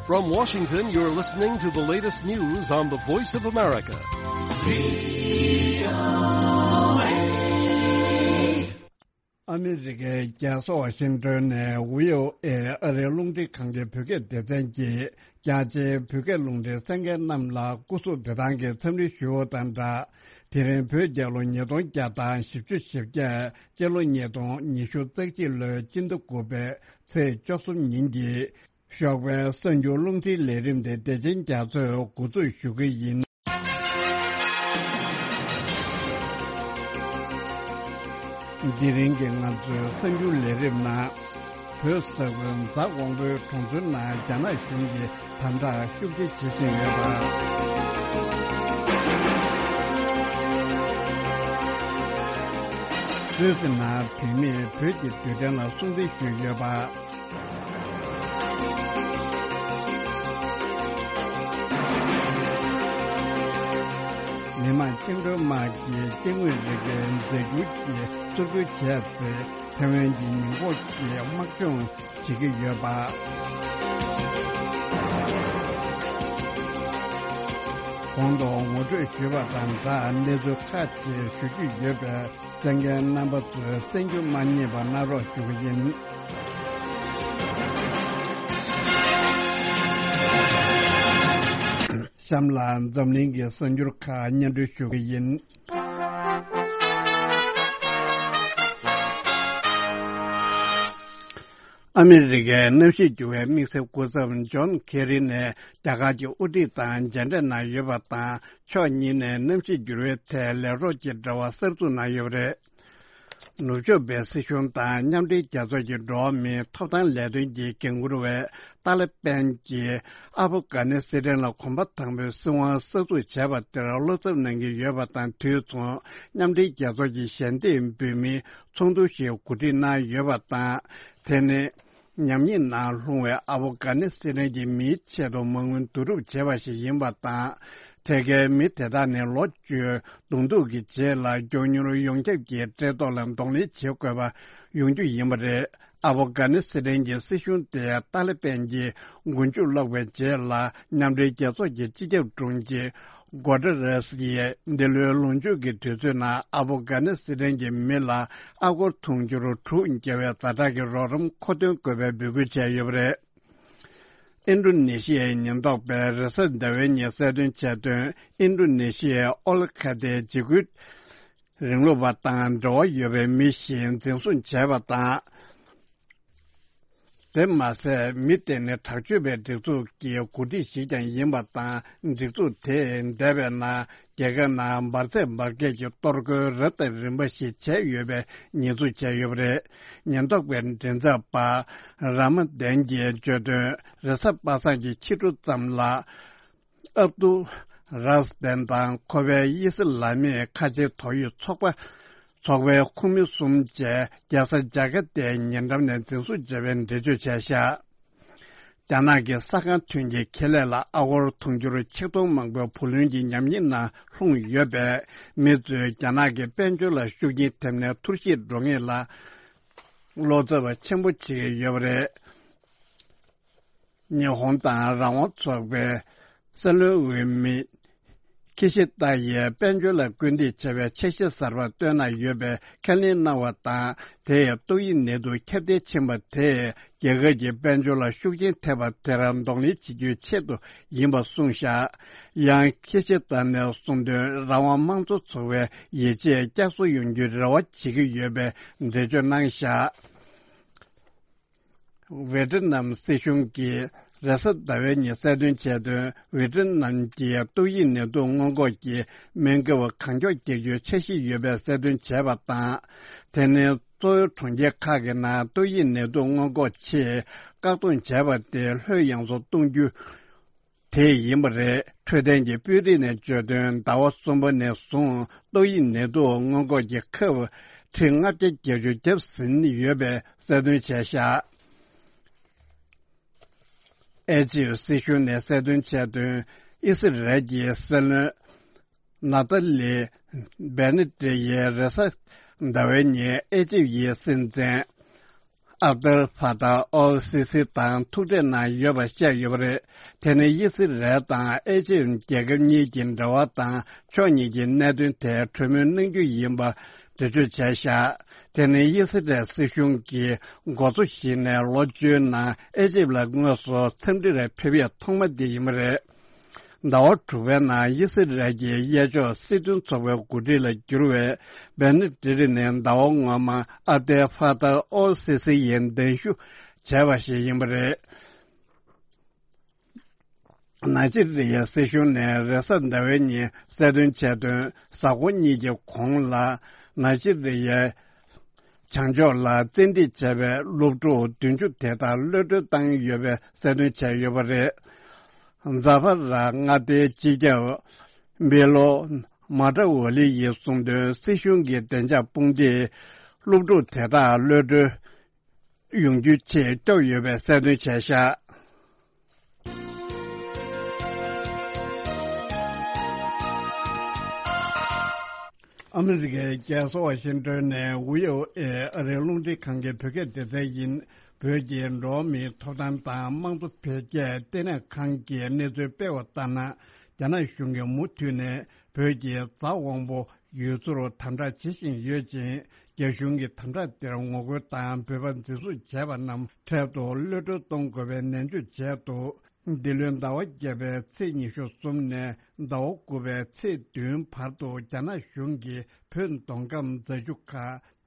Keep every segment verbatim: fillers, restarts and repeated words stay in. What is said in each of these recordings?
From Washington, you're listening to the latest news on the Voice of America. ཨ་མི་རི་ཀའི་རྒྱལ་ས་ཝ་ཤིང་ཏོན་ནས་ཝི་ཨོ་ཨེ་ཨ་རིའི་རླུང་འཕྲིན་ཁང་གི་བོད་སྐད་སྡེ་ཚན་གྱིས། རྒྱ་ཆེའི་བོད་སྐད་རླུང་འཕྲིན་གསན་མཁན་རྣམས་ལ་སྐུ་གཟུགས་བདེ་ཐང་གི་འཚམས་འདྲི་ཞུ་བ་དང་སྦྲགས། དེ་རིང་བོད་རྒྱལ་ལོ་ཉིས་སྟོང་བརྒྱ་དང་བཞི་བཅུ་ཞེ་བརྒྱད། སྤྱི་ལོ་ཉིས་སྟོང་ཉི་ཤུ་རྩ་གཅིག་ལོའི་སྤྱི་ཟླ་དགུ་པའི་ཚེས་བཅུ་གསུམ་ཉིན་གྱི་ཞོགས་པའི་གསར་འགྱུར་རླུང་འཕྲིན་ལས་རིམ་དེ་བདེ་ཆེན་རྒྱ་མཚོས་འགོ་འཛུགས་ཞུ་གི་ཡིན། འདི་རིང་གི་ང་ཚོའི་གསར་འགྱུར་ལས་རིམ་ནང་། བོད་ས་ཁུལ་རྫ་དབང་པོའི་གྲོང་ཚོའི་ནང་རྒྱ་ནག་གཞུང་གིས་དམ་དྲག་ཤུགས་ཆེ་བྱེད་བཞིན་ཡོད་པ། སུད་སི་ནང་བོད་མིས་བོད་ཀྱི་རྡུལ་ཕྲན་ལ་སྲུང་བརྩི་ཞུས་ཡོད་པ། མི་དམངས་བཅིངས་འགྲོལ་དམག་གིས་སྐྱེ་དངོས་རིགས་ཀྱི་རྫས་འགྱུར་གྱི་གཙོ་རྒྱུ་བྱས་ཚེ། ཐེ་ཝན་གྱི་ཉེན་འགོག་གི་དམག་སྦྱོང་བྱེད་ཀྱི་ཡོད་པ། གོང་དུ་ངོ་སྤྲོད་ཞུས་པ་དང་སྦྲགས་གནས་ཚུལ་ཁག་ཅིག་ཞུ་རྒྱུ་ཡོད་པས། གསན་མཁན་རྣམ་པ་ཚོས་གསན་རྒྱུ་མ་བསྙེལ་བ་གནང་རོགས་ཞུ་གི་ཡིན། གཤམ་ལ་འཛམ་གླིང་གི་གསར་འགྱུར་ཁག་སྙན་སྒྲོན་ཞུ་གི་ཡིན། ཨ་མི་རི་ཀའི་གནམ་གཤིས་འགྱུར་བའི་དམིགས་བསལ་སྐུ་ཚབ་ཇོན་ཁེ་རི་ནས་རྒྱ་གར་གྱི་དབུ་ཁྲིད་དང་མཇལ་འཕྲད་གནང་ཡོད་པ་དང་། ཕྱོགས་གཉིས་ནས་གནམ་གཤིས་འགྱུར་བའི་ཐད་ལས་རོགས་ཀྱི་འབྲེལ་བ་གསར་འཛུགས་གནང་ཡོད་པ་རེད། ནུབ་ཕྱོགས་པའི་སྲིད་གཞུང་དང་མཉམ་འབྲེལ་རྒྱལ་ཚོགས་ཀྱི་འགྲོ་བ་མིའི་ཐོབ་ཐང་ལས་དོན་གྱི་འགན་འཁུར་བས། ཏཱ་ལི་པན་གྱིས་ཨབ་གྷ་ནི་སི་ཐན་ལ་གོམ་པ་དང་པོའི་སྲིད་དབང་གསར་འཛུགས་བྱས་པ་དེར་བློ་འཚབ་གནང་གི་ཡོད་པ་དང་དུས་མཚུངས། མཉམ་འབྲེལ་རྒྱལ་ཚོགས་ཀྱི་ཞལ་འདེབས་འབུལ་མིའི་ཚོགས་འདུ་ཞིག་གོ་སྒྲིག་གནང་ཡོད་པ་དང་། དེ་ནི། ཉམས་ཉེས་ནང་ལྷུང་བའི་ཨ་ཕོ་གྷ་ནི་སི་ཐན་གྱི་མིའི་ཆེད་དུ་མ་དངུལ་བསྡུ་རུབ་བྱས་པ་ཞིག་ཡིན་པ་དང་། ཐད་ཀའི་མི་དེ་དག་ནི་ལོ་བཅུའི་གདོང་ཐུག་གི་རྗེས་ལ་མགྱོགས་མྱུར་ཡོངས་ཁྱབ་ཀྱི་བཀྲེས་ལྟོགས་ལ་གདོང་ལེན་བྱེད་དགོས་པ་ཡོང་རྒྱུ་ཡིན་པ་རེད། ཨ་ཕོ་གྷ་ནི་སི་ཐན་གྱི་སྲིད་གཞུང་དེ་ཏཱ་ལི་པན་གྱི་མགོ་མཇུག་བསློགས་པའི་རྗེས་ལ། མཉམ་འབྲེལ་རྒྱལ་ཚོགས་ཀྱི་སྤྱི་ཁྱབ་དྲུང་ཆེ་གོ་ཏ་རེས་ཡིས་འདི་ལོའི་ལོ་མཇུག་གི་དུས་ཚོད་ནང་ཨ་ཕོ་གྷ་ནི་སི་ཐན་གྱི་མི་ལ་ཨ་སྒོར་དུང་ཕྱུར་དྲུག་བརྒལ་བའི་ཛ་དྲག་གི་རོགས་རམ་མཁོ་འདོན་དགོས་པའི་འབོད་སྐུལ་བྱས་ཡོད་པ་རེད། ཨིན་ཌོ་ནེ་ཤི་ཡའི་ཉེན་རྟོག་པས་རེས་གཟའ་ཟླ་བའི་ཉིན་གསལ་སྟོན་བྱས་དོན། ཨིན་ཌོ་ནེ་ཤི་ཡའི་ཨོ་ལི་ཁ་ཏའི་འཇིགས་སྐུལ་རིང་ལུགས་པ་དང་འབྲེལ་བ་ཡོད་པའི་མི་ཞིག་འཛིན་བཟུང་བྱས་པ་དང་། དེ་མ་ཟད། མི་དེ་ནི་དྲག་སྤྱོད་པའི་སྒྲིག་འཛུགས་ཀྱི་འགོ་ཁྲིད་ཞིག་ཀྱང་ཡིན་པ་དང་། སྒྲིག་འཛུགས་དེས་འདས་པའི་ནང་རྒྱལ་ཁབ་ནང་འབར་རྫས་འབར་གས་ཀྱི་གཏོར་རྒོལ་རབ་དང་རིམ་པ་ཞིག་བྱས་ཡོད་པའི་ཉེས་འཛུགས་བྱས་ཡོད་པ་རེད། ཉེན་རྟོག་པའི་མགྲིན་ཚབ་པ་ར་མ་དན་གྱིས་བརྗོད་དོན། རེས་གཟའ་པ་སངས་ཀྱི་ཕྱི་དྲོ་ཙམ་ལ། ཨབ་ཏུ་རཱས་དན་དང་ཁོ་པའི་དབྱི་སི་ལ་མིའི་ཁ་ཆེའི་ཐོག་ཡིག་ཚོགས་པ། ཚོགས་པའི་ཁོངས་མི་གསུམ་བཅས་རྒྱལ་ས་ཇ་ཀར་ཏའི་ཉེ་འགྲམ་ནས་འཛིན་བཟུང་བྱས་པའི་འགྲེལ་བརྗོད་བྱས་བཞག་རྒྱ་ནག་གི་ས་ཁང་ཐོན་སྐྱེད་ཁེ་ལས་ལ་ཨ་སྒོར་དུང་ཕྱུར་ཆིག་སྟོང་མང་པོའི་བུ་ལོན་གྱི་ཉམས་ཉེས་ནང་ལྷུང་ཡོད་པས། མི་ཚོས་རྒྱ་ནག་གི་དཔལ་འབྱོར་ལ་ཤུགས་རྐྱེན་ཐེབས་ནས་འཐོར་ཞིག་འགྲོ་ངེས་ལ་བློ་འཚབ་ཆེན་པོ་བྱེད་ཀྱི་ཡོད་པ་རེད། ཉི་ཧོང་དང་རང་དབང་ཚོགས་པའི་སྲིད་བློན་འོས་མི་ཁི་ཤི་ཏཱ་ཡིས་དཔལ་འབྱོར་ལ་སྐུལ་འདེད་བྱ་བའི་འཆར་གཞི་གསར་པ་བཏོན་གནང་ཡོད་པའི་ཁས་ལེན་གནང་བ་དང་། དེས་ཏོག་དབྱིབས་ནད་དུག་ཁྱབ་གདལ་ཕྱིན་པ་དེས་རྒྱལ་ཁབ་ཀྱི་དཔལ་འབྱོར་ལ་ཤུགས་རྐྱེན་ཐེབས་པ་དེར་གདོང་ལེན་བྱེད་རྒྱུའི་ཆེད་དུ་ཡིན་པ་གསུངས་བཞག་ཡང་ཁི་ཤི་ཏཱ་ནས་གསུངས་དོན། རང་དབང་དམངས་གཙོ་ཚོགས་པའི་ཡིད་ཆེས་བསྐྱར་གསོ་ཡོང་རྒྱུའི་རེ་བ་བྱེད་ཀྱི་ཡོད་པའི་འགྲེལ་བརྗོད་གནང་བཞག་ཝེ་ཏི་ནམ་སྲིད་གཞུང་གིས་རེས་གཟའ་ཟླ་བའི་ཉིན་གསལ་སྟོན་བྱས་དོན། ཝེ་ཏི་ནམ་གྱི་ཏོག་དབྱིབས་ནད་དུག་སྔོན་འགོག་གི་སྨན་ཁབ་གང་མགྱོགས་རྒྱག་རྒྱུའི་འཆར་གཞི་ཡོད་པའི་གསལ་སྟོན་བྱས་པ་དང་། དེ་ནི་གཙོ་བོའི་གྲོང་ཁྱེར་ཁག་གི་ནང་ཏོག་དབྱིབས་ནད་དུག་སྔོན་འགོག་ཆེད་བཀག་སྡོམ་བྱས་པ་དེ་ལྷོད་ཡངས་སུ་གཏོང་རྒྱུ། དེ་ཡིན་པ་རེད། འཕྲོད་བསྟེན་གྱི་དཔོན་རིགས་ནས་བརྗོད་དོན། ཟླ་བ་གསུམ་པ་ནས་བཟུང་ཏོག་དབྱིབས་ནད་དུག་སྔོན་འགོག་གི་ཁབ་ཁྲི་ལྔ་བརྒྱ་བརྒྱད་ཅུ་བརྒྱབ་ཟིན་ཡོད་པའི་གསལ་སྟོན་བྱས་བཞག་ཨེ་ཇིབ་སྲིད་གཞུང་ནས་གསལ་སྟོན་བྱས་དོན། ཨི་སི་རལ་གྱི་སྲིད་བློན་ནཱ་ཏཱ་ལི་བེ་ནེ་ཏེ་ཡིས་རེས་གཟའ་ཟླ་བའི་ཉིན་ཨེ་ཇིབ་ཡི་སྲིད་འཛིན། ཨབ་དལ་ཕ་ཐ་ཨོལ་སི་སི་དང་ཐུག་འཕྲད་གནང་ཡོད་པ་བཤད་ཡོད་པ་རེད། དེ་ནི་དབྱི་སི་རལ་དང་ཨེ་ཇིབ་རྒྱལ་ཁབ་གཉིས་ཀྱི་འབྲེལ་བ་དང་ཕྱོགས་གཉིས་ཀྱི་གནད་དོན་ཐད་གྲོས་མོལ་གནང་རྒྱུ་ཡིན་པ་འགྲེལ་བརྗོད་བྱས་བཞག་དེ་ནི་དབྱི་སི་རལ་སྲིད་གཞུང་གིས་འགོ་གཙོ་ཞིག་ནས་ལོ་བཅུའི་ནང་ཨེ་ཇིབ་ལ་དངོས་སུ་འཚམས་འདྲིར་ཕེབས་ཡས་ཐོག་མ་དེ་ཡིན་པ་རེད། ཟླ་བ་དྲུག་པའི་ནང་དབྱི་སི་རལ་གྱི་གཡས་ཕྱོགས་སྲིད་དོན་ཚོགས་པའི་འགོ་ཁྲིད་ལ་གྱུར་བའི་བེ་ནེ་ཏི་རི་ནི་ཟླ་བ་སྔོན་མ་ཨ་ཏེ་ཧྥ་ཏ་ཨོ་སི་སི་ཡི་གདན་ཞུ་བྱས་པ་ཞིག་ཡིན་པ་རེད། ནཱི་ཇི་རི་ཡའི་སྲིད་གཞུང་ནས་རེས་གཟའ་ཟླ་བའི་ཉིན་གསལ་སྟོན་བྱས་དོན། གཟའ་འཁོར་གཉིས་ཀྱི་གོང་ལ་ནཱི་ཇི་རི་ཡའི་བྱང་ཕྱོགས་ལ་བཙན་ཁྲིད་བྱས་པའི་སློབ་ཕྲུག་བདུན་ཅུ་དེ་དག་གློད་གྲོལ་བཏང་ཡོད་པའི་གསལ་སྟོན་བྱས་ཡོད་པ་རེད། ཛ་ཧྥ་ར་མངའ་སྡེའི་སྤྱི་ཁྱབ་བྷེ་ལོ་མ་ཏྲ་ཝ་ལི་ཡིས་གསུངས་དོན། སྲིད་གཞུང་གི་བདེ་འཇགས་དཔུང་སྡེས་སློབ་ཕྲུག་དེ་དག་གློད་གྲོལ་ཡོང་རྒྱུའི་ཆེད་སྐྱོབ་ཡོད་པའི་གསལ་སྟོན་བྱས་ཤག་ཨ་མི་རི་ཀའི་རྒྱལ་ས་ཝ་ཤིང་ཏོན་ནས་ཝི་ཨོ་ཨེ་ཨ་རིའི་རླུང་འཕྲིན་ཁང་གི་བོད་སྐད་སྡེ་ཚན་ཡིན། བོད་ཀྱི་འགྲོ་བ་མིའི་ཐོབ་ཐང་དང་དམངས་གཙོ་འཕེལ་རྒྱས་ལྟེ་གནས་ཁང་གིས་གནས་ཚུལ་སྤེལ་བ་ལྟར་ན། རྒྱ་ནག་གཞུང་གིས་མུ་མཐུད་ནས་བོད་ཀྱི་རྫ་དབང་པོ་ཡུལ་ཚོར་དམ་དྲག་བྱེད་བཞིན་ཡོད་ཅིང་། རྒྱ་གཞུང་གིས་དམ་དྲག་དེར་ངོ་རྒོལ་དང་འབོད་པ་འཛིན་བཟུང་བྱས་པ་རྣམས་འཕྲལ་དུ་གློད་གྲོལ་གཏོང་དགོས་པའི་ནན་བརྗོད་བྱས་འདུག་འདི་ལོའི་ཟླ་བ་བརྒྱད་པའི་ཚེས་ཉི་ཤུ་གསུམ་ནས་ཟླ་བ་དགུ་པའི་ཚེས་བདུན་བར་དུ་རྒྱ་ནག་གཞུང་གིས་བོད་མདོ་ཁམས་རྫ་ཆུ་ཁ་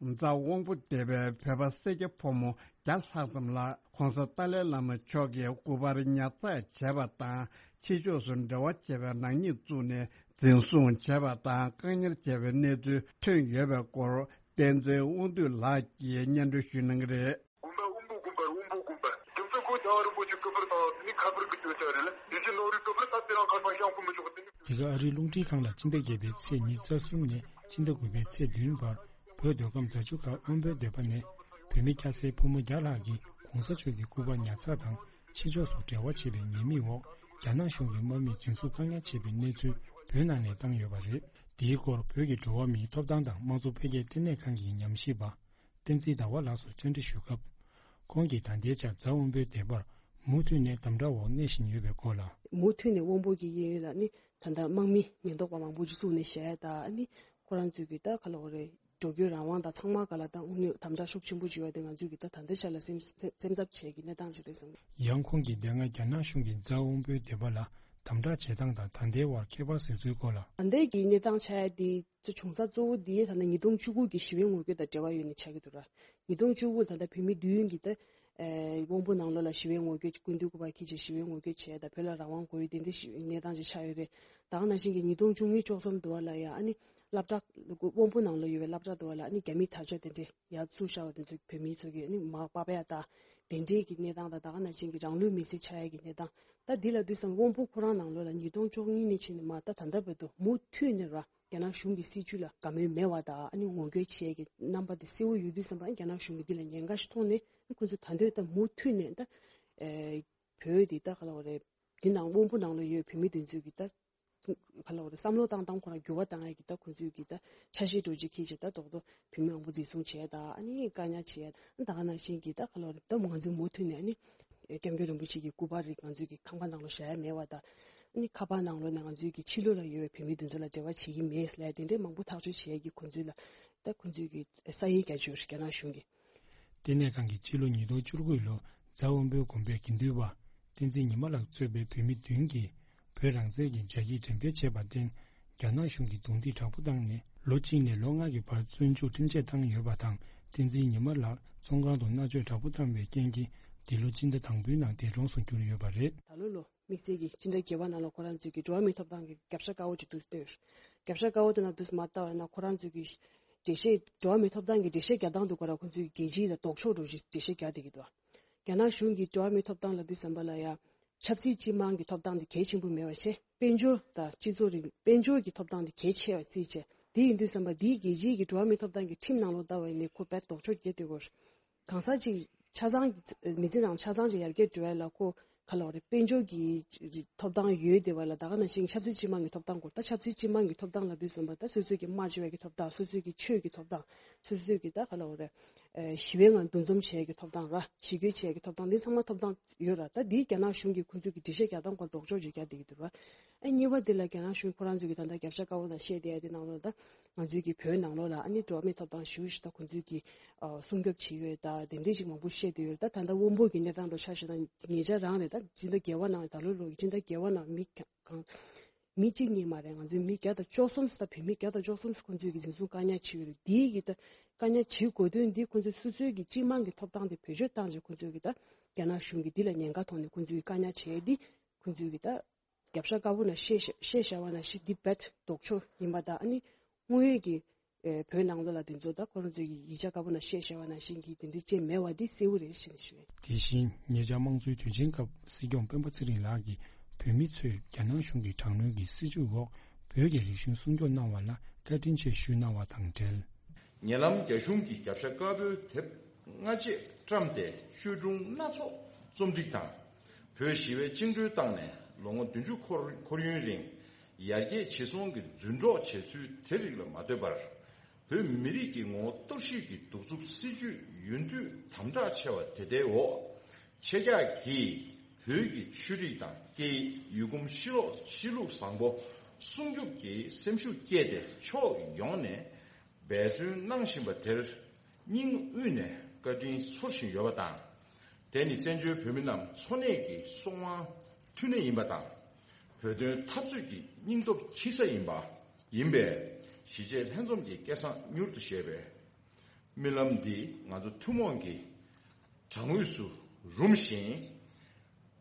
རྫ་དབང་པོ་སྡེ་བའི་བོད་པ་སེར་སྐྱ་ཕོ་མོ་བརྒྱ་ལྷག་ཙམ་ལ་༸གོང་ས་ཏཱ་ལའི་བླ་མ་མཆོག་གི་སྐུ་པར་ཉར་ཚགས་བྱས་པ་དང་། ཕྱི་ཕྱོགས་སུ་འབྲེལ་བ་བྱས་པའི་ནག་ཉེས་བཙུགས་ནས་འཛིན་བཟུང་བྱས་པ་དང་བཀག་ཉར་བྱས་པའི་གནས་ཚུལ་ཐོན་ཡོད་པའི་སྐོར། བསྟན་འཛིན་དབང་འདུས་ལགས་ཀྱིས་སྙན་སྒྲོན་ཞུ་གནང་གི་རེད། དགོན་པ་དབོན་པོ་དགོན་པར་དབོན་པོ་དགོན་པ། རྒྱུ་མཚན་ཁོ་རྒྱལ་བ་རིན་པོ་ཆེ་སྐུ་པར་དང་ནི་ཁ་པར་གྱི་སྐྱོན་ཆ་རེད་ལ། དེ་བཞིན་ནོར་བུའི་སྐུ་པར་ད་དེ་རང་ཁར་ཕར་བཤམས་ཁོ་མི་ཆོག་དེ་ནི། དེ་ག་ཨ་རིའི་རླུང་འཕྲིན་ཁང་ལ་སྤྱི་ཟླ་བརྒྱད་པའི་ཚེས་ཉི་ཤུ་རྩ་གསུམ་ནས་སྤྱི་ཟླ་དགུ་པའི་ཚེས་བདུན་བར་བོད་མདོ་ཁམས་རྫ་ཆུ་ཁ་དབོན་པོའི་སྡེ་པ་ནས་བོད་མི་སྐྱ་སེར་ཕོ་མོ་བརྒྱ་ལྷག་གིས་༸གོང་ས་མཆོག་གི་སྐུ་པར་ཉར་ཚགས་དང་ཕྱི་ཕྱོགས་སུ་འབྲེལ་བ་བྱེད་པའི་ཉེས་དམིགས་འོག་རྒྱ་ནག་གཞུང་གིས་དམག་མིས་འཛིན་བཟུང་བཀག་ཉར་བྱས་པའི་གནས་ཚུལ་བོད་ནང་ནས་བཏང་ཡོད་པ་རེད། དེའི་སྐོར་བོད་ཀྱི་འགྲོ་བ་མིའི་ཐོབ་ཐང་དང་དམངས་གཙོ་འཕེལ་རྒྱས་ལྟེ་གནས་ཁང་གི་ཉམས་ཞིབ་པ། བསྟན་འཛིན་ཟླ་བ་ལགས་སུ་བཅར་འདྲི་ཞུས་སྐབས། ཁོང་གིས་ད་ལྟའི་ཆར་རྫ་དབོན་པོའི་སྡེ་པར་མུ་མཐུད་ནས་དམ་དྲག་འོག་གནས་བཞིན་ཡོད་པའི་སྐོར་ལ། མུ་མཐུད་ནས་དབོན་པོ་གི་གཡས་གཡོན་ལ་ནི་ད་ལྟ་དམག་མི་ཉེན་རྟོག་པ་མང་པོ་ཅིག་བཙུགས་ནས་བཞག་ཡ་དང་ནི་ཁོ་རང་ཚོས་ཀྱི་ད་ག་ལབ་དགོས་རེད། འགྲོ་སྐྱོད་རང་དབང་དང་ཚང་མ་ག་ལ་ད་དངོས་གནས་དམ་དྲག་ཤུགས་ཆེན་པོ་ཅིག་ཡོད་དེ་ང་ཚོས་ཀྱི་ད་ད་ལྟའི་ཆ་ལ་སེམས་སེམས་འཚབ་བྱེད་ཀྱི་གནས་སྟངས་ཅིག་རེད་བསམ། ཡང་ཁོང་གིས་དེ་སྔ་རྒྱ་ནག་གཞུང་གིས་རྫ་དབོན་པོའི་སྡེ་པ་ལ་དམ་དྲག་བྱེད་སྟངས་དང་ད་ལྟའི་བར་ཁྱད་པར་གཟིགས་ཚུལ་སྐོར་ལ། ད་ལྟའི་གི་གནས་སྟངས་ཆགས་ཡ་དེ། ཚོ་བྱུང་ས་གཙོ་བོ་འདི་ད་ལྟ་ཉིས་སྟོང་བཅུ་དགུ་གི་ཞི་བའི་ངོ་རྒོལ་དང་འབྲེལ་བ་ཡོད་ནས་ཆགས་ཀྱི་འདུག་ར། ཉིས་སྟོང་བཅུ་དགུ་ད་ལྟ་བོད་མི་བདུན་གྱིས་ད་ཨེ་དབང་པོ་ནང་ལོགས་ལ་ཞི་བའི་ངོ་རྒོལ་སྐུ་མདུན་སྐུ་པར་འཁྱེར་བྱས་ཞི་བའི་ངོ་རྒོལ་བྱས་ད་བོད་ལ་རང་དབང་དགོས་ཡོད་དེ་འདྲ་ཞིག་གནས་སྟངས་ཅིག་ཆགས་ཡོད་རེད། ད་ག་ནང་བཞིན་གྱི་ཉིས་སྟོང་བཅུ་གཉིས་བཅུ་གསུམ་དུ་བ་ལ་ཡང་ཨ་ནི་སློབ་གྲྭ་དབང་པོ་ནང་ལོགས་ཡོད་པའི་སློབ་གྲྭ་དུ་བ་ལ་ཨ་ནི་རྒྱ་མིས་དར་ལྕོག་དེ་འདྲས་ཡར་བཙུགས་བཞག་པ་དེ་ཚོ་བོད་མི་ཚོ་གིས་ཨ་ནི་མར་པགས་པ་ཡ་ད་དེ་འདྲས་ཀྱི་གནས་སྟངས་དང་ད་ག་ནང་བཞིན་གྱི་རང་ལུས་མེར་སྲེག་ཆགས་ཡ་གི་གནས་སྟངས་ད་འདི་ལ་དུས་སམ་དབང་པོ་ཁོ་རང་ནང་ལོགས་ལ་ཉིས་སྟོང་བཅུ་གཉིས་ནས་ཕྱིན་ནས་མར་ད་ད་ལྟ་བར་དུ་མུ་མཐུད་ནས་ར། རྒྱ་ནག་གཞུང་གི་སྲིད་བྱུས་ལ་དགའ་མོས་མེད་པ་དང་ཨ་ནི་ངོ་རྒོལ་བྱེད་ཀྱི་རྣམ་པ་དེ་གསལ་བོ་ཡོད་དུས་ཙམ་པ་ཨ་ནི་རྒྱ་ནག་གཞུང་གིས་འདི་ལ་ཉེན་ཁ་ཞིག་མཐོང་ནས་ཨ་ནི་ཁོ་ཚོས་ད་འདོད་ད་མུ་མཐུད་ནས་ད་ཨེ་བོད་འདི་ད་ག་ལ་བ་རེད། འདི་ནང་དབང་པོ་ནང་ལ་ཡོད་བོད་མི་དེ་ཚོས་ཀྱི་ད་ག་ལ་བ་རེད་བསམ་བློ་བཏང་སྟངས་ཁོ་རང་འགྱུར་བ་བཏང་ཡ་གི་ད་ཁོ་ཚོས་ཀྱི་ད་ཆ་ཤས་འགྲོ་རྒྱུ་ཁྱེད་ཀྱི་ད་རྡོག་རྡོག་བོད་མི་མང་པོ་འཛིན་བཟུང་བྱས་ད་ཨ་ནི་བཀག་ཉར་བྱས་ད་ག་ལ་བ་རེད་ད་ང་ཚོས་མུ་མཐུད་ནས་ཨ་ནི་སྐྱབས་མགོན་རིན་པོ་ཆེ་གི་སྐུ་པར་རིགས་ང་ཚོས་ཀྱི་ཁང་པ་ནང་ལ་བཞག་ཡ་མེད་པ་ད། ནི་ཁ་པར་ནང་ལོགས་ནས་ང་ཚོའི་གི་ཕྱི་ལོགས་ལ་ཡོད་པའི་བོད་མི་དེ་ཚོ་ལ་འབྲེལ་བ་བྱེད་ཀྱི་མེད་ཟེར་ལབ་དེ་འདྲའི་མང་པོ་ཐག་གཅོད་བྱེད་ཡས་ཀྱི་ཁོང་ཚོའི་ལ་ད་ཁོང་ཚོའི་གི་ས་ཡིག་རྒྱག་བཅུག་རྒྱ་ནག་གཞུང་གི། ལྟེ་གནས་ཁང་གིས་སྤྱི་ལོ་ཉིས་སྟོང་བཅུ་དགུ་ལོ་རྫ་དབོན་པོའི་དགོན་པའི་དགེ་འདུན་པ་བསྟན་འཛིན་ཉི་མ་ལགས་གཙོས་པའི་བོད་མི་བདུན་གྱིས་བོད་རང་བཙན་གྱི་བྱ་སྐྱིད་འགྲེམས་སྤེལ་བྱས་པར་བརྟེན་རྒྱ་ནག་གཞུང་གིས་རྡུང་རྡེག་དྲག་པོ་བཏང་ནས་ལོ་གཅིག་ནས་ལོ་ལྔ་གི་བར་བཙོན་འཇུག་ཁྲིམས་ཆད་བཏང་ཡོད་པ་དང་བསྟན་འཛིན་ཉི་མ་ལགས་བཙོན་ཁང་དུ་མནར་གཅོད་དྲག་པོ་བཏང་བའི་རྐྱེན་གྱིས་འདི་ལོ་སྤྱི་ཟླ་དང་པོའི་ནང་འདས་གྲོངས་སུ་གྱུར་ཡོད་པ་རེད། ད་ལོ་ལོ། དམིགས་བསལ་གྱིས་སྤྱི་ཟླ་བརྒྱད་པ་ནང་ལ་ཁོ་རང་ཚོས་ཀྱི་འགྲོ་བ་མིའི་ཐོབ་ཐང་གི་རྒྱབ་ཤ་དཀར་པོ་ཅིག་འདུག་སྟེ། རྒྱབ་ཤ་དཀར་པོ་དེ་ནང་དུ་མ་ལྟ་བ་ན་ཁོ་རང་ཚོས་ཀྱི་འགྲེལ་བཤད་འགྲོ་བ་མིའི་ཐོབ་ཐང་གི་འགྲེལ་བཤད་རྒྱག་སྟངས་དུ་ཁོ་རང་ཁོ་ཚོས་ཀྱི་རྒྱལ་སྤྱིའི་ལ་ལྡོག་ཕྱོགས་འགྲོ་ཞིག་འགྲེལ་བཤད་རྒྱག་བསྡད་ཀྱི་འདུག་རྒྱ་ནག་གཞུང་གིས་འགྲོ་བ་མིའི་ཐོབ་ཐང་ལབ་དུས་ཙམ་པ་ལ་ཡང་ཆབ་སྲིད་སྤྱི་དམངས་ཀྱི་ཐོབ་ཐང་དེ་གལ་ཆེན་པོ་མེད་པ་བྱས་དཔལ་འབྱོར་དང་སྤྱི་ཚོགས་རིང་དཔལ་འབྱོར་གྱི་ཐོབ་ཐང་དེ་གལ་ཆེ་བ་བརྩིས་བྱས་དེ་ཡིན་དུས་ཙམ་པ་འདིའི་རྒྱལ་སྤྱིའི་གི་འགྲོ་བ་མིའི་ཐོབ་ཐང་གི་ཁྲིམས་ནང་ལོགས་ལྟ་བ་ཡིན་ནའི་ཁོ་དཔེ་ལྡོག་ཕྱོགས་བརྒྱབ་བསྡད་ཀྱི་ཡོད་རེད། གང་ཟག་ཅིག་ཆ་ཚང་མི་ཚེ་ནང་ཆ་ཚང་ཅིག་ཡར་རྒྱས་འགྲོ་ཡ་ལ་ཁོ་ག་ལབ་དགོས་རེད་དཔལ་འབྱོར་གྱི་ཐོབ་ཐང་ཡོད་བསྡད་པ་ལ་ད་ག་ནང་བཞིན་ཆབ་སྲིད་སྤྱི་དམངས་ཀྱི་ཐོབ་ཐང་སྐོར་ད་ཆབ་སྲིད་སྤྱི་དམངས་ཀྱི་ཐོབ་ཐང་ལབ་དུས་ཙམ་པ་ད་སོ་སོའི་གི་སྨྲ་བརྗོད་པའི་གི་ཐོབ་ཐང་སོ་སོའི་གི་ཆོས་ཀྱི་ཐོབ་ཐང་སོ་སོའི་གི་ད་ག་ལབ་དགོས་རེད་ ཞི་བའི་ངང་འདུ་འཛོམས་བྱེད་ཡག་གི་ཐོབ་ཐང་ར། ཞི་རྒོལ་བྱེད་ཡག་གི་ཐོབ་ཐང་འདི་ཚང་མ་ཐོབ་ཐང་ཡོད་ར། ད་འདི་རྒྱ་ནག་གཞུང་གིས་ཁོང་ཚོས་ཀྱི་འགྲེལ་བཤད་རྒྱག་སྟངས་སྐོར་ལྡོག་ཕྱོགས་ཅིག་རྒྱག་བསྡད་ཀྱི་འདུག་ར། ཨ་གཉིས་པ་འདི་ལ་རྒྱ་ནག་གཞུང་ཁོ་རང་ཚོས་ཀྱི་ད་ལྟ་རྒྱབ་ཤ་དཀར་པོ་ནང་བཤད་བསྡད་ཡ་དེ་ནང་ལོགས་ད་ང་ཚོའི་གི་བོད་ནང་ལོགས་ལ་ཨ་ནི་འགྲོ་བ་མིའི་ཐོབ་ཐང་ཞུ་ཞིག་ད་ཁོང་ཚོས་ཀྱི་ཨ་སྲུང་སྐྱོབ་བྱེད་ཡོད་ད་དེ་འདྲས་ཅིག་མང་པོ་བཤད་བསྡད་ཡོད། ད་ད་ལྟ་དབང་པོ་གི་གནས་སྟངས་ལ་ཆ་བཞག་ན་ཉེ་ཆར་རང་རེད། ད་སྤྱི་ཟླ་བརྒྱད་པ་ནང་ད་ལོ་ལོ་གི་སྤྱི་ཟླ་བརྒྱད་པ་ནང་མི་གང་མི་གཅིག་གཉིས་མ་རེད། ང་ཚོའི་མི་བརྒྱ་དང་བཅུ་གསུམ་ད་བོད་མི་བརྒྱ་དང་བཅུ་གསུམ་ཁོང་ཚོས་ཀྱི་འཛིན་བཟུང་བཀག་ཉར་བྱས་ཡོད་རེད། འདིའི་གི་ད་བཀག་ཉར་བྱེད་དགོས་དོན་འདི་ཁོང་ཚོའི་སོ་སོའི་གི་སྤྱི་དམངས་ཀྱི་ཐོབ་ཐང་དེ་བེད་སྤྱོད་བཏང་བྱས་ཁོང་ཚོས་ཀྱི་ད་རྒྱ་ནག་གཞུང་གིས་འདི་ལ་ཉེན་ཁ་མཐོང་ནས་ཁོང་ཚོའི་བཀག་ཉར་བྱས་འདི་ཁོང་ཚོའི་གི་ད་རྒྱབ་ཤ་དཀར་པོ་ནང་བཤད་བཤད་བཤད་བཤད་བ་ནང་བཞིན་འདི་རྦད་ལྡོག་ཕྱོགས་ཡིན་པ་དང་ཨ་ནི་དངོས་ཡོད་ཀྱི་ཨེ་བོད་ནང་ལོགས་ལ་དེ་ཚོ་ད་ཁོ་རང་ཚོའི་གི་ཡིག་ཆ་དཀར་པོ་ནང་བཤད་བཤད་བ་ནང་བཞིན་གྱི་དེ་འདྲ་ཅིག་མེད་པ་འདི་གསལ་པོ་རེད་ཞེས་ཞུ། དེ་བཞིན་ཉེ་ཆར་དམངས་གཙོའི་དུས་ཆེན་སྐབས་སྲིད་སྐྱོང་སྤེན་པ་ཚེ་རིང་ལགས་ཀྱིས་བོད་མི་ཚོས་རྒྱ་ནག་གཞུང་གི་དྲག་གནོན་གྱི་སྲིད་བྱུས་འོག་བོད་ཀྱི་རིག་གཞུང་སྲུང་སྐྱོབ་གནང་བ་ལ་བཀའ་དྲིན་ཆེ་ཞུས་གནང་བ་དང་འབྲེལ། ཉེ་ལམ་རྒྱ་གཞུང་གིས་རྒྱབ་ཤ་དཀར་པོའི་དེབ་སྔ་རྗེས་བཀྲམ་སྟེ་བཅོས་སྒྲུང་སྣ་ཚོགས་རྩོམ་སྒྲིག་དང་། བོད་ཞི་བའི་བཅིངས་འགྲོལ་བཏང་ནས་ལོ་ངོ་བདུན་ཅུ་འཁོར་འཁོར་ཡུན་རིང་ཡར་རྒྱས་ཇེ་བཟང་གི་རྫུན་སྒྲོག་བྱས་ཚུལ་དེ་རིགས་ལ་མ་ལྟོས་པར། བོད་མི་རིགས་ཀྱི་ངོ་བོ་གཏོར་བཤིག་གི་གདུག་རྩུབ་སྲིད་བྱུས་ཡུན་དུས་དམ་དྲག་ཆེ་བ་དེ་ལྟའི་འོག་ཆེད་བསྒྱུར་གྱིས་བོད་ཀྱི་ཆོས་རིག་དང་སྐད་ཡིག་ཡུལ་གོམས་གཤིས་ལོག་གཤིས་ལུགས་བཟང་པོ་སྲུང་སྐྱོབ་ཀྱི་སེམས་ཤུགས་བསྐྱེད་དེ་ཕྱོགས་ཡོངས་ནས་འབད་བརྩོན་གནང་བཞིན་པ་དེར་སྙིང་དབུས་ནས་བཀའ་དྲིན་ཚོར་བཞིན་ཡོད་པ་དང་། དེ་ནི་བཙན་བྱོལ་བོད་མི་རྣམས་འཚོ་གནས་ཀྱི་སྲོག་དབང་མཐུན་གནས་ཡིན་པ་དང་། བོད་དོན་འཐབ་རྩོད་ཀྱི་སྙིང་སྟོབས་འཁྱེར་ས་ཡིན་པ་ཡིན་པས། གཞིས་བྱེས་ལྷན་འཛོམས་ཀྱི་སྐལ་བཟང་མྱུར་དུ་བཞད་པའི་རྨི་ལམ་འདི་ང་ཚོ་ཐུན་མོང་གི་དྲ་ངོས་སུ་རུམ་བཞིན།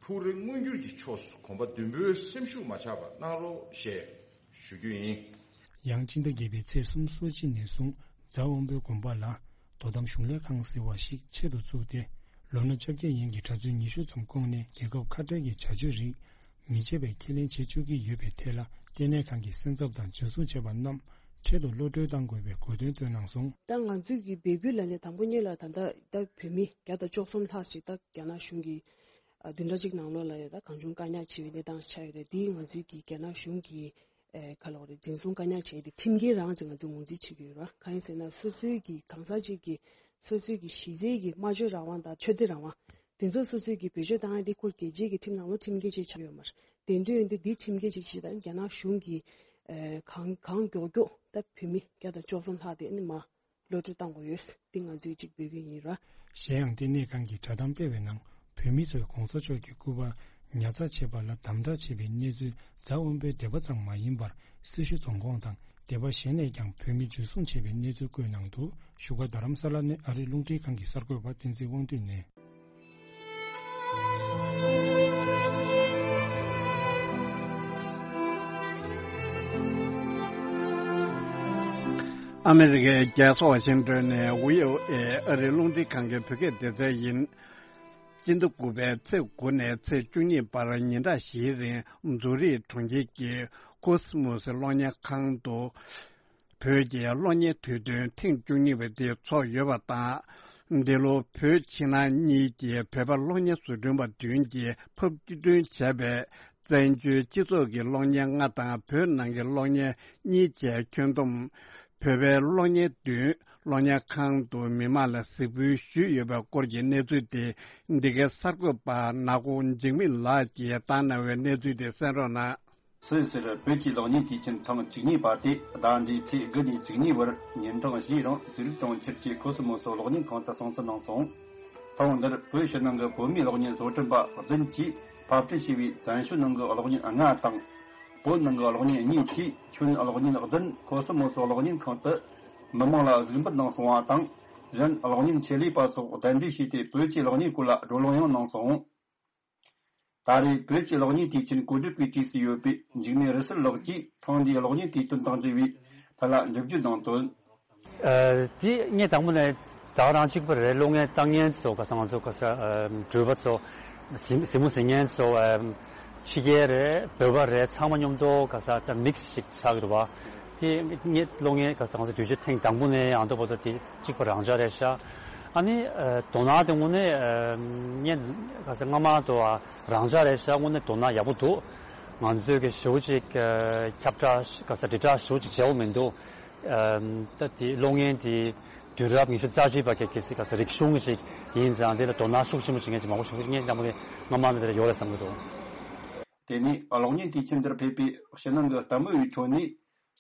ཕུགས་རེ་མངོན་འགྱུར་གྱི་ཕྱོགས་སུ་གོམ་པ་མདུན་སྤོས་སེམས་ཤུགས་མ་ཆག་པ་གནང་རོགས་ཞེས་ཞུ་རྒྱུ་ཡིན། ཡང་སྤྱི་ཟླ་བརྒྱད་པའི་ཚེས་སུམ་ཅུ་སོ་གཅིག་ནས་བཟུང་རྫ་དབོན་པོའི་དགོན་པ་ལ་དོ་དམ་གཞུང་ལས་ཁང་ཟེར་བ་ཞིག་ཆེད་དུ་བཙུགས་ཏེ། ལོ་ན་བཅོ་བརྒྱད་ཡན་གྱི་གྲྭ་བཙུན་ཉི་ཤུ་ཙམ་བསྐོངས་ནས་རྒྱལ་ཁབ་ཁ་བྲལ་གྱི་བྱ་སྤྱོད་རིགས་མི་བྱེད་པའི་ཁས་ལེན་བྱེད་བཅུག་གི་ཡོད་པའི་ཐད་ལ་ལྟེ་གནས་ཁང་གིས་སེམས་འཚབ་དང་འཇུ་བཟུང་བྱས་པ་རྣམས་འཕྲལ་དུ་གློད་གྲོལ་གཏང་དགོས་པའི་དགོས་འདུན་བཏོན་གནང་སོང་། ད་ང་ཚོས་ཀྱི་འབོད་སྐུལ་ལ་ནས་དང་པོ་ཉིད་ལ་ད་ལྟ་ད་བོད་མི་བརྒྱ་དང་བཅུ་གསུམ་ལྷག་ཅིག་ད་རྒྱ་ནག་གཞུང་གི་ཨ་བདུན་ཕྲག་གཅིག་ནང་ལོགས་ལ་ཡ་ད་གང་བྱུང་བཀག་ཉར་བྱེད་པའི་གནས་སྟངས་ཆགས་ཡོད་རེད། འདིས་ང་ཚོའི་གི་རྒྱ་ནག་གཞུང་གི་ཨེ་ག་ལབ་དགོས་རེད། འཛིན་བཟུང་བཀག་ཉར་བྱས་ཏེ་ཁྲིམས་འགལ་རང་ཅིག་ང་ཚོས་ངོས་འཛིན་བྱེད་ཀྱི་ཡོད་ར། གང་ཡིན་ཟེར་ན་སོ་སོའི་གི་གང་ཟག་ཅིག་གི་སོ་སོའི་གི་གཞི་རྩའི་གི་སྨྲ་བརྗོད་རང་དབང་དང་ཆོས་དད་རང་དབང་དེ་ཚོ་སོ་སོའི་གི་བེད་སྤྱོད་བཏང་ཡ་དེ་ཁོ་རྒྱལ་སྤྱིའི་གི་ཁྲིམས་ནང་ལོགས་ཁྲིམས་འགལ་ཅིག་ཆགས་ཡོད་མ་རེད། དེ་འདྲ་ཡིན་དུས་འདི་ཁྲིམས་འགལ་ཅིག་བྱས་དང་རྒྱ་ནག་གཞུང་གི་ཨེ་གང་གང་མགྱོགས་མགྱོགས་ད་བོད་མི་བརྒྱ་དང་བཅུ་གསུམ་ལྷག་དེ་ཨ་ནི་མ་གློད་གྲོལ་གཏང་དགོས་ཡོད། འདི་ང་ཚོས་གཅིག་འབོད་སྐུལ་ཡིན་ར། གཞན་ཡང་ལྟེ་གནས་ཁང་གི་བསྒྲགས་གཏམ་སྤེལ་བའི་ནང་བོད་མི་ཚོས་གོང་ས་མཆོག་གི་སྐུ་པར་ཉར་ཚགས་བྱས་པ་ལ་དམ་དྲག་བྱས་པའི་གནས་ཚུལ་རྫ་དབོན་པོའི་སྡེ་པ་ཙམ་མ་ཡིན་པར་སེར་ཤུལ་རྫོང་ཁོངས་དང་སྡེ་པ་གཞན་ནས་ཀྱང་བོད་མི་འཇུ་བཟུང་བྱས་པའི་གནས་ཚུལ་བཀོད་གནང་འདུག་བཞུགས་སྒར་རྡ་རམ་ས་ལ་ནས་ཨ་རིའི་རླུང་འཕྲིན་ཁང་གི་གསར་འགོད་པ་བསྟན་འཛིན་དབང་འདུས་ནས། ཨ་མི་རི་ཀའི་རྒྱལ་ས་ཝ་ཤིང་ཏོན་ནས་ཝི་ཨོ་ཨེ་ཨ་རིའི་རླུང་འཕྲིན་ཁང་གི་བོད་སྐད་སྡེ་ཚན་ཡིན། སྤྱི་ཟླ་དགུ་པའི་ཚེས་དགུ་ནས་ཚེས་བཅུ་གཉིས་བར་ཉིན་གྲངས་བཞིའི་རིང་ཛུ་རིག་གྲོང་ཁྱེར་གྱི་ཀོ་སི་མོ་སི་གློག་བརྙན་ཁང་དུ། བོད་ཀྱི་གློག་བརྙན་དུས་སྟོན་ཐེངས་བཅུ་གཉིས་པ་དེ་ཚོགས་ཡོད་པ་དང་། འདི་ལོ་བོད་ཕྱི་ནང་གཉིས་ཀྱི་བོད་པ་གློག་བརྙན་བཟོ་སྐྲུན་པ་བདུན་གྱིས་ཕབ་བསྐྱུར་སྐྲུན་བྱས་པའི་བཙན་བྱོལ་སྤྱི་ཚོགས་ཀྱི་གློག་བརྙན་ལྔ་དང་བོད་ནང་གི་གློག་བརྙན་གཉིས་བཅས་ཁྱོན་བསྡོམས་བོད་པའི་གློག་བརྙན་བདུན་གློག་བརྙན་ཁང་དུ་མི་མང་ལ་གཟིགས་འབུལ་ཞུས་ཡོད་པའི་སྐོར་གྱི་གནས་ཚུལ་དེ་འདི་གའི་གསར་འགོད་པ་ནག་པོ་འཇིགས་མེད་ལགས་ཀྱིས་བཏང་གནང་བའི་གནས་ཚུལ་དེ་གསན་རོགས་གནང་། སུད་སིར་བོད་ཀྱི་གློག་བརྙན་དུས་ཆེན་ཐེངས་བཅུ་གཉིས་པ་དེ་ཟླ་འདིའི་ཚེས་དགུ་ནས་བཅུ་གཉིས་བར་ཉིན་གྲངས་བཞིའི་རིང་ཛུ་རིག་གྲོང་ཁྱེར་གྱི་ཀོ་སི་མོ་སོ་གློག་བརྙན་ཁང་དུ་སྲུང་བརྩི་གནང་སོང་། ཐེངས་འདིར་བོད་ཕྱི་ནང་གི་བོད་མིའི་གློག་བརྙན་བཟོ་སྐྲུན་པ་བདུན་གྱིས་ཕབ་སྐྲུན་བྱས་པའི་བཙན་བྱོལ་ནང་གི་གློག་བརྙན་ལྔ་དང་། བོད་ནང་གི་གློག་བརྙན་གཉིས་བཅས་ཁྱོན་གློག་བརྙན་བདུན་ཀོ་སི་མོ་སོ་གློག་བརྙན་ཁང་དུ་མི་མང་ལ་གཟིགས་འབུལ་གནང་སོང་བ་དང་། གཞན་གློག་བརྙན་ཆེད་ལས་པ་སོགས་གདན་འདྲེན་བྱས་ཏེ་བོད་ཀྱི་གློག་བརྙན་སྐོར་ལ་བགྲོ་གླེང་ཡང་གནང་སོང་། ད་རེས་བོད་ཀྱི་གློག་བརྙན་དུས་ཆེན་གོ་སྒྲིག་པས་གྲས་སུ་ཡོད་པའི་འཇིགས་མེད་རི་སུལ་ལགས་ཀྱིས་ཐེངས་འདིའི་གློག་བརྙན་དུས་སྟོན་དང་འབྲེལ་བའི་ཐད་ལ་འགྲེལ་བརྗོད་གནང་དོན། ཨ། དེ་ངས་དང་པོ་ནས་ད་རང་གཅིག་པུ་རེད། གློག་བརྙན་ལྟ་མཁན་ཚོ་ག་ས་ང་ཚོ་ག་ས་ཨ་འགྲུལ་པ་ཚོ་གཟིགས་གཟིགས་མོ་གཟིགས་མཁན་ཚོ་ཨ་ཕྱི་རྒྱལ་རེད། བོད་པ་རེད། ཚང་མ་མཉམ་དུ་ག་ས་ད་མིག་སི་ཞིག་ཆགས་ཀྱི་འདུག་བ། དེ་ངས་གློག་བརྙན་ག་ས་ང་ཚོ་དུས་ཆེན་ཐེངས་དང་པོ་ནས་ཡང་དུ་བར་དུ་དེ་གཅིག་པ་རང་འཇགས་རེད་ཤག་ཨ་ནི་ཨ་དོ་སྣང་དེ་དངོས་གནས་ཨ་ངས་ག་ས་སྔ་མ་དུ་ཨ་རང་འཇགས་རེད་ཤག་དངོས་གནས་དོ་སྣང་ཡག་པོ་འདུག་ང་ཚོས་ཀྱི་ཞེ་པོ་ཅིག་ཨ་ཁྱབ་བསྒྲགས་ག་ས་དྲིལ་བསྒྲགས་ཞེ་པོ་ཅིག་བྱས་པ་མི་འདུག་ཨ་ད་དེ་གློག་བརྙན་དེ་ དུས་རབས་ཉི་ཤུ་རྩ་གཅིག་པ་གི་གལ་སྲིད་ག་ས་རིག་གཞུང་ཞིག་ཡིན་ཙང་དེ་ལ་དོ་སྣང་ཤུགས་ཆེན་པོ་བྱེད་མཁན་ཅིག་མང་པོ་ཞིག་ངས་སྙམ་པ་ངས་སྔ་མ་ནས་དེ་ལ་ཡོད་རེད་བསམ་གྱི་འདུག། དེ་ནས་གློག་བརྙན་དུས་ཆེན་འདིར་ཕེབས་པའི་ཕྱི་ནང་གི་ལྟད་མོ་བའི་ཁྲོད་ནས་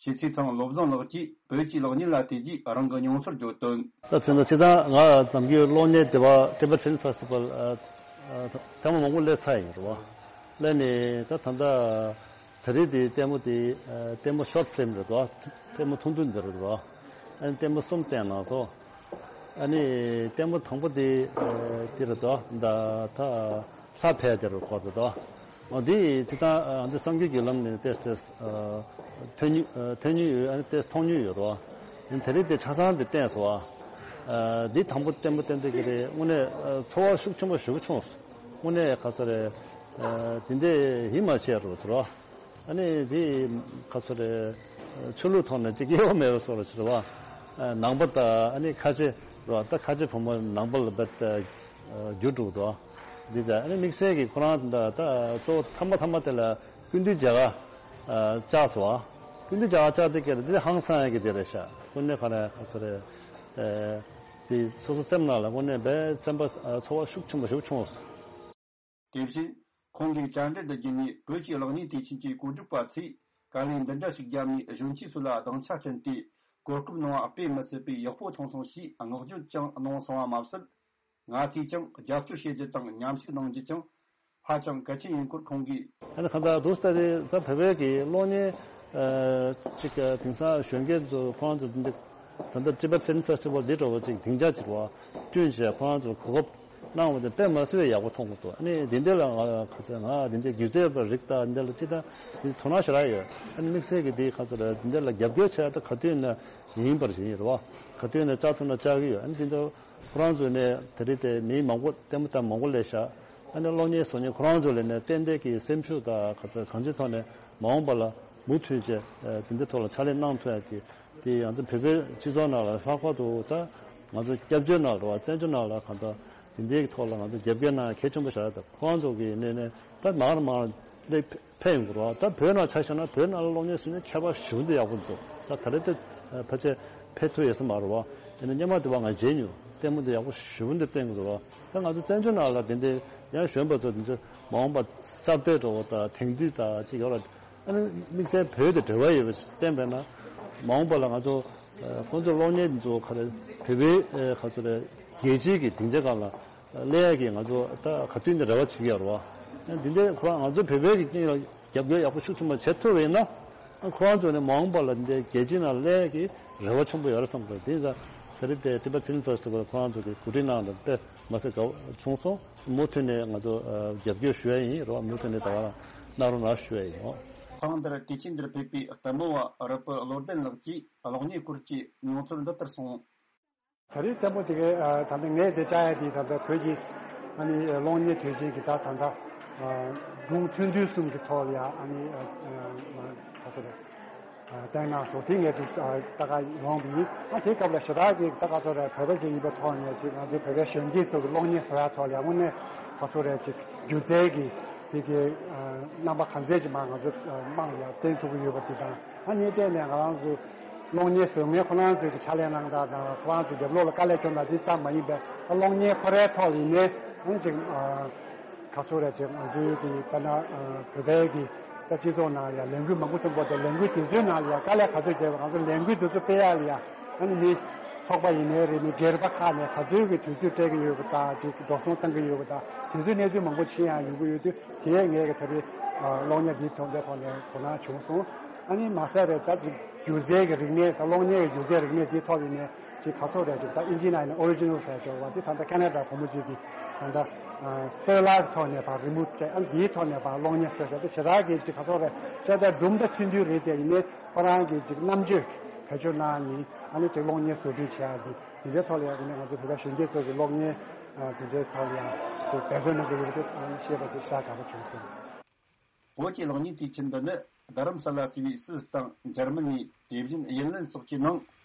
ཞེ་ཚེ་ཚང་བློ་བཟང་ལགས་ཀྱིས་བོད་ཀྱི་གློག་བརྙན་ལ་བལྟས་རྗེས་རང་གི་མྱོང་ཚོར་བརྗོད་དོན། ད་ཚེ་ད་ཕྱི་ཟླ་ལྔ་ནམ་རྒྱུན་གློག་བརྙན་དེ་བ་Tibet Film Festival ཨ་ཨ་ཐེངས་མ་མང་པོ་སླེབས་ཚར་ཡིན་རེད་བ། སླེབས་ནས་ད་ད་ལྟ་དེ་རིང་དེ་ལྟད་མོ་དེ་ཨ་ལྟད་མོ་short film རེད་བ། ལྟད་མོ་ཐུང་ཐུང་འདི་རེད་བ། ཨ་ནི་ལྟད་མོ་གསུམ་བསྟན་གནང་སོང་། ཨ་ནི་ལྟད་མོ་དང་པོ་དེ་ཨ་དེ་རེད་དོ། ད་ད་ལྷ་ཕལ་དེ་རུ་འཁོར་དེ་དོ། འོ་དེ་སྤྱིར་བཏང་ཨ་འདི་སངས་རྒྱས་ཀྱི་ལམ་ནས་ཏེས་ཏེས་ཨ་ཐོན་མྱོང་ཨ་ཐོན་མྱོང་ཡོད། ཨ་ནི་ཏེས་མཐོང་མྱོང་ཡོད་རོ། ཨ་ནི་དེ་རིང་དེ་ཆ་ཚང་དེ་བསྟན་སོང་ཨ། ཨ་འདི་དང་པོ་ལྟད་མོ་བསྟན་དེ་གི་རེད། དངོས་གནས་ཨ་ཚོར་བ་ཤུགས་ཆེན་པོ་ཞེ་པོ་བྱུང་སོང་། དངོས་གནས་ག་ཚོད་རེད། ཨ་དེ་འདྲས་ཡིད་མ་ཆེས་རོ་ཚོར་བ། ཨ་ནི་དེ་ག་ཚོད་རེད། ཆོས་ལུགས་ཐོག་ནས་ཅིག་དབྱེ་བ་མེད་པ་བཟོ་འདྲ་ཞིག་རེད་བ། ནང་པ་དང་ཨ་ནི་ཁ་ཆེ་རེད་བ། ད་ཁ་ཆེ་བུ་མོ་ནང་པ་ལ་བེད་རྒྱུ་དྲུག་དོ། འདི་ད་ཨ་ནི་དམིགས་བསལ་གྱི་ཁོ་རང་ད་ད་གཙོ་བོ་ཐ་མ་ཐ་མ་དེ་ལ་སྐུ་མདུན་མཇལ་ཁ་བཅར་སོང་བ། སྐུ་མདུན་མཇལ་ཁ་བཅར་དེ་ཀྱི་འདི་ཧང་སང་ཡ་གི་དེ་རེད་ཤག། དངོས་གནས་ག་རེ་ག་ཚོད་རེད། དེ་སོ་སོ་སེམས་ནང་ལ་དངོས་གནས་དཔེ་སེམས་པ་ཚོར་བ་ཤུགས་ཆེན་པོ་ཞིག་བྱུང་སོང་། དེ་བཞིན་ཁོང་གིས་བཅར་འདྲི་འདི་བརྒྱུད་ནས་བོད་ཀྱི་གློག་བརྙན་དུས་ཆེན་གྱི་གོ་སྒྲིག་པ་ཚོས་དཀའ་ལས་འདི་འདྲ་ཞིག་བརྒྱབ་ནས་གཞོན་སྐྱེས་ཚོ་ལ་སྡིངས་ཆ་བསྐྲུན་ཏེ་གོ་སྐབས་གནང་བ་དཔེ་མི་སྲིད་པའི་ཡག་པོ་མཐོང་སོང་ཞེས་བསྔགས་བརྗོད་ཀྱང་གནང་སོང་བ་མ་ཟད། ང་ཚོས་ཀྱང་རྒྱབ་སྐྱོར་བྱེད་རྒྱུ་དང་མཉམ་ཞུགས་གནང་རྒྱུ་ཀྱང་ཧ་ཅང་གལ་ཆེན་ཡིན་སྐོར་ཁོང་གིས། ཨ་ནི་གང་ལྟར་དུ་ལྟ་དེ་ད་བོད་པའི་གི་གློག་བརྙན་ཨ་ཅིག་དེང་སང་གཞོན་སྐྱེས་ཚོ་ཁོང་ཚོ་འདི་ད་ལྟ་Tibet Film Festival འདི་འདྲ་བོ་ཅིག་སྡིངས་ཆ་ཅིག་བ་བསྐྲུན་བྱས་ཁོ་རང་ཚོ་གོ་སྐབས་གནང་བ་དེ་དཔེ་མ་སྲིད་པའི་ཡག་པོ་མཐོང་གི་འདུག། ཨ་ནི་འདི་འདྲ་ལ་ང་ཁ་ཚ་ང་འདི་འདྲ་སྒྱུ་རྩལ་པ་རིགས་དང་འདི་འདྲ་ལ་ཅི་ད་འདི་དོ་སྣང་ཞེ་དྲག་ཡོད། ཨ་ནི་དམིགས་བསལ་གྱི་འདི་ཁ་ཚ་ལ་འདི་འདྲ་ལ་རྒྱབ་སྐྱོར་བྱས་ད་ག་དུས་ན་ཡིན་པར་བཞིན་ཡོད་རེད་བ། ག་དུས་ན་བཅར་ཐུབ་ན་བཅར་གི་ཡོད། ཨ་ནི་འདི་འདྲ་ཁོ་རང་ཚོ་ནས་དེ་རིང་དེ་མི་མང་པོ་ལྟད་མོ་ལྟ་མང་པོ་སླེབས་ཤག། ཨ་ནི་གློག་བརྙན་བཟོ་མཁན་ཁོ་རང་ཚོ་ལ་ནས་ཏན་ཏན་གྱི་སེམས་ཤུགས་དང་ག་ཚ་གང་ཅིའི་ཐོག་ནས་མ་འོངས་པ་ལ་མུ་མཐུད་བྱས་དེ་འདྲའི་ཐོག་ལ་ཕྱག་ལས་གནང་ཐུབ་ཡ་གི། དེ་ང་ཚོ་བོད་པའི་སྤྱི་ཚོགས་ནང་ལ་ལྷག་པར་དུ་ད་ང་ཚོ་སྐྱབས་བཅོལ་ནང་ལ་བ་བཙན་བྱོལ་ནང་ལ་གང་ལྟར་དེ་འདྲའི་ཐོག་ལ་ང་ཚོ་རྒྱབ་སྐྱོར་གནང་གལ་ཆེན་པོ་ཞིག་རེད། ད་ཁོང་ཚོ་གི་ནས་ནས་ད་མར་མར་སླེབས་ཕེབས་ཡོང་གི་རེད་བ། ད་བོད་ནང་ཆ་བཞག་ན་བོད་ནང་ལ་གློག་བརྙན་བཟོ་མཁན་མཁས་པ་ཞེ་པོ་འདི་ཡག་པོ་འདུག། ད་ད་རེས་དེ་ཕལ་ཆེར་ཕེབས་ཐུབ་ཡོད་ས་མ་རེད་བ། ཡིན་ན་སྔོན་མ་དེ་བ་ང་མཇལ་མྱོང་། ལྟད་མོ་འདི་ཡག་པོ་ཞེ་པོ་འདི་བསྟན་གི་འདུག་བ། ད་ང་ཚོ་བཙན་བྱོལ་ནང་ལ་དེ་འདྲའི་ཡང་གཞོན་པ་ཚོ་དེ་ཚོ་མ་འོངས་པ་གསར་གཏོད་འགྲོ་བ་དང་དེང་དུས་དང་ཅིག་ཡོད་ར། ཨ་ནི་དམིགས་བསལ་བོད་དང་འབྲེལ་བ་ཡོད་པ་ཞིག་བསྟན་པས་ན། མ་འོངས་པ་ལ་ང་ཚོ་ཨ་ཁོང་ཚོ་གློག་བརྙན་འདི་ཚོ་ག་རེ་བོད་པའི་ཨ་ག་ཚོད་རེད་རྒྱལ་སྤྱིའི་གི་སྡིངས་ཆ་སྒང་ལ་སླེབས་ཡ་གི་ང་ཚོ་ད་ག་དུས་ནས་རེ་བ་བྱེད་ཀྱི་ཡོད་རེད་བ། འདི་འདྲའི་ཁོ་རང་ང་ཚོ་བོད་པའི་གི་རྐྱེན་ལ་རྒྱབ་སྐྱོར་ཡག་པོ་ཤུགས་ཆེན་པོ་བྱེད་ཐུབ་པ་ཡིན་ན། ཁོ་རང་ཚོ་ནས་མ་འོངས་པ་ལ་འདི་རྒྱལ་སྤྱིའི་ནང་སླེབས་ཡ་གི་རེ་བ་ཆེན་པོ་ཡོད་རེད་བསམ་གི་འདུག། དེ་ཡིན་ཙང་ད་རེས་དེ་Tibet Film Festival ཁོ་རང་ཚོ་གི་གོ་སྒྲིག་གནང་ལ་དཔེ་མ་སྲིད་དགའ་བོ་བྱུང་སོང་། མུ་མཐུད་ནས་ང་ཚོ་ཨ་རྒྱབ་སྐྱོར་ཞུ་ཡ་ཡིན་རོགས། མུ་མཐུད་ནས་ད་ག་རང་གནང་རོགས་གནང་ཞུ་ཡ་ཡིན། ཐེངས་འདིར་དུས་ཆེན་འདིར་ཕེབས་པའི་ལྟད་མོ་བ་རིལ་བུ་བློ་ལྡན་ལགས་ཀྱིས་གློག་བརྙན་སྐོར་གྱི་མྱོང་ཚོར་འདི་ལྟར་གསུངས། ད་རེས་ལྟད་མོ་དེ་གའི་ཨ་ད་ལྟ་ངས་དེ་བཅར་ཡ་དེ་ད་ལྟ་བོད་ཀྱི་ཨ་ནི་གློག་བརྙན་དུས་ཆེན་གྱི་ད་ད་ལྟ་ཨ་སྒྲུང་ཐུང་ཐུང་གསུམ་གྱི་ཐོག་ལ་ཡ་ཨ་ནི་ཨ་ཨ་ག་ཚོད་རེད། བསྟན་གནང་སོང་། དེ་ངས་དུ་ལྟ་ག་ཡོང་གི་ཡིན། ཨ་དེ་སྐབས་ལ་ཞེ་དྲག་གི་ད་ག་ཚོད་རེད། བོད་པ་ཞིག་ཡིན་པའི་ཐོག་ནས་ཅིག་ང་ཚོའི་བོད་པའི་གཞོན་སྐྱེས་ཚོ་གི་གློག་བརྙན་བཟོ་ཡ་ཐོག་ལ་ཡང་དངོས་གནས་ག་ཚོད་རེད་ཅིག་སྒྱུ་རྩལ་གྱི་དེ་གའི་རྣམ་པ་ག་ཚད་ཅིག་མར་ང་ཚོ་དམངས་ལ་བསྟན་ཐུབ་ཀྱི་ཡོད་པ་དེ་དང་། ཨ་ནི་སྟེང་ནས་ང་རང་ཚོ་གློག་བརྙན་བཟོ་མཁན་ཁོ་རང་ཚོའི་གི་ཕྱག་ལས་གནང་སྟངས་དང་ཁོ་རང་ཚོ་རྒྱབ་ལོགས་ལ་དཀའ་ལས་ཁྱོན་དང་དེ་ཙམ་མ་ཡིན་པའི་གློག་བརྙན་ཁོ་རའི་ཐོག་ལ་ཡིན་ནའི་ཨ་ནི་ཅིག་ག་ཚོད་རེད་ཅེས་ང་ཚོའི་གི་ད་ན་བོད་པའི་གི་ད་སྤྱི་ཚོགས་ནང་ལ་ཡང་ལས་འགུལ་མང་པོ་ཐོན་པ་དང་། ལས་འགུལ་དེ་ཚོའི་ནང་ལ་ཡང་དཀའ་ལས་ག་ཚོད་བརྒྱབ་པ། ང་ཚོ་ལས་འགུལ་དེ་ཚོ་སྤེལ་ཡག་ལ་ཡང་ཨ་ནི་མི་ཚོགས་པ་ཡིན་ནའི་རེད། མི་སྒེར་པ་ཁག་ནས་ག་ཚོད་ཀྱི་དུས་ཚོད་སྤྲད་ཀྱི་ཡོད་པ་དང་། ཅིག་འགྲོ་སོང་བཏང་གི་ཡོད་པ་དང་། དེ་ཚོའི་གནས་ཚུལ་མང་པོ་ཕྱིན་ཡང་ཡོང་གི་ཡོད་དུས། དེ་ངས་གི་ད་རེས་གློག་བརྙན་འདིའི་ཐོག་འདིའི་ཐོག་ནས་དོ་སྣང་བྱུང་སོང་། ཨ་ནི་མ་ཟད་རེད། ད་ཅིག་སྒྱུ་རྩལ་གྱི་རིག་གནས་དང་གློག་བརྙན་གྱི་སྒྱུ་རྩལ་རིག་གནས་འདིའི་ཐོག་ནས་ཅིག་ག་ཚོད་རེད། ཅིག་ད་ཨིན་ཇིའི་ནང་ནས་ཨོ་རི་ཇི་ནལ་ཟེར་ཆོག་པ་དེ་ད་ལྟ་ཁ་ན་ཌ་བུ་མོ་གཅིག་གིས་ད་ལྟ་སོལ་ལར་ཐོག་ནས་ཕར་རི་མུ་ཊི་བྱས། ཨ་ནི་འདིའི་ཐོག་ནས་ཕར་གློག་བརྙན་བཟོས་ཤག། དེ་ཞེ་དྲག་གི་ཅིག་ག་ཚོད་རེད། བྱས་ཙང་སྒྲུང་ད་ཐུང་ཐུང་རེད་དེ། ཡིན་ནའི་ཁོ་རང་གིས་ཅིག་རྣམ་དཔྱོད་བེད་སྤྱོད་གནང་ནས་ཨ་ནི་ཅིག་གློག་བརྙན་བཟོ་སྐྲུན་བྱེད་ཡག་གི་དེ་འདྲའི་ཐོག་ལ་ཡང་དེ་ནས་ང་ཚོ་བོད་པ་གཞོན་སྐྱེས་ཚོ་གི་གློག་བརྙན་དེ་འདྲའི་ཐོག་ལ་ཡང་ཅིག་འབད་བརྩོན་གནང་གི་ཡོད་པ་དེ་ཤེས་པ་ཅིག་ཤ་དགའ་པོ་བྱུང་སོང་། བོད་ཀྱི་གློག་བརྙན་དུས་ཆེན་འདི་ནི་རྡ་རམ་ས་ལ་གཙོས་པའི་སུད་སི་དང་འཇར་མ་ནི། དེ་བཞིན་ཡར་ལན་སོགས་ཀྱི་ནང་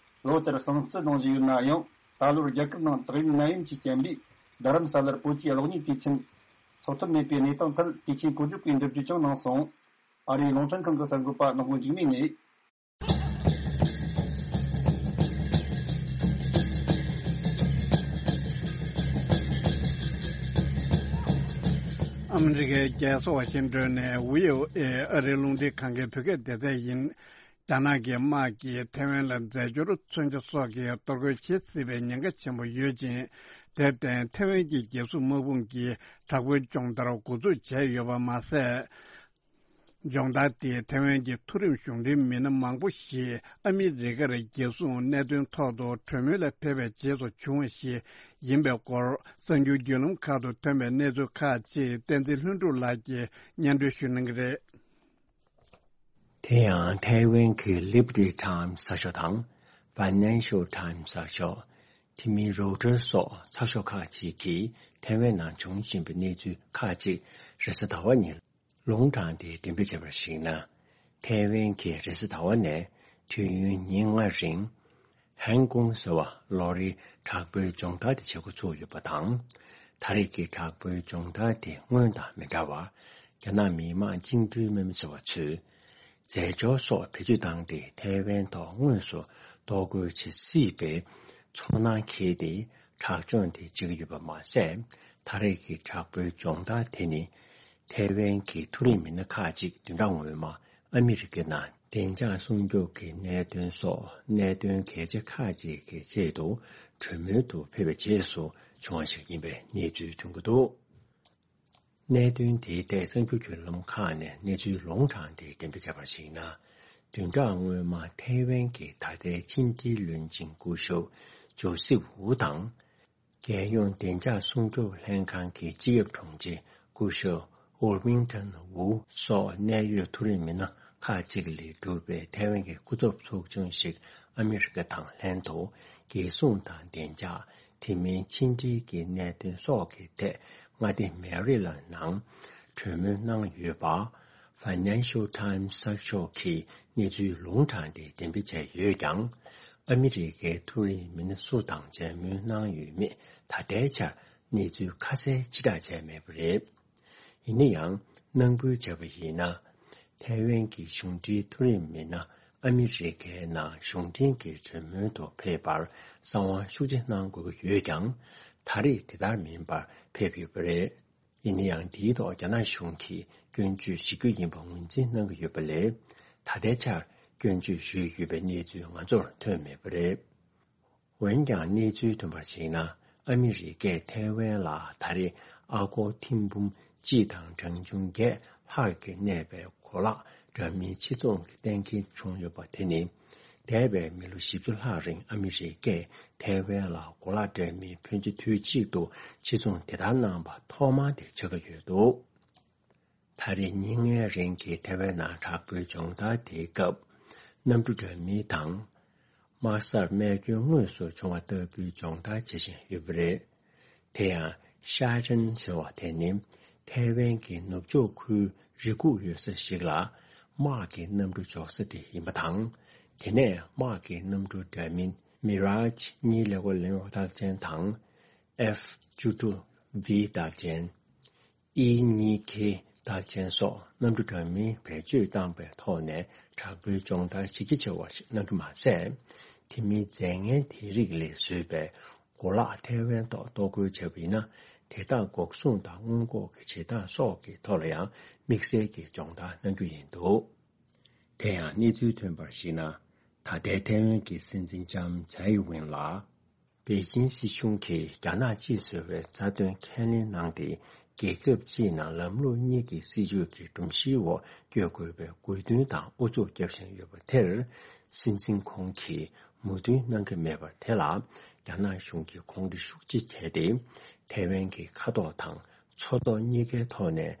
ལོ་ལྟར་གསུང་བརྩི་གནང་བཞིན་ཡོད་ན་ཡང་། ད་ལོར་རྒྱལ་ཁབ་ནང་ཏོག་དབྱིབས་ནད་ཡམས་ཀྱིས་རྐྱེན་པས་རྡ་རམ་ས་ལར་བོད་ཀྱི་གློག་བརྙན་དུས་ཆེན་འཚོགས་ཐུབ་མེད་པའི་གནས་སྟངས་ཐད་དུས་ཆེན་གོ་སྒྲིག་པས་འགྲེལ་བརྗོད་ཀྱང་གནང་སོང་། ཨ་རིའི་རླུང་འཕྲིན་ཁང་གི་གསར་འགོད་པ་ནག་པོ་འཇིགས་མེད་ནས། ཨ་མི་རི་ཀའི་རྒྱལ་ས་ཝ་ཤིང་ཏོན་ནས་བྷི་ཨོ་ཨེ་ཨ་རིའི་རླུང་འཕྲིན་ཁང་གི་བོད་སྐད་སྡེ་ཚན་ཡིན། རྒྱ་ནག་གི་དམག་གིས་ཐའེ་ཝན་ལ་རྫས་སྦྱོར་མཚོན་ཆ་སོགས་ཀྱི་གཏོར་རྒོལ་བྱེད་སྲིད་པའི་ཉེན་ཁ་ཆེན་པོ་ཡོད་ཅིང་། དེར་བརྟེན་ཐའེ་ཝན་གྱི་རྒྱལ་སྲུང་དམག་དཔུང་གིས་དྲག་པོའི་སྦྱོང་བརྡར་འགོ་འཛུགས་བྱས་ཡོད་པ་མ་ཟད། སྦྱོང་བརྡར་དེས་ཐའེ་ཝན་གྱི་མཐོ་རིམ་གཞུང་འབྲེལ་མི་སྣ་མང་པོ་ཞིག་ཨ་མི་རི་ཀར་རྒྱལ་སྲུང་གནད་དོན་ཐོག་ཏུ་གྲོས་མོལ་ལ་ཕེབས་པའི་རྗེས་སུ་བྱུང་བ་ཞིག་ཡིན་པའི་སྐོར། གསར་འགྱུར་བརྒྱུད་ལམ་ཁག་ཏུ་ཐོན་པའི་གནས་ཚུལ་ཁག་ཅིག་བསྟན་འཛིན་ལྷུན་གྲུབ་ལགས་ཀྱིས་སྙན་སྒྲོན་ཞུ་གནང་གི་རེད། དེ་ཡང་ཐའེ་ཝན་གྱི་Liberty Times་གསར་ཤོག་དང་Financial Times་གསར་ཤོག་དེ་མིན་Reuters་སོགས་ཚགས་ཤོག་ཁག་ཅིག་གིས་ཐའེ་ཝན་ནང་བྱུང་བཞིན་པའི་གནས་ཚུལ་ཁག་ཅིག་རེས་གཟའ་ཟླ་བ་ཉིན་ལུང་དྲངས་ཏེ་འགྲེམས་སྤེལ་བྱས་པར་གཞིགས་ན། ཐའེ་ཝན་གྱིས་རེས་གཟའ་ཟླ་བ་ནས་དུས་ཡུན་ཉིན་ལྔ་རིང་ཧན་ཀུང་ཟེར་བ་ལོ་རེའི་དྲག་པོའི་སྦྱོང་བརྡར་དེ་བྱེད་འགོ་ཚུགས་ཡོད་པ་དང་། ད་རེས་ཀྱི་དྲག་པོའི་སྦྱོང་བརྡར་དེ་སྔོན་དང་མི་འདྲ་བར། རྒྱ་ནག་མི་དམངས་བཅིངས་འགྲོལ་དམག་མི་ཟེར་བ་ཚོས་རྫས་སྦྱོར་སོགས་བེད་སྤྱོད་བཏང་སྟེ་ཐའེ་ཝན་ཐོག་དངོས་སུ་གཏོར་རྒོལ་བྱེད་སྲིད་པའི་ཚོར་སྣང་འཁྱེར་ཏེ་དྲག་སྦྱོང་དེ་བྱེད་ཀྱི་ཡོད་པ་མ་ཟད། ད་རེས་ཀྱི་དྲག་པོའི་སྦྱོང་བརྡར་དེ་ནི། ཐའེ་ཝན་གྱི་མཐོ་རིམ་མི་སྣ་ཁག་ཅིག་བདུན་ཕྲག་སྔོན་མ་ཨ་མི་རི་ཀའི་ནང་བདེ་འཇགས་སྲུང་སྐྱོབ་ཀྱི་གནད་དོན་སོགས་གནད་དོན་གལ་ཆེ་ཁག་ཅིག་གི་ཆེད་དུ་གྲོས་མོལ་དུ་ཕེབས་པའི་རྗེས་སུ་བྱུང་བ་ཞིག་ཡིན་པའི་གནས་ཚུལ་ཐོན་གྱི་འདུག་གནད་དོན་དེའི་ཐད་གསར་འགྱུར་བརྒྱུད་ལམ་ཁག་ནས་གནས་ཚུལ་ལུང་དྲངས་ཏེ་འགྲེམས་སྤེལ་བྱས་པར་གཞིགས་ན། བདུན་ཕྲག་སྔོན་མ་ཐའེ་ཝན་གྱི་ད་ལྟའི་ཕྱི་འབྲེལ་བློན་ཆེན་སྐུ་ཞབས་ཇོ་སེབ་ཝུ་དང་། རྒྱལ་ཡོངས་བདེ་འཇགས་སྲུང་སྐྱོབ་ལྷན་ཁང་གི་སྤྱི་ཁྱབ་དྲུང་ཆེ་སྐུ་ཞབས་ཨོར་མིང་ཐོན་ཝུ་སོགས་གནད་ཡོད་མཐོ་རིམ་མི་སྣ་ཁག་ཅིག་ལས་གྲུབ་པའི་ཐའེ་ཝན་གྱི་སྐུ་ཚབ་ཚོགས་ཆུང་ཞིག་ཨ་མི་རི་ཀ་དང་ལྷན་དུ་རྒྱལ་སྲུང་དང་བདེ་འཇགས། དེ་མིན་ཕྱི་འབྲེལ་གྱི་གནད་དོན་སོགས་ཀྱི་ཐད་མངའ་སྡེ་མེ་རི་ལན་ནང་གྲོས་མོལ་གནང་ཡོད་པ། Financial Times་གསར་ཤོག་གིས་གནས་ཚུལ་ལུང་དྲངས་ཏེ་འགྲེམས་སྤེལ་བྱས་ཡོད་ཀྱང་། ཨ་མི་རི་ཀའི་མཐོ་རིམ་མི་སྣ་སུ་དང་མཇལ་མོལ་གནང་ཡོད་མེད་ད་ལྟའི་ཆར་གནས་ཚུལ་ཁ་གསལ་ཕྱིར་བསྒྲགས་བྱས་མེད་པ་རེད། ཡིན་ན་ཡང་། ནང་ཁུལ་བྱས་པ་ཡིན་ན། ཐའེ་ཝན་གྱི་གཞུང་འབྲེལ་མཐོ་རིམ་མི་སྣ་ཨ་མི་རི་ཀའི་ནང་གཞུང་འབྲེལ་གྱི་གྲོས་མོལ་དུ་ཕེབས་པར་གསང་བ་ཤུགས་ཆེ་གནང་དགོས་ཀྱི་ཡོད་ཀྱང་། ད་རེས་དེ་ལྟར་མིན་པར་ཕེབས་ཡོད་པ་རེད། ཡིན་ན་ཡང་། དེའི་ཐོག་རྒྱ་ནག་གཞུང་གིས་སྐྱོན་བརྗོད་ཞུ་རྒྱུ་ཡིན་པ་ངོས་འཛིན་གནང་གི་ཡོད་པ་ལས། ད་ལྟའི་ཆར་སྐྱོན་བརྗོད་ཞུས་ཡོད་པའི་གནས་ཚུལ་ང་ཚོར་ཐོན་མེད་པ་རེད། འོན་ཀྱང་གནས་ཚུལ་ཐོན་པར་གཞིགས་ན། ཨ་མི་རི་ཀས་ཐའེ་ཝན་ལ་ད་རེས་ཨ་སྒོར་ཐེར་འབུམ་གཅིག་དང་གྲངས་ཆུང་བརྒྱད་ལྷག་གིས་གནས་པའི་གོ་ལག་འདྲ་མིན་ཕྱིར་ཚོང་གི་གཏན་འཁེལ་བྱུང་ཡོད་པ་དེ་ནི། འདས་པའི་མི་ལོ་བཞི་བཅུ་ལྷག་རིང་ཨ་མི་རི་ཀས་ཐའེ་ཝན་ལ་གོ་ལག་འདྲ་མིན་ཕོན་ཆེ་དུས་གཅིག་ཏུ་ཕྱིར་ཚོང་དེ་ལྟར་གནང་པ་ཐོག་མ་དེ་ཆགས་ཀྱི་ཡོད་འདུག་ད་རེས་ཉིན་ལྔའི་རིང་གི་ཐའེ་ཝན་ནང་དྲག་པོའི་སྦྱོང་བརྡར་དེའི་སྐབས། གནམ་གྲུ་འདྲ་མིན་དང་། དམག་སར་རྨས་སྐྱོན་དངོས་སུ་བྱུང་བ་ལྟ་བུའི་སྦྱོང་བརྡར་བྱེད་བཞིན་ཡོད་པ་རེད། དེ་ཡང་། ཤ་ཅན་ཟེར་བ་དེ་ནི། ཐའེ་ཝན་གྱི་ནུབ་ཕྱོགས་ཁུལ་རི་ཁུག་ཡོད་ས་ཞིག་ལ། དམག་གི་གནམ་གྲུ་འཇོག་ས་དེ་ཡིན་པ་དང་། དེ་ནས་དམག་གི་གནམ་གྲུ་འདྲ་མིན་མི་རཱཇ་གཉིས་ཀླད་ཀོར་ལེན་ཡོང་རྟགས་ཅན་དང་། ཨེཕ་བཅུ་དྲུག་ཝི་རྟགས་ཅན། ཨི་གཉིས་ཁེ་རྟགས་ཅན་སོགས་གནམ་གྲུ་འདྲ་མིན་བེད་སྤྱོད་བཏང་པའི་ཐོག་ནས་དྲག་པོའི་སྦྱོང་བརྡར་གཞི་རྒྱ་ཆེ་བ་ཞིག་གནང་གི་མ་ཟད། དེ་མིན་རྫས་ངན་དེ་རིགས་ལས་བཟོས་པའི་གོ་ལག་ཐའེ་ཝན་ཐོག་གཏོར་རྒོལ་བྱས་པ་ཡིན་ན། དེ་དག་འགོག་སྲུང་དང་སྔོན་འགོག་གི་བྱེད་སྟངས་སོགས་ཀྱི་ཐོག་ལ་ཡང་དམིགས་བསལ་གྱི་སྦྱོང་བརྡར་གནང་རྒྱུ་ཡིན་འདུག་དེ་ཡང་གནས་ཚུལ་ཐོན་པར་གཞིགས་ན། ད་ལྟའི་ཐའེ་ཝན་གྱི་སྲིད་འཛིན་ལྕམ་ཚའེ་ཝེན་ལགས། པེ་ཅིན་སྲིད་གཞུང་གིས་རྒྱ་ནག་གཅིག་བཟོ་བའི་རྩ་དོན་ཁས་ལེན་གནང་སྟེ། རྒྱལ་ཁབ་སྤྱིའི་ནང་ལམ་ལུགས་གཉིས་ཀྱི་སྲིད་བྱུས་ཀྱི་སྒྲོམ་གཞིའི་འོག་བསྐྱོད་དགོས་པའི་དགོས་འདུན་དང་ཨུ་ཚུགས་བརྒྱབ་བཞིན་ཡོད་པ་དེར། སྲིད་འཛིན་ཁོང་གིས་མོས་མཐུན་གནང་གི་མེད་པ་དེ་ལ། རྒྱ་ནག་གཞུང་གིས་གོང་འདྲི་ཤུགས་ཆེ་བྱས་ཏེ། ཐའེ་ཝན་གྱི་མཁའ་ཐོག་དང་མཚོ་ཐོག་གཉིས་ཀའི་ཐོག་ནས།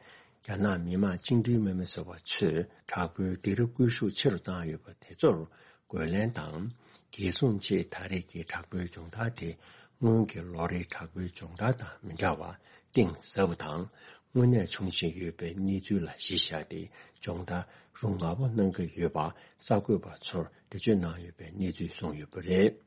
རྒྱ་ནག་མི་དམངས་བཅིངས་འགྲོལ་དམག་མི་ཟེར་བ་ཚོས་དྲག་པོའི་སྡིགས་ར་སྐུལ་ཤུགས་ཆེ་རུ་བཏང་ཡོད་པ་དེ་ཚོར་རྒོལ་ལན་དང་། རྒྱལ་སྲུང་ཆེད་ད་རེས་ཀྱི་དྲག་པོའི་སྦྱོང་བརྡར་དེ། སྔོན་གྱི་ལོ་རེའི་དྲག་པོའི་སྦྱོང་བརྡར་དང་མི་འདྲ་བར་གཏིང་ཟབ་པ་དང་། དངོས་གནས་བྱུང་བཞིན་ཡོད་པའི་གནས་ཚུལ་ལ་གཞི་བཞག་སྟེ། སྦྱོང་བརྡར་རུ་ང་པོ་གནང་གི་ཡོད་པ་གསར་འགོད་པ་ཚོར་འགྲེལ་བརྗོད་གནང་ཡོད་པའི་གནས་ཚུལ་གསུངས་ཡོད་པ་རེད།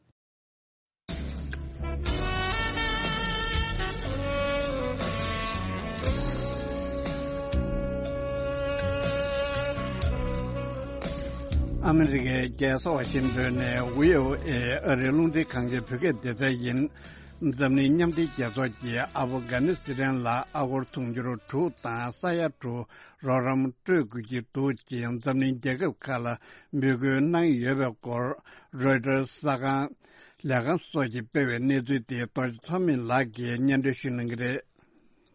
ཨ་མི་རི་ཀའི་རྒྱལ་ས་ཝ་ཤིང་ཏོན་ནས་ཝི་ཨོ་ཨེ་ཨ་རིའི་རླུང་འཕྲིན་ཁང་གི་བོད་སྐད་སྡེ་ཚན་ཡིན། འཛམ་གླིང་མཉམ་འབྲེལ་རྒྱལ་ཚོགས་ཀྱིས་ཨབ་གྷ་ནི་སི་ཐན་ལ་ཨ་སྒོར་དུང་ཕྱུར་དྲུག་དང་ས་ཡ་དྲུག་རོགས་རམ་སྤྲོད་དགོས་ཀྱི་འདུག་ཅེས་འཛམ་གླིང་རྒྱལ་ཁབ་ཁག་ལ་འབོད་སྐུལ་གནང་ཡོད་པའི་སྐོར། རོའི་ཊར་གསར་ཁང་ལས་ཁང་སོགས་ཀྱིས་སྤེལ་བའི་གནས་ཚུལ་དེ་རྡོ་རྗེ་ཐོགས་མེད་ལགས་ཀྱིས་སྙན་སྒྲོན་ཞུ་གནང་གི་རེད།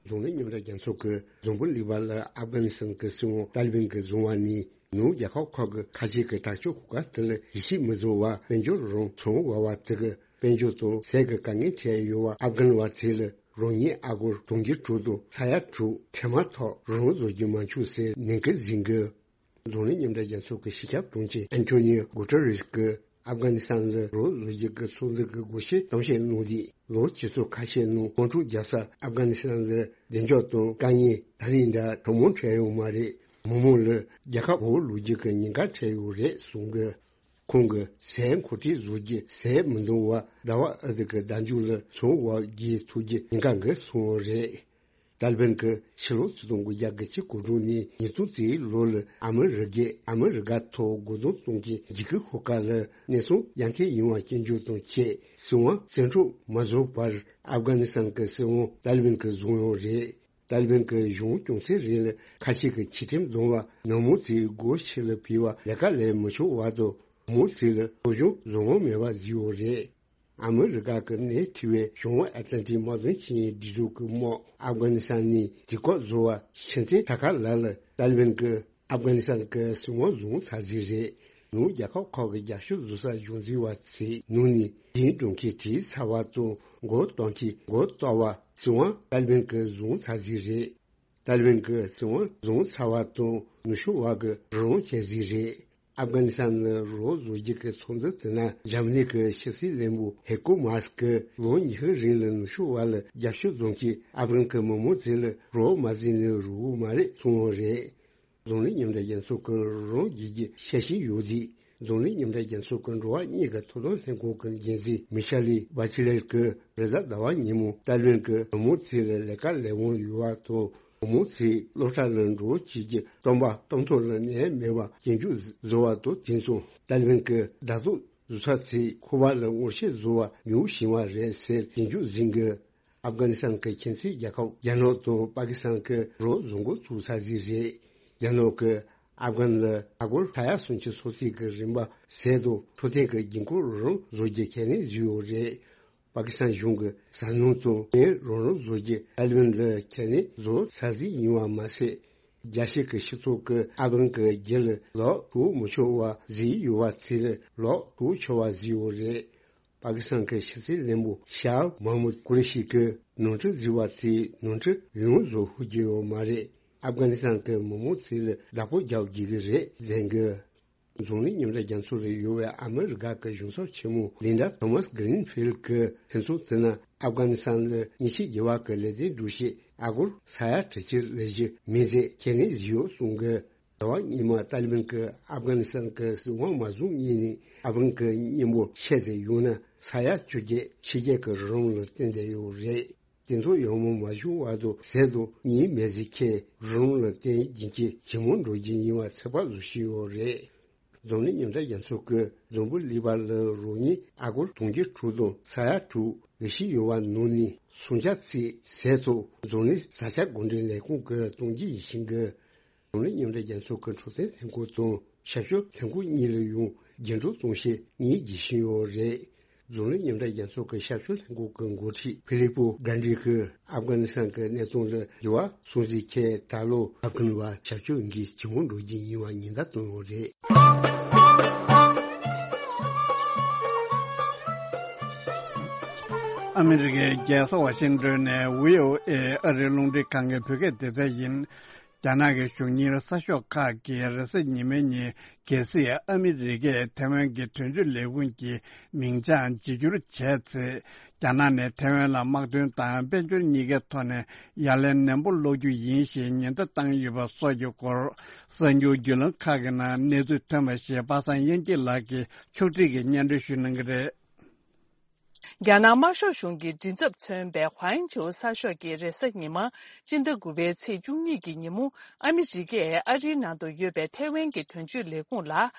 འཛམ་གླིང་མཉམ་འབྲེལ་རྒྱལ་ཚོགས་ཀྱིས་འཛམ་བུ་གླིང་པ་ལ་ཨབ་གྷ་ནི་སི་ཐན་གྱི་སྲིད་དབང་ཏཱ་ལི་བན་གྱིས་བཟུང་བ་ནི། ནུབ་རྒྱལ་ཁབ་ཁག་གི་ཁ་ཆེ་གི་དྲག་སྤྱོད་གོ་སྐབས་དེ་ལ་ཡིད་ཆེས་མི་བཟོ་བར་དཔལ་འབྱོར་རང་བྱུང་འོག་བར་བརྩི་གི། དཔལ་འབྱོར་དང་ཟས་ཀྱི་དཀའ་ངལ་འཕྲད་ཡོད་པ་ཨབ་གྷན་བ་ཚོ་ལ་རང་ཉིད་ཨ་སྒོར་དུང་ཕྱུར་དྲུག་དང་ས་ཡ་དྲུག་ཁྲལ་མ་ཐོག་རང་བཟོ་རྒྱུ་མ་བྱུང་ཟེར་ནན་སྐུལ་ཟིན་གི། འཛམ་གླིང་མཉམ་འབྲེལ་རྒྱལ་ཚོགས་ཀྱི་སྤྱི་ཁྱབ་དྲུང་ཆེ་ཨན་ཐོ་ནིའོ་གུ་ཏེ་རེས་ཀྱིས་ཨབ་གྷ་ནི་སི་ཐན་ལ་རང་བཟོ་རྒྱུ་གི་ཚོགས་འདུ་གི་དགོངས་བཞེས་གཏམ་བཤད་གནང་དུས། ལོ་བཅུ་ཚོ་ཁ་ཤས་ནང་དམག་འཁྲུག་བརྒྱབ་ས་ཨབ་གྷ་ནི་སི་ཐན་ལ་བདེ་འཇགས་དང་དཀའ་ངལ་ད་རེས་འདྲ་གྲང་མོ་འཕྲད་ཡོད་མ་རེད། མི་མང་ལ་རྒྱལ་ཁབ་གོང་བུ་ལོག་རྒྱུ་གི་ཉེན་ཁ་འཕྲད་ཡོད་རེད་གསུངས་གི། ཁོང་གིས་ཟས་མཁོ་སྤྲོད་བཟོ་རྒྱུ་ཟས་མི་འདང་བར་ཟླ་བ་ཨ་ཟི་གི་བརྡ་འཇུག་ལ་ཚོང་བ་རྒྱག་ཐུབ་རྒྱུ་ཉེན་ཁ་འགའ་སོང་བ་རེད། ཏཱ་ལི་བན་གྱིས་ཕྱི་ལོ་ཆིག་སྟོང་དགུ་བརྒྱ་གྱ་གཅིག་གོ་དྲུག་ནས་ཉིས་སྟོང་གཅིག་ལོ་ལ་ཨ་མི་རི་ཀས་ཨ་མི་རི་ཀ་ཐོག་རྒོལ་རྡུང་གཏོང་མཁན་འཇིགས་སྐུལ་ཤོག་ཁག་ལ་གནས་སྟངས་ཡར་ཐོན་ཡོང་བ་སྐྱོན་བརྗོད་དང་བཅས་སྲིད་དབང་བཙན་འཕྲོག་མ་བཟོ་བར་ཨབ་གྷ་ནི་སི་ཐན་གྱི་སྲིད་དབང་ཏཱ་ལི་བན་གྱིས་བཟུང་ཡོད་རེད། ཏཱ་ལི་བན་གྱི་གཞུང་སྐྱོང་ཚད་རིང་ལ་ཁ་ཆེ་གི་ཆིག་ཁྲིམས་བསྡོམས་པ་ནང་མི་ཚོས་སྒོ་ཕྱི་ལ་ཕུད་པར་ལས་ཀ་ལས་མི་ཆོག་པ་དང་མི་ཚོ་ལ་སློབ་སྦྱོང་བཟང་བོ་མེད་པ་བཟོས་ཡོད་རེད། ཨ་མི་རི་ཀ་གི་གནས་འཕྲི་བའི་བྱང་ཨ་ཏི་ལན་ཏིག་དམག་དོན་ཆིངས་ཡིག་སྒྲིག་འཛུགས་ཀྱི་དམག་ཨབ་གྷ་ནི་སི་ཐན་ནས་དུས་སྐབས་བཟོ་བ་ཕྱི་ཚེས་ད་ག་ལ་ལ་ཏཱ་ལི་བན་གྱིས་ཨབ་གྷ་ནི་སི་ཐན་གྱི་སྲིད་དབང་བཟུང་ཚར་ཟིན་རེད། ནུབ་རྒྱལ་ཁབ་ཁག་གི་རྒྱབ་སྐྱོར་བཟོ་ས་གཞུང་འཛིན་པ་ཚོའི་ནང་ནས་དེའི་སྒྲུང་ཁྱེར་བྲིས་ཚར་བ་དང་མགོ་གཏོང་མཁན་མགོ་གཏོགས་པ་སྲིད་དབང་ཏཱ་ལི་བན་གྱིས་བཟུང་ཚར་ཟིན་རེད། ཏཱ་ལི་བན་གྱིས་སྲིད་དབང་བཟུང་ཚར་བ་དང་ནུབ་ཕྱོགས་བར་གྱི་རང་དབང་བྱས་ཟིན་རེད། ཨབ་གྷ་ནི་སི་ཐན་ལ་རོགས་བཟོ་རྒྱུ་གི་ཚོགས་འདུ་དེ་ན་འཇར་མ་ནི་གི་ཕྱི་སྲིད་བློན་པོ་ཧེ་ཀོ་མཱས་ཀྱིས་ལོ་ཉི་ཤུ་རིང་ལ་ནུབ་ཕྱོགས་བར་ལ་རྒྱབ་སྐྱོར་བཟུང་གིས་ཨབ་གྷན་གྱི་མི་མང་ཚོ་ལ་རོགས་མ་བཟོས་ན་རུང་བ་མ་རེད་གསུངས་པ་རེད། འཛམ་གླིང་མཉམ་འབྲེལ་རྒྱལ་ཚོགས་ཀྱི་རང་རྒྱལ་གྱི་ཤ་ཞེན་ཡོད་དུས་འཛམ་གླིང་མཉམ་འབྲེལ་རྒྱལ་ཚོགས་ཀྱི་འགྲོ་བ་མིའི་ཐོབ་ཐང་ལྷན་ཁང་གི་འགན་འཛིན་མི་ཤ་ལི་བྷ་ཆི་ལེར་གྱིས་རེས་གཟའ་ཟླ་བ་ཉིན་མོ་ཏཱ་ལི་བན་གྱི་མི་མང་ཚོ་ལ་ལས་ཀ་ལས་དབང་ཡོད་པ་དང་། མི་མང་ཚོས་སློབ་གྲྭ་ལ་འགྲོ་བྱེད་ཀྱི་སྟོན་པ་གཏམ་ཐོག་ལ་ནད་མེད་པ་སྐྱོན་བརྗོད་བཟོ་བ་དང་། དེང་སང་ཏཱ་ལི་བན་གྱི་དྲག་ཐོག་བཟོ་ས་ཚོས་ཁོ་པ་ལ་ངོ་ཤེས་བཟོ་བ་ཉུང་ཕྱིན་པ་རེད་ཟེར་སྐྱོན་བརྗོད་ཟིན་གི། ཨབ་གྷ་ནི་སི་ཐན་གྱི་ཁྱིམ་མཚེས་རྒྱལ་ཁབ་རྒྱ་ནག་དང་པ་ཀི་སི་ཐན་གྱིས་རོགས་བཟོ་འགོ་བཙུགས་ཚར་ཟིན་རེད། རྒྱ་ནག་གིས་ཨབ་གྷན་ལ་ཨ་སྒོར་ས་ཡ་སུམ་ཅུ་སོ་གཅིག་གི་རིན་པ་ཟས་དང་འཕྲོད་བསྟེན་གྱི་འགན་ཁུར་རང་བཟོ་རྒྱུ་ཁས་ལེན་བཟོས་ཡོད་རེད། པ་ཀི་སི་ཐན་གཞུང་གིས་ཟ་སྣུམ་དང་ངལ་རང་རང་བཟོ་རྒྱུ་ཏཱ་ལི་བན་ལ་ཁས་ལེན་བཟོ་ཚར་ཟིན་ཡིན་པ་མ་ཟད། རྒྱལ་སྤྱི་གི་སྤྱི་ཚོགས་ཀྱིས་ཨབ་གྷན་གྱི་རྒྱུ་ལ་ལོག་འགྲོ་མི་ཆོག་པ་བཟོས་ཡོད་པ་ཚོ་ལ་ལོག་འགྲོ་ཆོག་པ་བཟོས་ཡོད་རེད། པ་ཀི་སི་ཐན་གྱི་ཕྱི་སྲིད་བློན་པོ་ཤཱ་མ་མུད་ཀུ་རེ་ཤི་གིས་ནོར་འཁྲུལ་བཟོས་པ་ཚོས་ནོར་འཁྲུལ་ཡོངས་རྫོགས་ཤོར་རྒྱུ་ཡོད་མ་རེད། ཨབ་གྷ་ནི་སི་ཐན་གྱི་མི་མང་ཚོ་ལ་བདག་པོ་རྒྱག་དགོས་ཀྱི་རེད་ཟེར་གི། འཛམ་གླིང་མཉམ་འབྲེལ་རྒྱལ་ཚོགས་ལ་ཡོད་པའི་ཨ་མི་རི་ཀ་གི་གཞུང་ཚབ་ཆེན་མོ་ལིན་ཌ་ཐོ་མཱས་གྷི་རིན་ཕིལ་གྱིས་ལྷན་ཚོགས་དེ་ན་ཨབ་གྷ་ནི་སི་ཐན་ལ་མཉེན་ཆས་བརྒྱུད་པ་གི་ལས་དོན་སྒྲུབ་ཆེད་ཨ་སྒོར་ས་ཡ་དྲུག་ཅུ་ལས་བཞི་མི་ཚད་ཁས་ལེན་བཟོས་ཡོད་གསུངས་གི། ཟླ་བ་སྔོན་མ་ཏཱ་ལི་བན་གྱིས་ཨབ་གྷ་ནི་སི་ཐན་གྱི་སྲིད་དབང་མ་བཟུང་སྔོན་ནས་ཨབ་གྷན་གྱི་མཉེན་འབུར་ཆེད་དུ་ཡོང་ན་ས་ཡ་བཅོ་བརྒྱད་ཕྱི་རྒྱལ་གྱི་རོགས་རམ་ལ་བརྟེན་བསྡད་ཡོད་རེད། དེ་ཚོ་ཡང་མོ་མ་བྱུང་བར་དུ་ཟས་དང་གཉིད་མེད་ཟིག་ཁའི་རོགས་རམ་ལ་བརྟེན་རྒྱུན་གྱི་ཇེ་མང་འགྲོ་རྒྱུ་ཡིན་པ་ཚོད་དཔག་བཟོ་བཞིན་ཡོད་རེད། འཛམ་གླིང་མཉམ་འབྲེལ་རྒྱལ་ཚོགས་ཀྱིས་འཛམ་བུ་གླིང་པ་ལ་རང་ཉིད་ཨ་སྒོར་དུང་ཕྱུར་དྲུག་དང་ས་ཡ་དྲུག་འགའ་ཤས་ཡོད་པ་ནང་ནས་སུམ་ཆ་གཅིག་ཟས་ཐོག་འཛམ་གླིང་བཟའ་བཅའ་འགོ་འདྲེན་ལས་ཁུངས་ཀྱིས་གཏོང་རྒྱུ་ཡིན་ཞིང་གི། འཛམ་གླིང་མཉམ་འབྲེལ་རྒྱལ་ཚོགས་ཀྱི་འཕྲོད་བསྟེན་ལྷན་ཁང་དང་ཞབས་ཞུ་ལྷན་ཁང་གཉིས་ལ་ཡང་རྒྱུན་སྒྲོག་གཏོང་བྱེད་གཉིས་བགྱིས་བཞིན་ཡོད་རེད། འཛམ་གླིང་མཉམ་འབྲེལ་རྒྱལ་ཚོགས་ཀྱི་ཞབས་ཞུ་ལྷན་ཁང་གི་འགོ་ཁྲིད་ཕི་ལི་པོ་གྷན་ཌི་གིས་ཨབ་གྷ་ནི་སི་ཐན་གྱི་གནས་སྟངས་ལ་འགྱུར་བ་སོང་ཟིན་ཁའི་ད་ལོ་ཨབ་གྷན་བ་ཞབས་ཞུ་འགན་ཇེ་མང་འགྲོ་རྒྱུ་ཡིན་པ་ཉེན་བརྡ་བཏང་ཡོད་རེད། ཨ་མི་རི་ཀའི་རྒྱལ་ས་ཝ་ཤིང་ཏོན་ནས་བྷི་ཨོ་ཨེ་ཨ་རིའི་རླུང་འཕྲིན་ཁང་གི་བོད་སྐད་སྡེ་ཚན་ཡིན། རྒྱ་ནག་གི་གཞུང་གཉེར་གསར་ཤོག་ཁག་གིས་རེས་གཟའ་ཉི་མའི་ཉིན། གལ་སྲིད་ཨ་མི་རི་ཀས་ཐའེ་ཝན་གྱི་དོན་གཅོད་ལས་ཁུངས་ཀྱི་མིང་བྱང་བརྗེ་བསྒྱུར་བྱས་ཚེ། རྒྱ་ནག་ནས་ཐའེ་ཝན་ལ་དམག་དོན་དང་དཔལ་འབྱོར་གཉིས་ཀའི་ཐོག་ནས་ཡ་ལན་ནན་པོ་སློག་རྒྱུ་ཡིན་ཞེས་ཉེན་བརྡ་བཏང་ཡོད་པ་སོགས་ཀྱི་སྐོར། གསར་འགྱུར་བརྒྱུད་ལམ་ཁག་གི་ནང་གནས་ཚུལ་ཐོན་པ་ཞིག་པ་སངས་དབྱངས་སྐྱིད་ལགས་ཀྱིས་ཕྱོགས་སྒྲིག་གིས་སྙན་སྒྲོན་ཞུ་གནང་གི་རེད། རྒྱ་ནག་དམར་ཤོག་གཞུང་གི་མགྲིན་ཚབ་མཚོན་པའི་ཧུའེ་ཆོའུ་གསར་ཤོག་གིས་རེས་གཟའ་ཉི་མ། སྤྱི་ཟླ་དགུ་པའི་ཚེས་བཅུ་གཉིས་ཀྱི་ཉིན་མོ། ཨ་མི་རི་ཀས་ཨ་རིའི་ནང་དུ་ཡོད་པའི་ཐའེ་ཝན་གྱི་དོན་གཅོད་ལས་ཁུངས་ལ།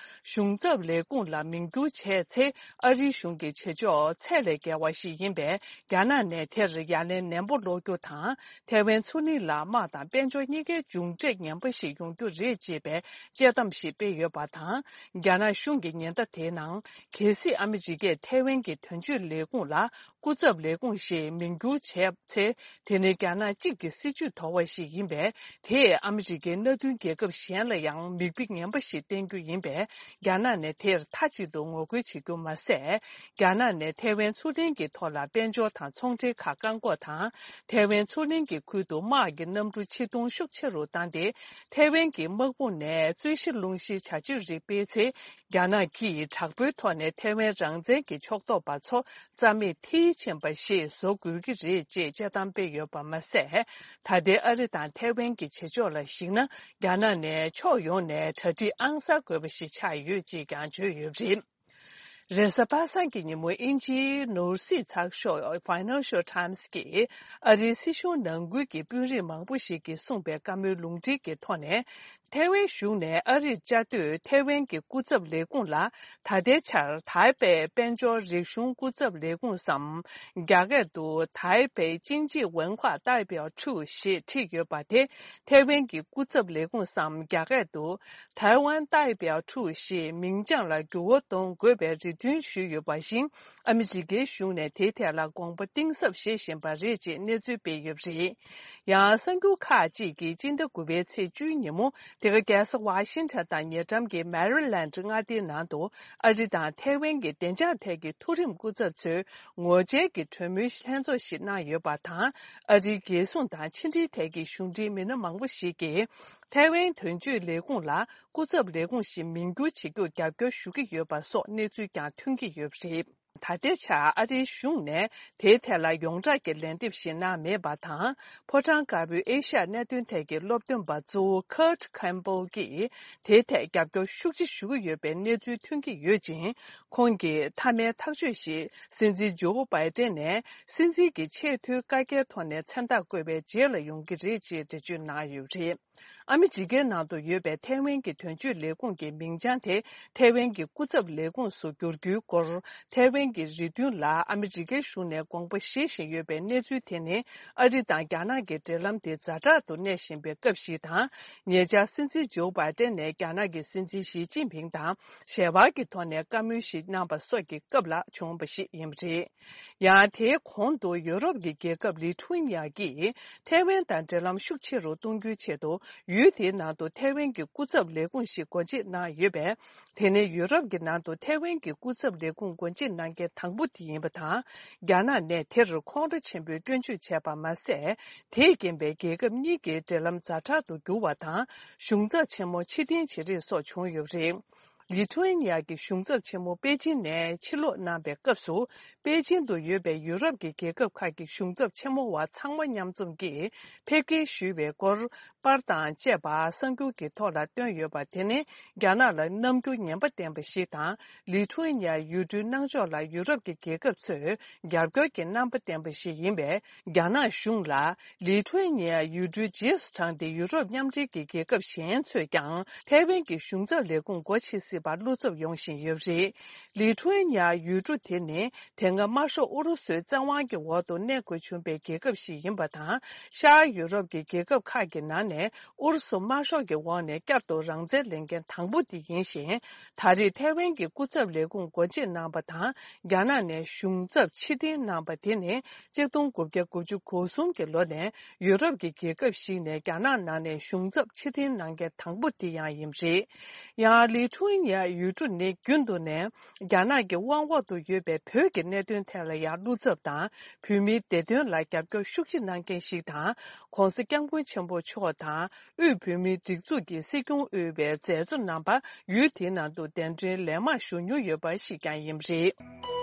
གཞུང་ཚབ་ལས་ཁུངས་ལ་མིང་བསྒྱུར་བྱས་ཚེ། ཨ་རིའི་གཞུང་གི་བྱེད་ཕྱོགས་ཚད་ལས་བརྒལ་བ་ཞིག་ཡིན་པས། རྒྱ་ནག་ནས་དེར་ཡ་ལན་ནན་པོ་སློག་རྒྱུ་དང་། ཐའེ་ཝན་མཚོ་གླིང་ལ་དམག་དང་དཔལ་འབྱོར་གཉིས་ཀའི་མཇུག་འབྲས་ངན་པ་ཞིག་ཡོང་རྒྱུ་རེད་ཅེས་པའི་དཔྱད་གཏམ་ཞིག་སྤེལ་ཡོད་པ་དང་། རྒྱ་ནག་གཞུང་གི་ཉེན་བརྡ་དེའི་ནང་། གལ་སྲིད་ཨ་མི་རི་ཀས་ཐའེ་ཝན་གྱི་དོན་གཅོད་ལས་ཁུངས་ལ། སྐུ་ཚབ་ལས་ཁུངས་ཞེས་མིང་བསྒྱུར་བྱས་ཚེ། དེ་ནི་རྒྱ་ནག་གཅིག་གི་སྲིད་ཇུས་དོར་བ་ཞིག་ཡིན་པས། དེས་ཨ་མི་རི་ཀའི་མནའ་མཐུན་རྒྱལ་ཁབ་གཞན་ལ་ཡང་མིག་དཔེ་ངན་པ་ཞིག་བསྟན་རྒྱུ་ཡིན་པས། རྒྱ་ནག་ནས་དེར་མཐའ་གཅིག་ཏུ་ངོ་རྒོལ་བྱེད་རྒྱུ་མ་ཟད། རྒྱ་ནག་ནས་ཐའེ་ཝན་མཚོ་གླིང་གི་ཐོག་ལ་དཔལ་འབྱོར་དང་ཚོང་འབྲེལ་ཁག་བཀག་འགོག་དང་། ཐའེ་ཝན་མཚོ་གླིང་གི་ཁུལ་དུ་དམག་གི་གནམ་གྲུ་ཆེད་གཏོང་ཤུགས་ཆེ་རུ་བཏང་སྟེ། ཐའེ་ཝན་གྱི་དམག་དཔུང་ནས་རྩོད་གཞི་སློང་གཞིའི་བྱ་སྤྱོད་རིགས་སྤེལ་ཚེ། རྒྱ་ནག་གིས་དྲག་པོའི་ཐོག་ནས་ཐའེ་ཝན་རང་བཙན་གྱི་ཕྱོགས་གཏོགས་པ་ཚོ་རྩ་མེད་མཐིལ་ཕྱིན་པ་ཞིག་བཟོ་དགོས་ཀྱི་རེད་ཅེས་དཔྱད་གཏམ་སྤེལ་ཡོད་པ་མ་ཟད། ད་ལྟའི་ཨ་རི་དང་ཐའེ་ཝན་གྱི་བྱེད་ཕྱོགས་ལ་གཞིགས་ན། རྒྱ་ནག་ནས་ཕྱོགས་ཡོངས་ནས་གྲ་སྒྲིག་ཨང་གསར་དགོས་པ་ཞིག་ཆགས་ཡོད་ཅེས་ཀྱང་བརྗོད་ཡོད་པ་རེད། རེས་གཟའ་པ་སངས་ཀྱི་ཉིན་མོ། དབྱིན་ཇིའི་ནོར་སྲིད་ཚགས་ཤོག་Financial Times་གིས་ཨ་རིའི་སྲིད་གཞུང་ནང་ཁུལ་གྱི་དཔོན་རིགས་མང་པོ་ཞིག་གིས་གསུངས་པའི་བཀའ་མོལ་ལུང་འདྲེན་གྱི་ཐོག་ནས། ཐའེ་ཝན་གཞུང་ནས་ཨ་རིར་བཅའ་སྡོད་ཐའེ་ཝན་གྱི་སྐུ་ཚབ་ལས་ཁུངས་ལ། ད་ལྟའི་ཆར་ཐའེ་པེ་དཔལ་འབྱོར་རིག་གཞུང་སྐུ་ཚབ་ལས་ཁུངས་སམ། རྒྱ་སྐད་དུ་ཐའེ་པེ་经济文化代表处ཞེས་བྲིས་ཡོད་པ་དེ། ཐའེ་ཝན་གྱི་སྐུ་ཚབ་ལས་ཁུངས་སམ། རྒྱ་སྐད་དུ་台湾代表处ཞེས་མིང་རྐྱང་ལ་འགྱུར་བ་གཏོང་དགོས་པའི་རེ་འདུན་ཞུས་ཡོད་པ་བཞིན། ཨ་མི་རི་ཀའི་གཞུང་ནས་དེའི་ཐད་ལ་དགོངས་པ་གཏིང་ཟབ་བཞེས་བཞིན་པ་རེད་ཅེས་གནས་ཚུལ་སྤེལ་ཡོད་པ་རེད། ཡང་གསར་འགྱུར་ཁག་ཅིག་གིས་སྤྱི་ཟླ་དགུ་པའི་ཚེས་བཅུའི་ཉིན་མོ། དེ་ག་རྒྱལ་ས་ཝ་ཤིང་ཊོན་དང་ཉེ་འགྲམ་གྱི་མེ་རི་ལན་ཌི་མངའ་སྡེའི་ནང་དུ། ཨ་རི་དང་ཐའེ་ཝན་གྱི་བདེ་འཇགས་ཐད་ཀྱི་མཐོ་རིམ་སྐུ་ཚབ་ཚོས་ངོ་བཅར་གྱི་གྲོས་མོལ་ལྷན་ཚོགས་ཤིག་གནང་ཡོད་པ་དང་། ཨ་རིའི་རྒྱལ་སྲུང་དང་ཕྱི་འབྲེལ་ཐད་ཀྱི་གཞུང་འབྲེལ་མི་སྣ་མང་པོ་ཞིག་གིས། ཐའེ་ཝན་དོན་གཅོད་ལས་ཁུངས་ལ་སྐུ་ཚབ་ལས་ཁུངས་ཤིག་མིང་བསྒྱུར་བྱེད་རྒྱུར་རྒྱབ་སྐྱོར་ཞུ་གི་ཡོད་པ་སོགས་གནས་ཚུལ་ཀྱང་ཐོན་གྱི་ཡོད་པ་རེད། ད་ལྟའི་ཆར་ཨ་རིའི་གཞུང་ནས་དེའི་ཐད་ལ་ཡོངས་གྲགས་ཀྱི་ལན་འདེབས་ཤིག་གནང་མེད་པ་དང་། ཕོ་བྲང་དཀར་པོའི་ཨེ་ཤ་ཡ་གནད་དོན་ཐད་ཀྱི་སློབ་སྟོན་པ་གཙོ་བོ་Kurt Campbell་གྱིས་དེའི་ཐད་རྒྱབ་སྐྱོར་ཤུགས་ཆེ་ཞུ་གི་ཡོད་པའི་གནས་ཚུལ་ཐོན་གྱི་ཡོད་ཅིང་། ཁོང་གིས་མཐའ་མའི་ཐག་གཅོད་ཞིག་སྲིད་འཛིན་ཇོ་བྷའི་ཏན་ནས་སྲིད་འཛིན་གྱི་ཆེས་མཐོའི་བཀའ་རྒྱའི་ཐོག་ནས་མཚན་རྟགས་བཀོད་པའི་རྗེས་ལ་ཡོང་གི་རེད་ཅེས་འགྲེལ་བརྗོད་གནང་ཡོད་པ་རེད། ཨ་མི་རི་ཀའི་ནང་དུ་ཡོད་པའི་ཐའེ་ཝན་གྱི་དོན་གཅོད་ལས་ཁུངས་ཀྱི་མིང་བྱང་དེ་ཐའེ་ཝན་གྱི་སྐུ་ཚབ་ལས་ཁུངས་སུ་བསྒྱུར་རྒྱུའི་སྐོར། ཐའེ་ཝན་གྱི་རེ་འདུན་ལ་ཨ་མི་རི་ཀའི་གཞུང་ནས་དགོངས་པ་བཞེས་བཞིན་ཡོད་པའི་གནས་ཚུལ་དེ་ནི། ཨ་རི་དང་རྒྱ་ནག་གི་འབྲེལ་ལམ་དེ་ཛ་དྲག་ཏུ་གནས་བཞིན་པའི་སྐབས་ཤིག་དང་། ཉེ་ཆར་སྲིད་འཛིན་ཇོ་བྷའི་ཏན་ནས་རྒྱ་ནག་གི་སྲིད་འཛིན་ཞི་ཅིན་ཕིང་དང་ཞལ་པར་གྱི་ཐོག་ནས་བཀའ་མོལ་ཞིག་གནང་པ་སོགས་ཀྱི་སྐབས་ལ་བྱུང་བ་ཞིག་ཡིན་པ་རེད། ཡང་དེའི་གོང་དུ་ཡོ་རོབ་ཀྱི་རྒྱལ་ཁབ་ལི་ཐུ་ཝེ་ནི་ཡ་གིས་ཐའེ་ཝན་དང་འབྲེལ་ལམ་ཤུགས་ཆེ་རུ་གཏོང་རྒྱུའི་ཆེད་དུ། ཡུལ་དེའི་ནང་དུ་ཐའེ་ཝན་གྱི་སྐུ་ཚབ་ལས་ཁུངས་ཤིག་སྒོ་འབྱེད་གནང་ཡོད་པས། དེ་ནི་ཡུ་རོབ་ཀྱི་ནང་དུ་ཐའེ་ཝན་གྱི་སྐུ་ཚབ་ལས་ཁུངས་སྒོ་འབྱེད་གནང་མཁན་དང་པོ་དེ་ཡིན་པ་དང་། རྒྱ་ནག་ནས་དེར་ཁོང་ཁྲོ་ཆེན་པོས་སྐྱོན་བརྗོད་བྱས་པ་མ་ཟད། དེས་རྐྱེན་པས་རྒྱལ་ཁབ་གཉིས་ཀྱི་འབྲེལ་ལམ་ཛ་དྲག་ཏུ་འགྱུར་བ་དང་། གཞུང་ཚབ་ཆེན་མོ་ཕྱིར་འཐེན་བྱེད་རེས་སོགས་བྱུང་ཡོད་པ་རེད། ལི་ཐུ་ཨེ་ནི་ཡ་གི་གཞུང་ཚབ་ཆེན་མོ་པེ་ཅིན་ནས་ཕྱིར་ལོག་གནང་པའི་སྐབས་སུ། པེ་ཅིན་དུ་ཡོད་པའི་ཡུ་རོབ་ཀྱི་རྒྱལ་ཁབ་ཁག་གི་གཞུང་ཚབ་ཆེན་མོ་བ་ཚང་མ་མཉམ་འཛོམས་ཀྱིས་ཕེབས་སྐྱེལ་ཞུས་པའི་སྐོར། པར་དང་བཅས་པ་གསར་འགྱུར་གྱི་ཐོག་ལ་བཏོན་ཡོད་པ་དེ་ནི། རྒྱ་ནག་ལ་རྣམ་འགྱུར་ངན་པ་བསྟན་པ་ཞིག་དང་། ལི་ཐུ་ཨེ་ནི་ཡ་ཡུལ་གྲུའི་གནང་ཕྱོགས་ལ་ཡུ་རོབ་ཀྱི་རྒྱལ་ཁབ་ཚོས་རྒྱབ་སྐྱོར་གྱི་རྣམ་པ་བསྟན་པ་ཞིག་ཡིན་པས། རྒྱ་ནག་གཞུང་ལ། ལི་ཐུ་ཨེ་ནི་ཡ་ཡུལ་གྲུ་རྗེས་སུ་འབྲངས་ཏེ། ཡུ་རོབ་མཉམ་འབྲེལ་གྱི་རྒྱལ་ཁབ་གཞན་ཚོས་ཀྱང་ཐའེ་ཝན་གྱི་གཞུང་ཚབ་ལས་ཁུངས་སྒོ་ཕྱེ་སྲིད་པར་བློ་འཚབ་ཡོང་བཞིན་ཡོད་པ་རེད། ལི་ཐུ་ཨེ་ནི་ཡ་ཡུལ་གྲུ་དེ་ནི་དེ་སྔ་དམར་ཤོག་ཨུ་རུ་སུའི་བཙན་དབང་གི་འོག་ཏུ་གནས་དགོས་བྱུང་པའི་རྒྱལ་ཁབ་ཞིག་ཡིན་པ་དང་། ཤར་ཡུ་རོབ་ཀྱི་རྒྱལ་ཁབ་ཁག་གི་ནང་ནས་ཨུ་རུ་སུ་དམར་ཤོག་གི་འོག་ནས་བསྐྱར་དུ་རང་བཙན་ལེན་མཁན་དང་པོ་དེ་ཡིན་ཞིང་། ད་རེས་ཐའེ་ཝན་གྱི་སྐུ་ཚབ་ལས་ཁུངས་སྒོ་འབྱེད་གནང་པ་དང་། རྒྱ་ནག་ནས་གཞུང་ཚབ་ཕྱིར་འཐེན་གནང་པ་དེ་ནི། གཅིག་སྟོང་དགུ་བརྒྱ་དགུ་བཅུ་གོ་གསུམ་གྱི་ལོ་ནས་ཡུ་རོབ་ཀྱི་རྒྱལ་ཁབ་ཞིག་ནས་རྒྱ་ནག་ནང་ནས་གཞུང་ཚབ་ཕྱིར་འཐེན་གནང་མཁན་དང་པོ་དེ་ཡང་ཡིན་པ་རེད། ཡང་ལི་ཐུ་ཨེ་ནི་ཡ་ཡུལ་གྲུ་ནི་རྒྱུན་དུ་ནས་རྒྱ་ནག་གི་དབང་འོག་ཏུ་ཡོད་པའི་བོད་ཀྱི་གནད་དོན་ཐད་ལ་ཡང་བློ་འཚབ་དང་། བོད་མིའི་བདེ་དོན་ལ་རྒྱབ་སྐྱོར་ཤུགས་ཆེ་གནང་མཁན་ཞིག་དང་། ྋགོང་ས་ྋསྐྱབས་མགོན་ཆེན་པོ་མཆོག་དང་། དབུས་བོད་མིའི་སྒྲིག་འཛུགས་ཀྱི་སྲིད་སྐྱོང་དབུས་པའི་མཛད་གཙོ་རྣམ་པ་ཡུལ་དེའི་ནང་དུ་གདན་འདྲེན་ལན་མང་ཞུ་མྱོང་ཡོད་པ་ཞིག་ཀྱང་ཡིན་པ་རེད།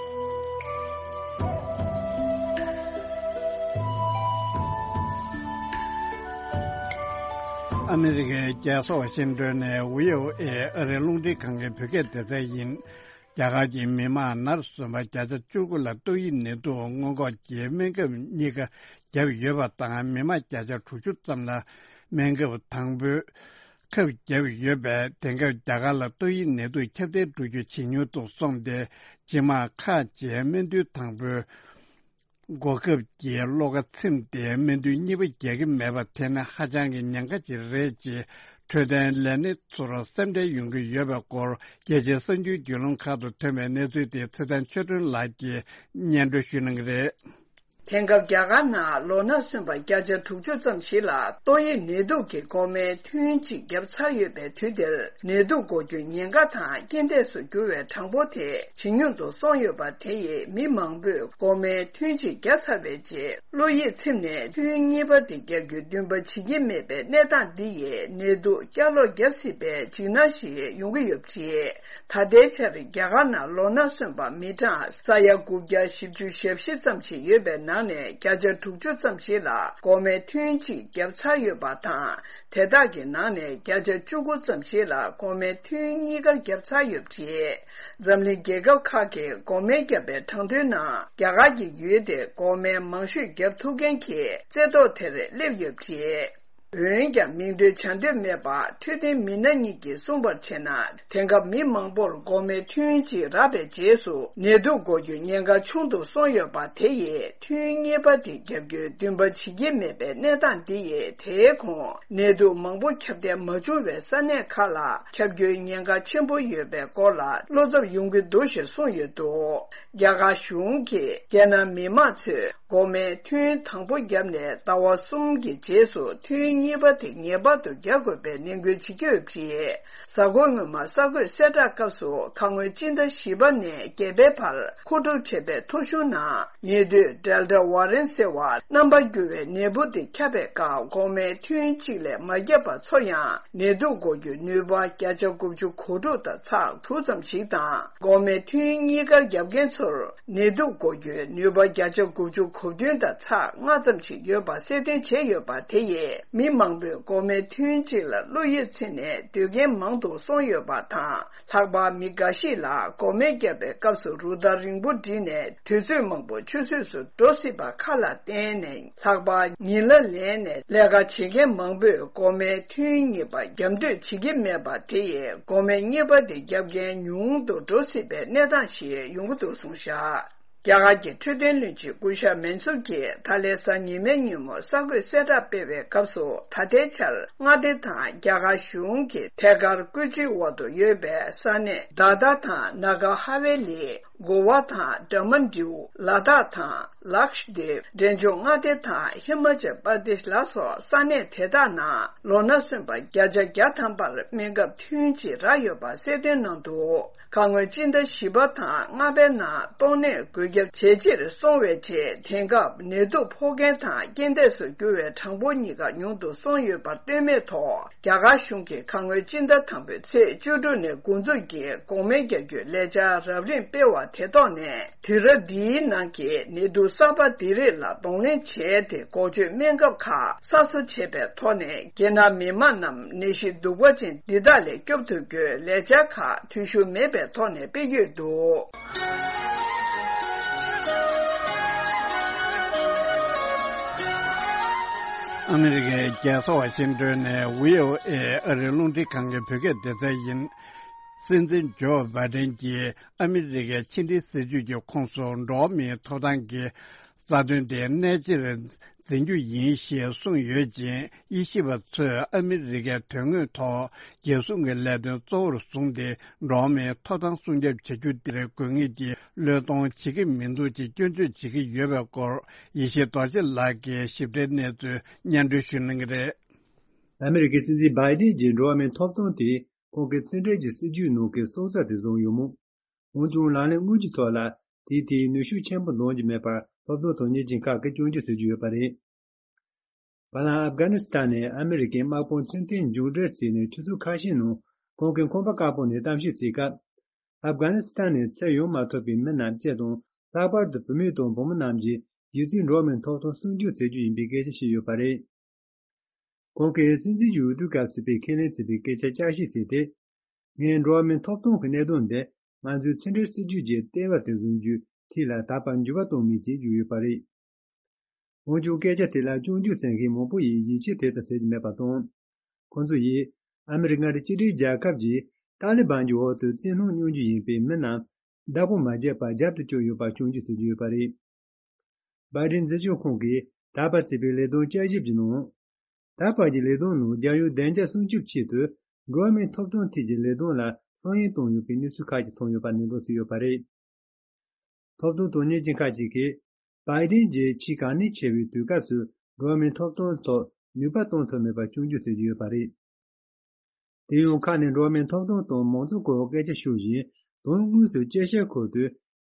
ཨ་མི་རི་ཀའི་རྒྱལ་ས་ཝ་ཤིང་ཏོན་ནས་བྷི་ཨོ་ཨེ་ཨ་རིའི་རླུང་འཕྲིན་ཁང་གི་བོད་སྐད་སྡེ་ཚན་ཡིན། རྒྱ་གར་གྱི་མི་མང་ནར་སོན་པ་བརྒྱ་ཆ་བཅུ་དགུ་ལ་ཏོག་དབྱིབས་ནད་དུག་སྔོན་འགོག་གི་སྨན་ཁབ་གཉིས་ཀ་བརྒྱབ་ཡོད་པ་དང་། མི་མང་བརྒྱ་ཆ་དྲུག་ཅུ་ཙམ་ལ་སྨན་ཁབ་དང་པོའི་ཁབ་བརྒྱབ་ཡོད་པས། དེང་སྐབས་རྒྱ་གར་ལ་ཏོག་དབྱིབས་ནད་དུག་ཁྱབ་གདལ་འགྲོ་རྒྱུ་ཇེ་ཉུང་དུ་སོང་སྟེ། སྤྱི་དམངས་ཁག་ཅིག་སྨན་ཐུན་དང་པོའི་འགོག་ཁབ་ཀྱི་གློག་ཀ་ཚིམ་སྟེ། སྨན་ཐུན་གཉིས་པ་རྒྱག་གི་མེད་པ་དེ་ནི་ཧ་ཅང་གི་ཉེན་ཁ་ཅིག་རེད་ཅེས། འཕྲོད་བསྟེན་ལས་སྣེ་ཚོར་སེམས་ཁྲལ་ཡོང་གི་ཡོད་པའི་སྐོར། རྒྱལ་སྤྱིའི་གསར་འགྱུར་བརྒྱུད་ལམ་ཁག་ཏུ་ཐོན་པའི་གནས་ཚུལ་དེ་ཚེ་བརྟན་ཆོས་སྒྲོན་ལགས་ཀྱིས་སྙན་སྒྲོན་ཞུ་གནང་གི་རེད། དེང་སྐབས་རྒྱ་གར་ནང་ལོ་ན་སོན་པ་བརྒྱ་ཆ་དྲུག་ཅུ་ཙམ་ཞིག་ལ་ཏོག་དབྱིབས་ནད་དུག་གི་འགོག་སྨན་ཐུན་གཅིག་བརྒྱབ་ཚར་ཡོད་པའི་དུས་འདིར། ནད་དུག་འགོག་རྒྱུའི་ཉེན་ཁ་དང་རྐྱེན་འདས་སུ་གྱུར་བའི་གྲངས་འབོར་དེ་ཇེ་ཉུང་དུ་སོང་ཡོད་པ་དེ་ཡིས། མི་མང་པོས་འགོག་སྨན་ཐུན་གཅིག་བརྒྱབ་ཚར་བའི་རྗེས། བློ་ཡིད་ཚིམ་ནས་ཐུན་གཉིས་པ་དེ་བརྒྱབ་རྒྱུའི་འདུན་པ་བྱེད་ཀྱི་མེད་པའི་གནས་སྟངས་འདི་ཡིས། ནད་དུག་བསྐྱར་ལོག་བརྒྱབ་སྲིད་པའི་འཇིགས་སྣང་ཞིག་ཡོང་གི་ཡོད་པ་རེད། ད་ལྟའི་ཆར་རྒྱ་གར་ནང་ལོ་ན་སོན་པ་མི་གྲངས་ས་ཡ་དགུ་བརྒྱ་བཞི་བཅུ་ཞེ་བཞི་ཙམ་ཞིག་ཡོད་པའི་ནང་ནས། བརྒྱ་ཆ་དྲུག་ཅུ་ཙམ་ཞིག་ལ་འགོག་སྨན་ཐུན་གཅིག་བརྒྱབ་ཚར་ཡོད་པ་དང་། དེ་དག་གི་ནང་ནས་བརྒྱ་ཆ་བཅུ་དགུ་ཙམ་ཞིག་ལ་འགོག་སྨན་ཐུན་གཉིས་ཀ་བརྒྱབ་ཚར་ཡོད་པ་རེད། འཛམ་གླིང་རྒྱལ་ཁབ་ཁག་གིས་འགོག་སྨན་བརྒྱབ་པའི་གྲངས་ཐོའི་ནང་། རྒྱ་གར་གྱི་ཡུལ་དེ་འགོག་སྨན་མང་ཤོས་བརྒྱབ་ཐུབ་མཁན་གྱི་རྩེ་ཐོ་དེར་སླེབས་ཡོད་པ་རེད། འོན་ཀྱང་། མིང་འདོན་བྱ་འདོད་མེད་པ་འཕྲོད་བསྟེན་མི་སྣ་གཉིས་ཀྱིས་གསུངས་པར་བྱས་ན། དེང་སྐབས་མི་མང་པོར་འགོག་སྨན་ཐུན་གཅིག་རག་པའི་རྗེས་སུ། ནད་དུག་འགོག་རྒྱུའི་ཉེན་ཁ་ཆུང་དུ་སོང་ཡོད་པ་དེ་ཡིས། ཐུན་གཉིས་པ་དེ་བརྒྱབ་རྒྱུའི་འདུན་པ་བྱེད་ཀྱི་མེད་པའི་གནས་སྟངས་འདི་ཡིས། དེའི་གོང་ནད་དུག་མང་པོ་ཁྱབ་གདལ་མ་བྱུང་བའི་ས་གནས་ཁག་ལ་ཁྱབ་རྒྱུའི་ཉེན་ཁ་ཆེན་པོ་ཡོད་པའི་སྐོར་ལ་བློ་འཚབ་ཡོང་གི་འདུག་ཞེས་གསུངས་ཡོད་འདུག་རྒྱ་གར་གཞུང་གིས་རྒྱལ་ནང་མི་མང་ཚོས་འགོག་སྨན་ཐུན་དང་པོ་བརྒྱབ་ནས་ཟླ་བ་གསུམ་གྱི་རྗེས་སུ་ཐུན་གཉིས་པ་དེ་ངེས་པར་དུ་རྒྱག་དགོས་པའི་ནན་སྐུལ་བྱེད་ཀྱི་ཡོད་པ་རེད། གཟའ་འཁོར་སྔོན་མ་གསར་འགོད་གསལ་བསྒྲགས་སྐབས་སུ། ཁ་སྔོན་སྤྱི་ཟླ་བཞི་པ་ནས་བརྒྱད་པའི་བར་མཁོ་སྒྲུབ་བྱས་པའི་ཐོ་གཞུང་ནང་། ཉེ་དུས་Delta Variant ཟེར་བ་རྣམ་པར་འགྱུར་བའི་ནད་འབུ་དེ་ཁྱབ་པའི་སྐབས། འགོག་སྨན་ཐུན་གཅིག་ལས་མ་བརྒྱབ་པ་ཚོར་ཡང་། ནད་དུག་འགོག་རྒྱུའི་ནུས་པ་བརྒྱ་ཆ་དགུ་བཅུ་གོ་དྲུག་དང་ཚེག་དྲུག་ཙམ་ཞིག་དང་། འགོག་སྨན་ཐུན་གཉིས་ཀར་བརྒྱབ་མཁན་ཚོར་ནད་དུག་འགོག་རྒྱུའི་ནུས་པ་བརྒྱ་ཆ་དགུ་བཅུ་གོ་བདུན་དང་ཚེག་ལྔ་ཙམ་ཞིག་ཡོད་པ་གསལ་སྟོན་བྱས་ཡོད་པ་དེ་ཡིས། མི་མང་པོས་འགོག་སྨན་ཐུན་གཅིག་ལ་བློ་ཡིད་ཚིམ་ནས་སྡོད་མཁན་མང་དུ་སོང་ཡོད་པ་དང་། ལྷག་པར་མི་འགའ་ཞིག་ལ་འགོག་སྨན་བརྒྱབ་པའི་སྐབས་སུ་རུ་སྟར་རིང་པོ་བསྒྲིགས་ནས། དུས་ཚོད་མང་པོ་ཆུད་ཟོས་སུ་འགྲོ་སྲིད་པ་ཁག་ལ་བརྟེན་ནས། ལྷག་པར་ཉིན་གླ་ལེན་ནས་ལས་ཀ་བྱེད་མཁན་མང་པོས་འགོག་སྨན་ཐུན་གཉིས་པ་བརྒྱབ་འདོད་བྱེད་ཀྱི་མེད་པ་དེ་ཡིས། འགོག་སྨན་གཉིས་པ་དེ་བརྒྱབ་མཁན་ཉུང་དུ་འགྲོ་སྲིད་པའི་གནས་སྟངས་ཤིག་ཡོང་གི་འདུག་གསུངས་བཞག་རྒྱ་གར་གྱི་འཕྲོད་བསྟེན་བློན་ཆེན་སྐུ་ཞབས་མན་སུར་གྱིས་ད་ལན་གཟའ་ཉི་མའི་ཉིན་མོ་གསར་འགོད་གསལ་བསྒྲགས་སྤེལ་བའི་སྐབས་སུ། ད་ལྟའི་ཆར་མངའ་སྡེ་དང་རྒྱ་གར་གཞུང་གི་ཐད་ཀར་བཀོད་སྒྲིག་འོག་ཏུ་ཡོད་པའི་ས་གནས་དཱ་དཱ་དང་ནཱ་ག་ཧ་ཝེ་ལི། གོ་ཝ་དང་དཱ་མན་ཌིའུ། ལ་དྭགས་དང་ལཀྵ་དིབ། འབྲས་ལྗོངས་མངའ་སྡེ་དང་ཧི་མ་ཅལ་པར་དེཤ་ལ་སོགས་ས་གནས་དེ་དག་ནང་ལོ་ན་སོན་པ་བརྒྱ་ཆ་བརྒྱ་ཐམ་པར་སྨན་ཁབ་ཐུན་གཅིག་རག་ཡོད་པ་གསལ་སྟོན་གནང་འདུག་ཁ་སྔོན་སྤྱི་ཟླ་བཞི་པ་དང་ལྔ་པའི་ནང་ཏོག་ནད་འགོས་ཁྱབ་ཇེ་ཆེར་སོང་བའི་རྗེས། དེང་སྐབས་ནད་དུག་ཕོག་མཁན་དང་རྐྱེན་འདས་སུ་གྱུར་བའི་གྲངས་འབོར་གཉིས་ཀ་ཉུང་དུ་སོང་ཡོད་པར་ལྟོས་མེད་ཐོག་རྒྱ་གར་གཞུང་གིས་ཁ་སྔོན་སྤྱི་ཟླ་དང་པོའི་ཚེས་བཅུ་དྲུག་ནས་འགོ་འཛུགས་ཀྱིས་འགོག་སྨན་རྒྱག་རྒྱུའི་ལས་འཆར་རབ་རིམ་སྤེལ་བ་དེ་ཐོག་ནས། དུས་རབས་འདིའི་ནང་གི་ནད་དུག་གསར་པ་འདི་རིགས་ལ་གདོང་ལེན་བྱས་ཏེ། འགོག་བཅོས་སྨན་ཁབ་ཁག་གསར་བཟོ་བྱས་པའི་ཐོག་ནས། རྒྱལ་ནང་མི་མང་རྣམས་ནད་གཞི་གདུག་པ་ཅན་འདི་དག་ལས་སྐྱོབ་ཐུབ་རྒྱུའི་ལས་འཆར་ཁག་འཐུས་ཤོར་མེད་པའི་ཐོག་ནས་སྤེལ་གྱི་ཡོད་འདུག་ཨ་མི་རི་ཀའི་རྒྱལ་ས་ཝ་ཤིང་ཏོན་ནས་བྷི་ཨོ་ཨེ་ཨ་རིའི་རླུང་འཕྲིན་ཁང་གི་བོད་སྐད་སྡེ་ཚན་ཡིན། སྲིད་འཛིན་ཇོ་བྷའི་ཌེན་གྱིས་ཨ་མི་རི་ཀའི་ཕྱི་འབྲེལ་སྲིད་ཇུས་ཀྱི་ཁོངས་སུ་འགྲོ་བ་མིའི་ཐོབ་ཐང་གི་རྩ་དོན་དེ་གནད་ཆེར་འཛིན་རྒྱུ་ཡིན་ཞེས་གསུངས་ཡོད་ཅིང་། དབྱེ་ཞིབ་པ་ཚོས་ཨ་མི་རི་ཀའི་དོན་དངོས་ཐོག་རྒྱལ་སྲུང་གི་ལས་དོན་གཙོ་བོར་བཟུང་སྟེ། འགྲོ་བ་མིའི་ཐོབ་ཐང་སྲུང་སྐྱོབ་བྱ་རྒྱུ་དེར་དགོས་ངེས་ཀྱི་བློས་གཏོང་བྱེད་ཀྱི་མི་འདུག་ཅེས་སྐྱོན་བརྗོད་བྱེད་ཀྱི་ཡོད་པའི་སྐོར། ཡེ་ཤེས་རྡོ་རྗེ་ལགས་ཀྱིས་ཞིབ་ཕྲའི་གནས་ཚུལ་སྙན་སྒྲོན་ཞུ་གནང་གི་རེད། ཨ་མི་རི་ཀའི་སྲིད་འཛིན་བྷའི་ཌེན་གྱི་འགྲོ་བ་མིའི་ཐོབ་ཐང་དེ་ཁོང་གི་ཕྱི་འབྲེལ་གྱི་སྲིད་ཇུས་ནང་གི་སྲོག་རྩ་དེ་བཟུང་ཡོད་མོད། འོན་ཀྱང་ལག་ལེན་དངོས་ཀྱི་ཐོག་ལ་དེའི་ཐད་ནུས་ཤུགས་ཆེན་པོ་འདོན་གྱི་མེད་པར་སློབ་སྟོན་དང་བརྙན་འཕྲིན་ཁག་གིས་སྐྱོན་བརྗོད་བྱེད་ཀྱི་ཡོད་པ་རེད། བར་ལམ་ཨབ་གྷ་ནི་སི་ཐན་ནས་ཨ་མི་རི་ཀའི་དམག་དཔུང་ཚུན་ཐོན་མཇུག་སྒྲིལ་བྱས་ནས་ཆུ་ཚོད་ཁ་ཤས་ནང་ཁོང་གིས་ཁང་པ་དཀར་པོ་ནས་གཏམ་བཤད་བྱེད་སྐབས། ཨབ་གྷ་ནི་སི་ཐན་ནས་ཚུར་ཡོང་མ་ཐུབ་པའི་མི་རྣམས་སྤྱི་དང་ལྷག་པར་དུ་བུད་མེད་དང་བུ་མོ་རྣམས་ཀྱི་གཞི་རྩའི་འགྲོ་བ་མིའི་ཐོབ་ཐང་སྲུང་སྐྱོབ་བྱེད་རྒྱུ་ཡིན་པའི་སྐད་ཆ་བཤད་ཡོད་པ་རེད། ཁོང་གིས་སྲིད་འཛིན་གྱི་འོས་བསྡུ་སྐབས་བྱས་པའི་ཁས་ལེན་བྱས་པའི་སྐད་ཆ་བསྐྱར་ཞིབ་བྱས་ཏེ། ངས་འགྲོ་བ་མིའི་ཐོབ་ཐང་གི་གནད་དོན་འདི་ ང་ཚོའི་ཕྱི་འབྲེལ་སྲིད་ཇུས་ཀྱི་ལྟེ་བ་དེ་བཟུང་རྒྱུའི་ཐད་ལ་ད་བར་འགྱུར་བ་གཏོང་མེད་ཅེས་བརྗོད་ཡོད་པ་རེད། འོན་ཀྱང་སྐད་ཆ་དེ་ལ་སྐྱོན་བརྗོད་མཛད་མཁན་མང་པོ་ཡིས་ཡིད་ཆེས་དེ་ལྟར་བྱེད་ཀྱི་མེད་པ་དང་། ཁོང་ཚོ་ཡིས་ཨ་མི་རི་ཀ་མངའ་སྡེ་གཅིག་སྒྲིལ་རྒྱལ་ཁབ་ཀྱིས་ཏཱ་ལི་བན་གྱི་འོག་ཏུ་བཙན་གནོན་གནང་རྒྱུ་ཡིན་པའི་མི་རྣམས་བདག་པོ་མ་བརྒྱབ་པར་རྒྱབ་ཏུ་བསྐྱོན་ཡོད་པར་སྐྱོན་བརྗོད་བྱེད་ཀྱི་ཡོད་པ་རེད། བྷའི་ཌེན་འཛིན་སྐྱོང་ཁང་གིས་ད་བར་བྱས་པའི་ལས་དོན་བསྐྱར་ཞིབ་ཀྱི་ནང་། ད་བར་གྱི་ལས་དོན་ནང་རྒྱལ་ཡོངས་བདེ་འཇགས་སྲུང་སྐྱོབ་ཆེད་དུ་འགྲོ་བ་མིའི་ཐོབ་ཐང་ཐད་ཀྱི་ལས་དོན་ལ་ལྷོད་གཡེང་བཏང་ཡོད་པའི་གནས་ཚུལ་ཁག་ཅིག་མཐོང་ཡོད་པ་ནན་སྒྲོན་བྱས་ཡོད་པ་རེད། ཐོབ་ཐང་དོན་གཉེར་ཅན་ཁག་ཅིག་གིས་བྷའི་ཌེན་གྱིས་ཆེས་གལ་གནད་ཆེ་བའི་དུས་སྐབས་སུ་འགྲོ་བ་མིའི་ཐོབ་ཐང་ཐོག་ནུས་པ་གཏོང་ཐུབ་མེད་པར་སྐྱོན་བརྗོད་བྱེད་ཀྱི་ཡོད་པ་རེད། དེ་ཡང་ཁ་ནས་འགྲོ་བ་མིའི་ཐོབ་ཐང་དང་མང་གཙོའི་སྐོར་སྐད་ཆ་ཤོད་བཞིན་དོན་དངོས་སུ་དཔྱད་ཞིབ་ཁུལ་དུ་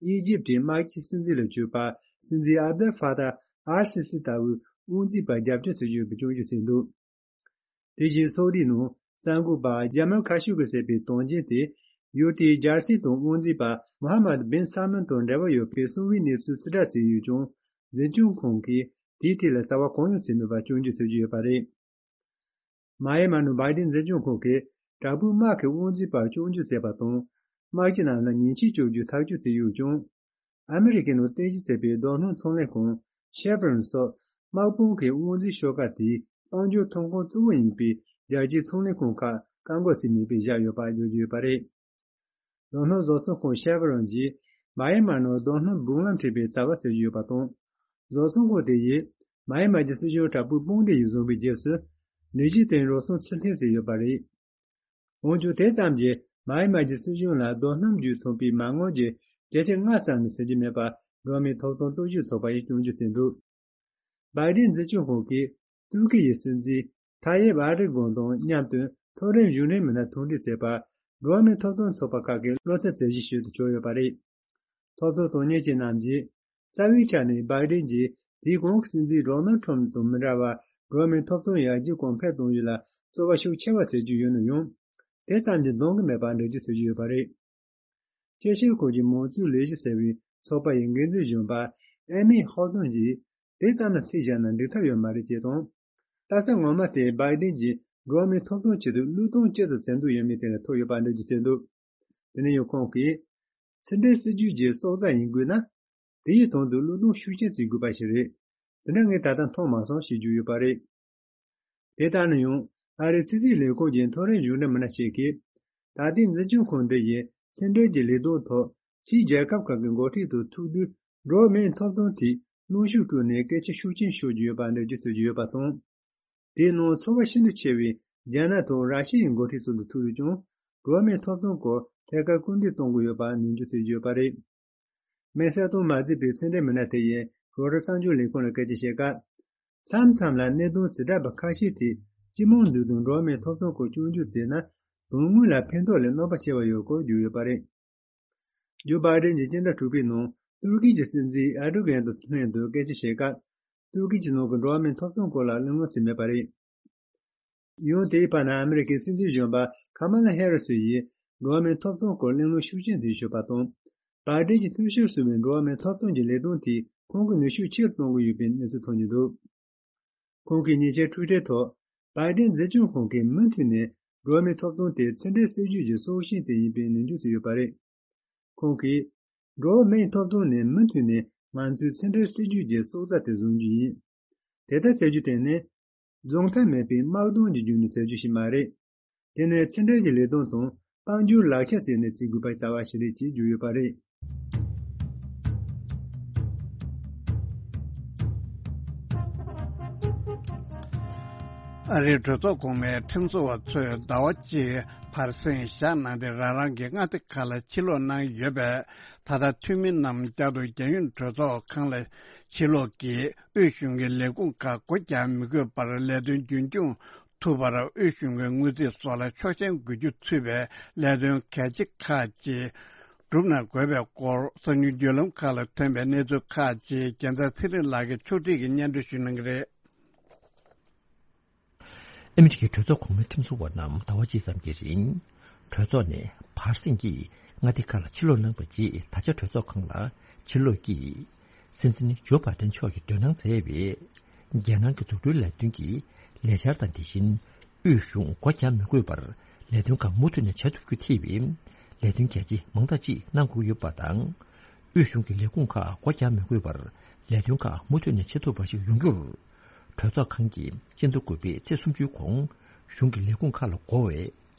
ཨི་ཇིབ་ཀྱི་དམག་སྤྱི་སྲིད་འཛིན་ལ་གྱུར་པ་སྲིད་འཛིན་ཨབ་དེལ་ཧྥ་ཏཱ་ཨལ་སི་སི་ལྟ་བུའི་དབང་འཛིན་པར་རྒྱབ་སྐྱོར་བྱེད་ཀྱི་ཡོད་པའི་སྐྱོན་བརྗོད་བྱས་འདུག་དེ་བཞིན་སོག་རིགས་ནང་གསར་འགོད་པ་ཇ་མལ་ཁ་ཤོ་གི་ཟེར་བའི་དོན་རྐྱེན་དེ་ཡུལ་དེའི་རྒྱལ་སྲིད་དང་དབང་འཛིན་པ་མོ་ཧ་མད་བིན་སལ་མན་དང་འབྲེལ་བ་ཡོད་པའི་གསང་བའི་གནས་ཚུལ་ཕྱིར་བསྒྲགས་བྱས་ཡོད་ཀྱང་འཛིན་སྐྱོང་ཁང་གིས་དེའི་ཐད་ལ་རྩ་བ་གང་ཡང་བྱས་མེད་པར་སྐྱོན་བརྗོད་བྱེད་ཀྱི་ཡོད་པ་རེད། མ་ཧེ་མ་ནང་བྷའི་ཌེན་འཛིན་སྐྱོང་ཁང་གིས་དྲག་པོའི་དམག་གི་དབང་འཛིན་པར་སྐྱོན་བརྗོད་བྱས་པ་དང་། དམག་སྤྱི་རྣམས་ལ་ཉེས་ཆད་གཅོད་རྒྱུའི་ཐག་གཅོད་བྱས་ཡོད་ཀྱང་། ཨ་མི་རི་ཀའི་ནང་རྟེན་གཞི་བྱས་པའི་རྡོ་སྣུམ་ཚོང་ལས་ཁང་ཤེ་ཕི་རོན་སོགས་དམག་དཔུང་གི་དབང་འཛིན་ཤོག་ཁག་དེའི་དཔལ་འབྱོར་ཐོན་ཁུངས་གཙོ་བོ་ཡིན་པའི་རྒྱལ་སྤྱིའི་ཚོང་ལས་ཁང་ཁག་བཀག་འགོག་བྱས་མེད་པར་བཞག་ཡོད་པ་བརྗོད་ཀྱི་ཡོད་པ་རེད། རྡོ་སྣུམ་བཟོ་ཚོང་ཁང་ཤེ་ཕི་རོན་གྱིས་མ་ཧེ་མ་ནང་རྡོ་སྣུམ་སྦུག་ལམ་འཁྲིད་པའི་རྩ་བ་བྱེད་ཀྱི་ཡོད་པ་དང་། བཟོ་ཚོང་ཁང་དེ་ཡིས་མ་ཧེ་མ་གྱི་སྲིད་གཞུང་དྲག་པོའི་དཔུང་སྡེ་ཡིས་བཟུང་བའི་རྗེས་སུ། ལས་གཞི་དེ་རོགས་ཟོན་ཕྱིར་འཐེན་བྱས་ཡོད་པ་རེད། འོན་ཀྱང་དེ་ཙམ་གྱིས་མ་ཧེ་མ་གྱི་སྲིད་གཞུང་ལ་རྡོ་སྣུམ་བརྒྱུད་ཐོབ་པའི་མ་དངུལ་གྱི་བརྒྱ་ཆ་ལྔ་ཙམ་ནས་ཟིན་གྱི་མེད་པ་འགྲོ་བ་མིའི་ཐོབ་ཐང་སྲུང་སྐྱོབ་ཚོགས་པ་ཡིས་སྐྱོན་བརྗོད་བྱས་འདུག་བྷའི་ཌེན་འཛིན་སྐྱོང་ཁང་གིས་ཏུར་ཀི་ཡི་སྲིད་འཛིན་ཐ་ཡེབ་ཨར་ཌོ་གྷན་དང་མཉམ་དུ་མཐོ་རིམ་གཞུང་འབྲེལ་མི་སྣ་ཐུག་འཕྲད་བྱས་པར་འགྲོ་བ་མིའི་ཐོབ་ཐང་ཚོགས་པ་ཁག་གིས་བློ་འཚབ་བྱེད་བཞིན་ཞུ་དུ་བཅུག་ཡོད་པ་རེད། ཐོབ་ཐང་དོན་གཉེར་ཅན་རྣམས་ཀྱིས་རྩ་བའི་ཆ་ནས་བྷའི་ཌེན་གྱིས་དེའི་གོང་གི་སྲིད་འཛིན་ཌོ་ནལ་ཁྲམ་དང་མི་འདྲ་བར་འགྲོ་བ་མིའི་ཐོབ་ཐང་ཡར་རྒྱས་གོང་འཕེལ་གཏོང་རྒྱུ་ལ་རྩོལ་བ་ཤུགས་ཆེ་བ་བྱེད་ཀྱི་ཡོད་ན་ཡང་། དེ་ཙམ་གྱིས་འདང་གི་མེད་པར་འགྲེལ་བརྗོད་བྱེད་ཀྱི་ཡོད་པ་རེད། དཔྱད་ཞིབ་ཁང་གི་མང་གཙོའི་ལས་གཞི་ཟེར་བའི་ཚོགས་པ་ཡི་འགན་འཛིན་གཞོན་པ་ཨེ་མི་ཧོ་ཏོན་གྱིས་དེ་ཙམ་ལ་ཚིག་བཞག་ན་འགྲིག་ཐབས་ཡོད་མ་རེད་ཅེས་དང་། ལྟ་ས་ངོ་མ་དེ་བྷའི་ཌེན་གྱིས་འགྲོ་བ་མིའི་ཐོབ་ཐང་ཆེད་དུ་བློས་གཏོང་ཅི་ཙམ་བྱེད་འདོད་ཡོད་མེད་དེ་ལ་ཐུག་ཡོད་པ་འགྲེལ་བརྗོད་བྱས་འདུག་དེ་ནས་ཡང་ཁོང་གིས། ཕྱི་འབྲེལ་སྲིད་ཇུས་ཀྱི་སྲོག་རྩ་ཡིན་དགོས་ན། དེ་ཡི་དོན་དུ་བློས་གཏོང་ཤུགས་ཆེན་བྱེད་དགོས་པ་ཞིག་རེད། དེ་འདྲ་ངས་ད་ལྟ་མཐོང་མ་སོང་ཞེས་བརྗོད་ཡོད་པ་རེད། དེ་ལྟར་ན་ཡང་ཨ་རིའི་ཕྱི་སྲིད་ལས་ཁུངས་ཀྱི་མཐོ་རིམ་གཞུང་འབྲེལ་མི་སྣ་ཞིག་གིས། ད་ལྟའི་འཛིན་སྐྱོང་ཁང་འདི་ཡིས་ཕྱི་འབྲེལ་གྱི་ལས་དོན་ཐོག་ཕྱིའི་རྒྱལ་ཁབ་ཁག་གི་འགོ་ཁྲིད་དང་ཐུག་དུས་འགྲོ་བ་མིའི་ཐོབ་ཐང་ཐད་གནོན་ཤུགས་བསྐྱོན་ནས་སྐད་ཆ་ཤུགས་ཆེན་ཤོད་ཀྱི་ཡོད་པ་འགྲེལ་བརྗོད་བྱེད་ཀྱི་ཡོད་པ་དང་། དེའི་ནང་ཚོར་བ་ཤིན་ཏུ་ཆེ་བའི་རྒྱ་ནག་དང་ར་ཤི་ཡའི་འགོ་ཁྲིད་ཚོ་དང་ཐུག་དུས་ཀྱང་འགྲོ་བ་མིའི་ཐོབ་ཐང་སྐོར་ཐད་ཀར་སྐུལ་འདེད་གཏོང་གི་ཡོད་པ་ནན་བརྗོད་བྱེད་ཀྱི་ཡོད་པ་རེད། མེ་སེར་དང་མ་བརྩིས་པའི་ཕྱི་འབྲེལ་མི་སྣ་དེ་ཡིས་རོའི་ཊར་གསར་འགྱུར་ལས་ཁུངས་ལ་སྐད་ཆ་བཤད་སྐབས། མཚམས་མཚམས་ལ་གནད་དོན་ཇི་འདྲ་བ་ཁ་ཤས་དེ་སྤྱི་དམངས་འདུས་དང་འགྲོ་བ་མིའི་ཐོབ་ཐང་སྐོར་སྐྱོན་བརྗོད་བྱས་ན་དོན་དངོས་ལ་ཕན་ཐོགས་ལས་གནོད་པ་ཆེ་བ་ཡོད་སྐོར་བརྗོད་ཡོད་པ་རེད། ཇོ་བྷའི་ཌེན་གྱིས་སྤྱི་ཟླ་དྲུག་པའི་ནང་ཏུར་ཀི་གྱི་སྲིད་འཛིན་ཨར་ཌོ་གྷན་དང་ལྷན་དུ་སྐད་ཆ་བཤད་སྐབས། ཏུར་ཀི་གྱི་ནང་གི་འགྲོ་བ་མིའི་ཐོབ་ཐང་སྐོར་ལ་གླེང་སློང་བྱས་མེད་པ་རེད། ཡང་དེའི་བར་ན་ཨ་མི་རི་ཀའི་སྲིད་འཛིན་གཞོན་པ་ཁ་མ་ལ་ཧེ་རི་སི་ཡིས་འགྲོ་བ་མིའི་ཐོབ་ཐང་སྐོར་གླེང་སློང་ཤུགས་ཆེན་བྱས་ཡོད་པ་དང་། བྷའི་ཌེན་གྱིས་འཐུས་ཤོར་སོང་བའི་འགྲོ་བ་མིའི་ཐོབ་ཐང་གི་ལས་དོན་དེས་ཁོང་གི་ནུས་ཤུགས་ཆེ་རུ་གཏོང་གི་ཡོད་པའི་གནས་ཚུལ་ཐོན་གྱི་འདུག་ཁོང་གིས་ཉེ་ཆར་ཊུའི་ཊར་ཐོག་བྷའི་ཌེན་འཛིན་སྐྱོང་ཁང་གིས་མུ་མཐུད་ནས་འགྲོ་བ་མིའི་ཐོབ་ཐང་དེ་ཕྱི་འབྲེལ་སྲིད་ཇུས་ཀྱི་སྲོག་ཤིང་དེ་ཡིན་པའི་ནན་བརྗོད་བྱས་ཡོད་པ་རེད། ཁོང་གིས། འགྲོ་བ་མིའི་ཐོབ་ཐང་ནི་མུ་མཐུད་ནས་ང་ཚོའི་ཕྱི་འབྲེལ་སྲིད་ཇུས་ཀྱི་སྲོག་རྩ་དེ་བཟུང་རྒྱུ་ཡིན། དེ་ལྟར་བྱེད་རྒྱུ་དེ་ནི། རྫོགས་མཐའ་མེད་པའི་དམག་དོན་གྱི་བརྒྱུད་ནས་བྱེད་རྒྱུ་ཞིག་མ་རེད། དེ་ནི་ཕྱི་འབྲེལ་གྱི་ལས་དོན་དང་དཔལ་འབྱོར་ལག་ཆ་བྱས་ནས་བྱེད་དགོས་པའི་རྩ་བ་ཞིག་རེད་ཅེས་བརྗོད་ཡོད་པ་རེད། ཨ་རིའི་གྲོས་ཚོགས་གོང་མའི་ཁྲིམས་བཟོ་བ་ཚོས་ཟླ་བ་གཅིག་བར་གསེང་བཞག་གནང་སྟེ་རང་རང་གི་མངའ་སྡེ་ཁག་ལ་ཕྱིར་ལོག་གནང་ཡོད་པས། ད་ལྟ་འཐུས་མི་རྣམས་བསྐྱར་དུ་རྒྱལ་ཡོངས་གྲོས་ཚོགས་ཁང་ལ་ཕྱིར་ལོག་གིས་དབུས་གཞུང་གི་ལས་ཁུངས་ཁག་སྒོ་རྒྱག་མི་དགོས་པར་ལས་དོན་རྒྱུན་སྐྱོང་ཐུབ་པར་དབུས་གཞུང་གི་དངུལ་རྩིས་སོགས་ལ་ཆོག་མཆན་དགོས་རྒྱུ་ཚུད་པའི་ལས་དོན་གལ་ཆེ་ཁག་ཅིག་བསྒྲུབ་གནང་དགོས་པའི་སྐོར་གསར་འགྱུར་བརྒྱུད་ལམ་ཁག་ལ་ཐོན་པའི་གནས་ཚུལ་ཁག་ཅིག་རྒྱལ་མཚན་ཚེ་རིང་ལགས་ཀྱིས་ཕྱོགས་སྒྲིག་གིས་སྙན་སྒྲོན་ཞུ་གནང་གི་རེད། ཨ་མི་རི་ཀའི་གྲོས་ཚོགས་གོང་མའི་ཁྲིམས་བཟོ་བ་རྣམས་ཟླ་བ་གཅིག་ཙམ་གྱི་རིང་། གྲོས་ཚོགས་ནས་བར་གསེང་གིས་མངའ་སྡེ་ཁག་ལ་ཕྱིར་ལོག་གནང་བ་རྗེས་ད་ཆ་གྲོས་ཚོགས་ཁང་ལ་ཕྱིར་ལོག་གིས། སྲིད་འཛིན་ཇོ་བྷའི་ཌེན་མཆོག་གིས་འདོན་གནང་མཛད་པའི། རྒྱལ་ནང་གི་འཛུགས་སྐྲུན་ལས་དོན་གྱི་ལས་འཆར་དང་དེ་བཞིན། དབུས་གཞུང་སྒོ་རྒྱག་མི་དགོས་པར་ལས་དོན་ཁག་མུ་མཐུད་ནས་བྱ་ཐུབ་རྒྱུ་ཐེ་བའི། ལས་དོན་གལ་ཆེ་མང་དག་ཅིག་གནང་དགོས་ཡོད་པ་དང་། དབུས་གཞུང་གི་ལས་ཁུངས་ཁག་སྒོ་རྒྱག་མི་དགོས་པར་ལས་དོན་ཁག་མུ་མཐུད་ནས་བྱེད་ཐུབ་པ་ཞིག་ཡོང་རྒྱུར། གྲོས་ཚོགས་ཁང་གིས་སྤྱི་ཟླ་དགུ་པའི་ཚེས་སུམ་ཅུའི་གོང་གཞུང་གི་ལས་ཁུངས་ཁག་ལ་དགོས་པའི་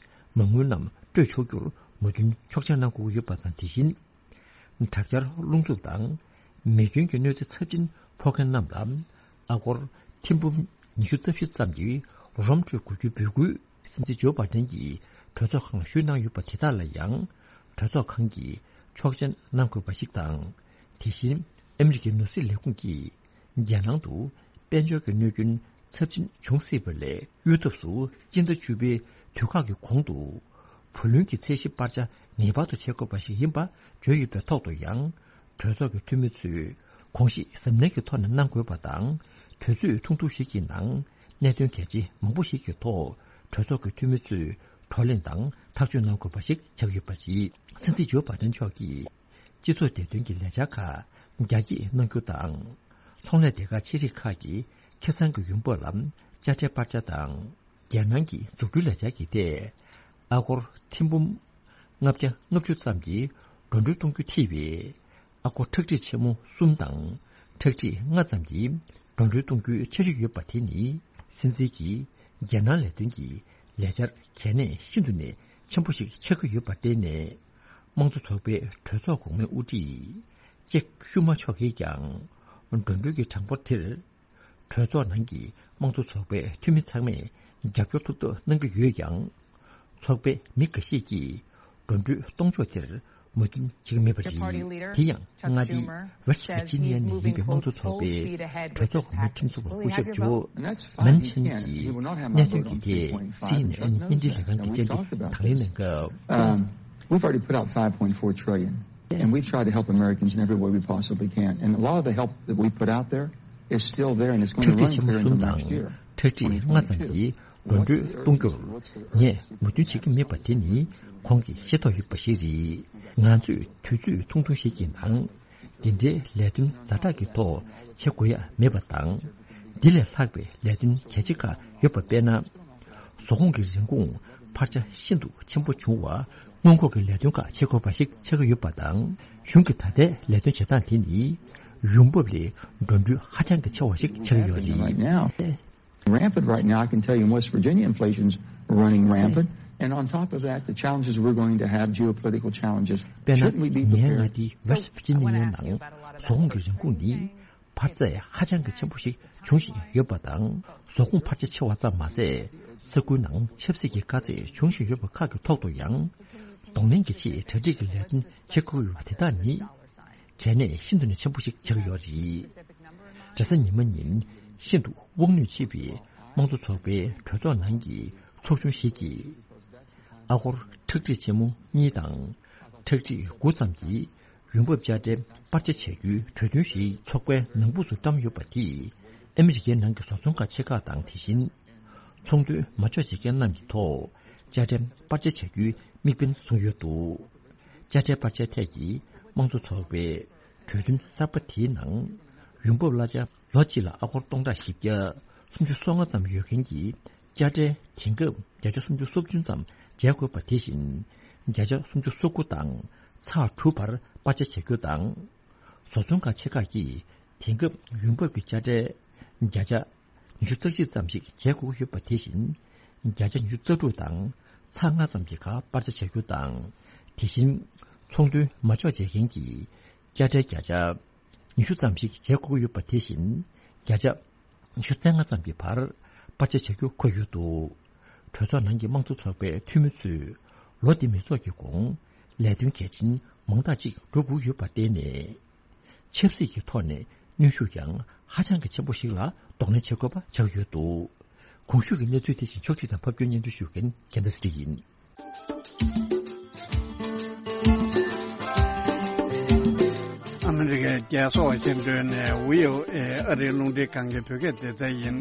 མ་དངུལ་རྣམས་སྤྲོད་ཆོག་རྒྱུར་མོས་མཐུན་ཆོག་མཆན་གནང་དགོས་ཀྱི་ཡོད་པ་དང་། དེ་བཞིན། དྲག་ཆར་རླུང་འཚུབ་དང་མེ་སྐྱོན་གྱི་གནོད་འཚེ་ཚབས་ཆེན་ཕོག་མཁན་རྣམས་ལ་ཨ་སྒོར་ཐེར་འབུམ་ཉི་ཤུ་རྩ་བཞི་ཙམ་གྱི་རོགས་རམ་སྤྲོད་དགོས་རྒྱུའི་འབོད་སྐུལ་སྲིད་འཛིན་ཇོ་བྷ་དན་གྱིས་གྲོས་ཚོགས་ཁང་ལ་ཞུས་གནང་ཡོད་པ་དེ་དག་ལ་ཡང་གྲོས་ཚོགས་ཁང་གིས་ཆོག་མཆན་གནང་དགོས་པ་ཞིག་དང་། དེ་བཞིན་ཨ་མི་རི་ཀའི་ནོར་སྲིད་ལས་ཁུངས་ཀྱིས་རྒྱལ་ནང་དུ་དཔལ་འབྱོར་གྱི་གནོད་སྐྱོན་ཚབས་ཆེན་བྱུང་སྲིད་པ་ལས་གཡོལ་ཐབས་སུ་སྤྱི་ཟླ་བཅུ་པའི་དུས་བཀག་གི་གོང་དུ་བུ་ལོན་གྱི་ཚད་གཞི་སྤར་ཆ་ངེས་པར་དུ་བྱེད་དགོས་པ་ཞིག་ཡིན་པ་བརྗོད་ཡོད་པའི་ཐོག་ཏུ་ཡང་། གྲོས་ཚོགས་ཀྱི་འཐུས་མི་ཚོས་དགོངས་བཞེས་གཟབ་ནན་གྱི་ཐོག་ནས་གནང་དགོས་པ་དང་། དུས་ཚོད་ཐུང་ཐུང་ཞིག་གི་ནང་གནད་དོན་གལ་ཆེ་མང་པོ་ཞིག་གི་ཐོག་གྲོས་ཚོགས་ཀྱི་འཐུས་མི་ཚོས་བགྲོ་གླེང་དང་ཐག་གཅོད་གནང་དགོས་པ་ཞིག་ཆགས་ཡོད་པ་རེད། སྲིད་འཛིན་ཇོ་བྷ་དན་མཆོག་གིས། སྤྱི་ཚོགས་བདེ་དོན་གྱི་ལས་འཆར་ཁག་རྒྱ་སྐྱེད་གནང་རྒྱུ་དང་། ཚོང་ལས་སྡེ་ཁག་ཆེ་རིགས་ཁག་གི་ཁེ་བཟང་གི་ཡོང་འབབ་ལ་དཔྱ་ཁྲལ་སྤར་ཆ་དང་། རྒྱལ་ནང་གི་འཛུགས་སྐྲུན་ལས་འཆར་གྱི་ཐད། ཨ་སྒོར་ཐེར་འབུམ་ལྔ་བརྒྱ་ལྔ་བཅུ་ཙམ་གྱི་འགྲོ་གྲོན་གཏོང་རྒྱུ་ཐེ་བའི་ཨ་སྒོར་ཁྲག་ཁྲིག་ཆེན་མོ་གསུམ་དང་ཁྲག་ཁྲིག་ལྔ་ཙམ་གྱི་འགྲོ་གྲོན་གཏོང་རྒྱུའི་འཆར་གཞི་ཡོད་པ་དེ་ནི། སྲིད་འཛིན་གྱིས་རྒྱལ་ནང་ལས་དོན་གྱི་ལས་འཆར་གལ་གནད་ཤིན་ཏུ་ནས་ཆེན་པོ་ཞིག་ཆགས་ཀྱི་ཡོད་པར་བརྟེན་ནས། དམངས་གཙོ་ཚོགས་པའི་གྲོས་ཚོགས་གོང་མའི་དབུ་ཁྲིད་ཅེག་ཤུ་མ་མཆོག་གིས་ཀྱང་། འགྲོ་གྲོན་གྱི་གྲངས་འབོར་དེར། གྲོས་ཚོགས་ནང་གི་དམངས་གཙོ་ཚོགས་པའི་འཐུས་མི་ཚང་མས་རྒྱབ་སྐྱོར་ཐུབ་ཐབས་གནང་གི་ཡོད་ཀྱང་། ཚོགས་པའི་མི་འགའ་ཤས་ཀྱིས་འགྲོ་གྲོན་གཏོང་ཕྱོགས་དེར་མོས་མཐུན་བྱེད་ཀྱི་མེད་པ་རེད། དེ་ཡང་མངའ་སྡེ་West Virginia ནས་ཡིན་པའི་དམངས་གཙོ་ཚོགས་པའི་གྲོས་ཚོགས་གོང་མའི་ཁྲིམས་བཟོ་བ་སྐུ་ཞབས་ཇོ་མན་ཆན་གྱིས་གནད་དོན་གྱི་ཐད་སི་ཨེན་ཨེན་བརྙན་འཕྲིན་ལས་ཁང་གི་བཅར་འདྲི་དང་ལེན་གནང་སྐབས། Um, we've already put out five point four trillion, and we've tried to help Americans in every way we possibly can. And a lot of the help that we put out there is still there, and it's going to run clear until next year. ཁྲག་ཁྲིག་ཆེན་མོ་གསུམ་དང་ཁྲག་ཁྲིག་ལྔ་ཙམ་གྱི་འགྲོ་གྲོན་གཏོང་རྒྱུར་ངས་མོས་མཐུན་བྱེད་ཀྱི་མེད་པ་དེ་ནི་ཁོང་གིས་ཤེས་རྟོགས་ཡོད་པ་ཞིག་རེད། ང་ཚོས་དུས་ཚོད་ཐུང་ཐུང་ཞིག་གི་ནང་འདི་འདྲའི་ལས་དོན་ཛ་དྲག་གི་ཐོག་བྱེད་དགོས་ཡ་མེད་པ་དང་། འདི་ལས་ལྷག་པའི་ལས་དོན་གལ་ཆེ་ཁག་ཡོད་པ། དཔེར་ན། བཟོ་ཁོངས་ཀྱི་རིན་གོང་འཕར་ཆ་ཤིན་ཏུ་ཆེན་པོ་བྱུང་བ། སྔོན་འགོག་གི་ལས་དོན་ཁག་བྱེད་དགོས་པ་ཞིག་ཆགས་ཀྱི་ཡོད་པ་དང་། གཞུང་གི་ད་ལྟའི་ལས་དོན་བྱེད་སྟངས་དེ་ནི་ཡོང་འབབ་ལས་འགྲོ་གྲོན་ཧ་ཅང་གི་ཆེ་བ་ཞིག་ཆགས་ཀྱི་ཡོད་རེད། Rampant right now, I can tell you in West Virginia, inflation's running rampant. And on top of that, the challenges we're going to have, geopolitical challenges. དཔེར་ན། Shouldn't we be prepared? ངའི་མངའ་སྡེ་West Virginia ནང་བཟོ་ཁོངས་ཀྱི་རིན་གོང་ནི་འཕར་ཚད་ཧ་ཅང་གི་ཆེན་པོ་ཞིག་འབྱུང་བཞིན་ཡོད་པ་དང་། བཟོ་ཁོངས་འཕར་ཆ་ཆེ་བ་ཙམ་མ་ཟད། ས་ཁུལ་ནང་ཆབ་སྲིད་ཀྱི་དཀའ་ཚེགས་འབྱུང་བཞིན་ཡོད་པ་ཁག་གི་ཐོག་ཏུ་ཡང་། གདོང་ལེན་གྱི་ཆེད་གྲ་སྒྲིག་གི་ལས་དོན་བྱེད་དགོས་ཡོད་པ་དེ་དག་ནི། གལ་གནད་ཤིན་ཏུ་ནས་ཆེན་པོ་ཞིག་ཆགས་ཡོད་རེད། རེས་གཟའ་ཉི་མ་ཉིན་ཤིན་ཏུ་དབང་ནུས་ཆེ་བའི་དམངས་གཙོ་ཚོགས་པའི་གྲོས་ཚོགས་ནང་གི་ཚོགས་ཆུང་ཞིག་གིས། ཨ་སྒོར་ཁྲག་ཁྲིག་ཆེན་མོ་གཉིས་དང་ཁྲག་ཁྲིག་དགུ་ཙམ་གྱི་ཡོང་འབབ་དཔྱ་ཁྲལ་སྤར་ཆ་བྱ་རྒྱུའི་གྲོས་མཐུན་ཞིག་ཚོགས་པའི་ནང་ཕུགས་སུ་བཀྲམ་ཡོད་པ་དེས། ཨ་མི་རི་ཀའི་ནང་གི་བཟོ་ཚོང་ཁང་ཆེ་ཁག་དང་། དེ་བཞིན། ཚོང་དོན་མ་འཇོག་བྱེད་མཁན་རྣམས་ཀྱི་ཐོག་དཔྱ་ཁྲལ་སྤར་ཆ་བྱ་རྒྱུའི་དམིགས་འབེན་བཟུང་ཡོད་འདུག་དཔྱ་ཁྲལ་སྤར་ཆའི་ཐད་ཀྱི་དམངས་གཙོ་ཚོགས་པའི་གྲོས་མཐུན་གསར་པ་དེའི་ནང་། ཡོང་འབབ་གླ་ཆ་ལོ་གཅིག་ལ་ཨ་སྒོར་སྟོང་ཕྲག་བཞི་བརྒྱ་སུམ་ཅུ་སོ་ལྔ་ཙམ་ཡོད་མཁན་གྱི་དཔྱ་ཁྲལ་དེང་སྐབས་བརྒྱ་ཆ་སུམ་ཅུ་སོ་བདུན་ཙམ་འཇལ་དགོས་པ་དེ་བཞིན། བརྒྱ་ཆ་སུམ་ཅུ་སོ་དགུ་དང་ཚེག་དྲུག་བར་སྤར་ཆ་བྱ་རྒྱུ་དང་། བཟོ་ཚོང་ཁང་ཆེ་ཁག་གིས་དེང་སྐབས་ཡོང་འབབ་ཀྱི་དཔྱ་ཁྲལ་བརྒྱ་ཆ་ཉི་ཤུ་རྩ་གཅིག་ཙམ་ཞིག་འཇལ་དགོས་ཀྱི་ཡོད་པ་དེ་བཞིན། བརྒྱ་ཆ་ཉི་ཤུ་རྩ་དྲུག་དང་ཚེག་ལྔ་ཙམ་གྱི་ཁར་སྤར་ཆ་བྱ་རྒྱུ་དང་། དེ་བཞིན་ཚོང་དོན་མ་འཇོག་བྱེད་མཁན་གྱི་དཔྱ་ཁྲལ་བརྒྱ་ཆ་ཉི་ཤུ་ཙམ་ཞིག་འཇལ་དགོས་ཀྱི་ཡོད་པ་དེ་བཞིན། བརྒྱ་ཆ་ཉི་ཤུ་རྩ་ལྔ་ཙམ་གྱི་བར་སྤར་ཆ་བྱ་རྒྱུ་འཁོད་ཡོད་འདུག་གྲོས་ཚོགས་ནང་གི་དམངས་གཙོ་ཚོགས་པའི་འཐུས་མི་ཚོས་ལོ་འདི་མི་ཚོགས་ཀྱི་གོང་ལས་དོན་གལ་ཆེན་མང་དག་ཅིག་འགྲུབ་དགོས་ཡོད་པར་བརྟེན་ནས། ཆབ་སྲིད་ཀྱི་ཐོག་ནས་གནོན་ཤུགས་ཀྱང་ཧ་ཅང་གི་ཆེན་པོ་ཞིག་ལ་གདོང་ལེན་བྱེད་དགོས་པ་ཆགས་ཡོད་འདུག་གོང་ཞུས་ཀྱི་གནས་ཚུལ་དེ་བཞིན་ཕྱོགས་སྒྲིག་དང་ཕབ་སྒྱུར་སྙན་སྒྲོན་ཞུ་མཁན་རྒྱལ་མཚན་ཚེ་རིང་ཡིན། ཨ་མི་རི་ཀའི་རྒྱལ་ས་ཝ་ཤིང་ཏོན་ནས་བྷི་ཨོ་ཨེ་ཨ་རིའི་རླུང་འཕྲིན་ཁང་གི་བོད་སྐད་སྡེ་ཚན་ཡིན།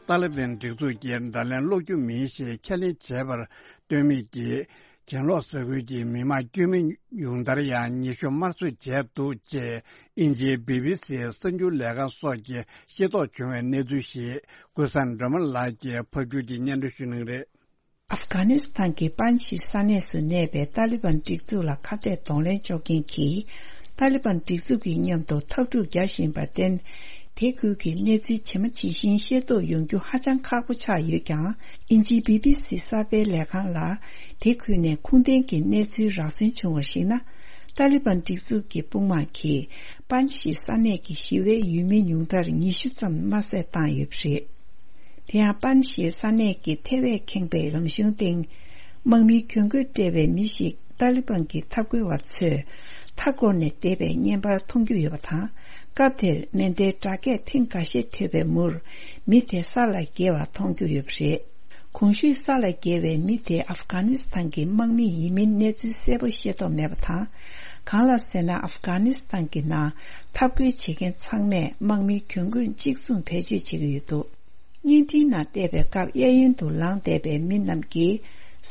ཏཱ་ལི་བན་སྒྲིག་འཛུགས་ཀྱིས་དགྲ་ལན་སློག་རྒྱུ་མིན་ཞེས་ཁས་ལེན་བྱས་པར་ལྟོས་མེད་ཀྱིས། གྱེན་ལོག་ས་ཁུལ་གྱི་མི་དམངས་དཀྱུས་མའི་ཉུང་མཐར་ཡང་ཉེ་ཞུ་དམར་གསོད་བྱས་འདུག་ཅེས་དབྱིན་ཇིའི་བི་བི་སིའི་གསར་འགྱུར་ལས་ཁང་སོགས་ཀྱིས་ཤེས་རྟོགས་བྱུང་བའི་གནས་ཚུལ་ཞིག་ཀུན་བཟང་སྒྲོལ་མ་ལགས་ཀྱིས་ཕབ་སྒྱུར་གྱིས་སྙན་སྒྲོན་ཞུ་གནང་གི་རེད། ཨབ་གྷ་ནི་སི་ཐན་གྱི་པན་ཇི་ཤིར་ས་གནས་སུ་གནས་པའི་ཏཱ་ལི་བན་སྒྲིག་འཛུགས་ལ་ཁ་གཏད་གདོང་ལེན་གཅོག་མཁན་གྱིས་ཏཱ་ལི་བན་སྒྲིག་འཛུགས་ཀྱི་མཉམ་དུ་འཐབ་འཁྲུག་རྒྱག་བཞིན་པར་བརྟེན། དེ་ཁུལ་གྱི་གནས་ཚུལ་ཇི་མ་ཇི་བཞིན་ཤེས་རྟོགས་ཡོང་རྒྱུ་ཧ་ཅང་ཁག་པོ་ཆགས་ཡོད་ཀྱང་། དབྱིན་ཇིའི་བི་བི་སི་གསར་སྤེལ་ལས་ཁང་ལ་དེ་ཁུལ་ནས་ཁུངས་ལྡན་གྱི་གནས་ཚུལ་རག་ཚུན་བྱུང་བར་གཞིགས་ན། ཏཱ་ལི་བན་སྒྲིག་འཛུགས་ཀྱི་དཔུང་དམག་གིས་པན་ཇི་ཤིར་ས་གནས་ཀྱི་ཞི་བའི་ཡུལ་མི་ཉུང་མཐར་ཉི་ཤུ་ཙམ་དམར་བསད་བཏང་ཡོད་པ་རེད། དེ་ཡང་པན་ཇི་ཤིར་ས་གནས་ཀྱི་ཐེ་བས་ཁེངས་པའི་ལམ་གཞུང་སྟེང་། དམག་མིའི་གྱོན་གོས་སྤྲས་པའི་མི་ཞིག་ཏཱ་ལི་བན་གྱི་འཐབ་རྒོལ་བ་ཚོས་མཐའ་བསྐོར་ནས་བསྡད་པའི་བརྙན་པར་མཐོང་རྒྱུ་ཡོད་པ་དང་། སྐབས་དེར་མེ་མདའི་སྒྲ་སྐད་ཐེངས་འགའ་ཤས་ཐོས་པའི་མུར། མི་དེ་ས་ལ་འགྱེལ་བ་མཐོང་རྒྱུ་ཡོད་པ་རེད། གོང་ཞུས་ས་ལ་འགྱེལ་བའི་མི་དེ་ཨབ་གྷ་ནི་སི་ཐན་གྱི་དམག་མི་ཡིན་མིན་གནས་ཚུལ་གསལ་པོ་ཤེས་རྟོགས་མེད་པ་དང་། གང་ལ་ཟེར་ན། ཨབ་གྷ་ནི་སི་ཐན་གྱི་ནང་འཐབ་རྒོལ་བྱེད་མཁན་ཚང་མས་དམག་མིའི་གྱོན་གོས་གཅིག་མཚུངས་བེད་སྤྱོད་བྱེད་ཀྱི་ཡོད་འདུག་བརྙན་འཕྲིན་ནང་བལྟས་པའི་སྐབས། གཡས་གཡོན་དུ་ལངས་བསྡད་པའི་མི་རྣམས་ཀྱིས་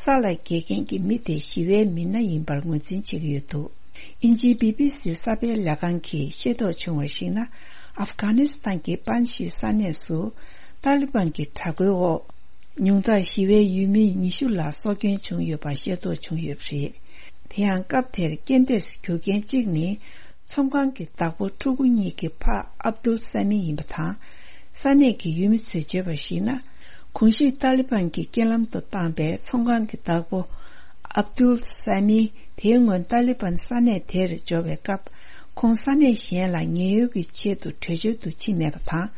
ས་ལ་འགྱེལ་མཁན་གྱི་མི་དེ་ཞི་བའི་མི་སྣ་ཡིན་པར་ངོས་འཛིན་བྱེད་ཀྱི་ཡོད་འདུག་དབྱིན་ཇིའི་བི་བི་སི་གསར་སྤེལ་ལས་ཁང་གིས་ཤེས་རྟོགས་བྱུང་བར་གཞིགས་ན། ཨབ་གྷ་ནི་སི་ཐན་གྱི་པན་ཇི་ཤིར་ས་གནས་སུ་ཏཱ་ལི་བན་གྱི་དྲག་རྒོལ་འོག་ཉུང་མཐར་ཞི་བའི་ཡུལ་མི་ཉི་ཤུ་ལ་སྲོག་སྐྱོན་བྱུང་ཡོད་པ་ཤེས་རྟོགས་བྱུང་ཡོད་པ་རེད། དེ་ཡང་སྐབས་དེར་རྐྱེན་འདས་སུ་གྱུར་མཁན་གཅིག་ནི། ཚོང་ཁང་གི་བདག་པོ་ཕྲུ་གུ་གཉིས་ཀྱི་ཕ་ཨབ་དུལ་ས་མི་ཡིན་པ་དང་། ས་གནས་ཀྱི་ཡུལ་མི་ཚོས་བརྗོད་པར་གཞིགས་ན། གོང་ཞུས་ཏཱ་ལི་བན་གྱིས་རྐྱེན་ལམ་དུ་བཏང་པའི་ཚོང་ཁང་གི་བདག་པོ་ཨབ་དུལ་ས་མི་དེའི་སྔོན་ཏཱ་ལི་བན་ས་གནས་དེར་འབྱོར་བའི་སྐབས། ཁོང་ས་གནས་གཞན་ལ་ཉེན་གཡོལ་གྱི་ཆེད་དུ་བྲོས་བྱོལ་དུ་ཕྱིན་མེད་པ་དང་།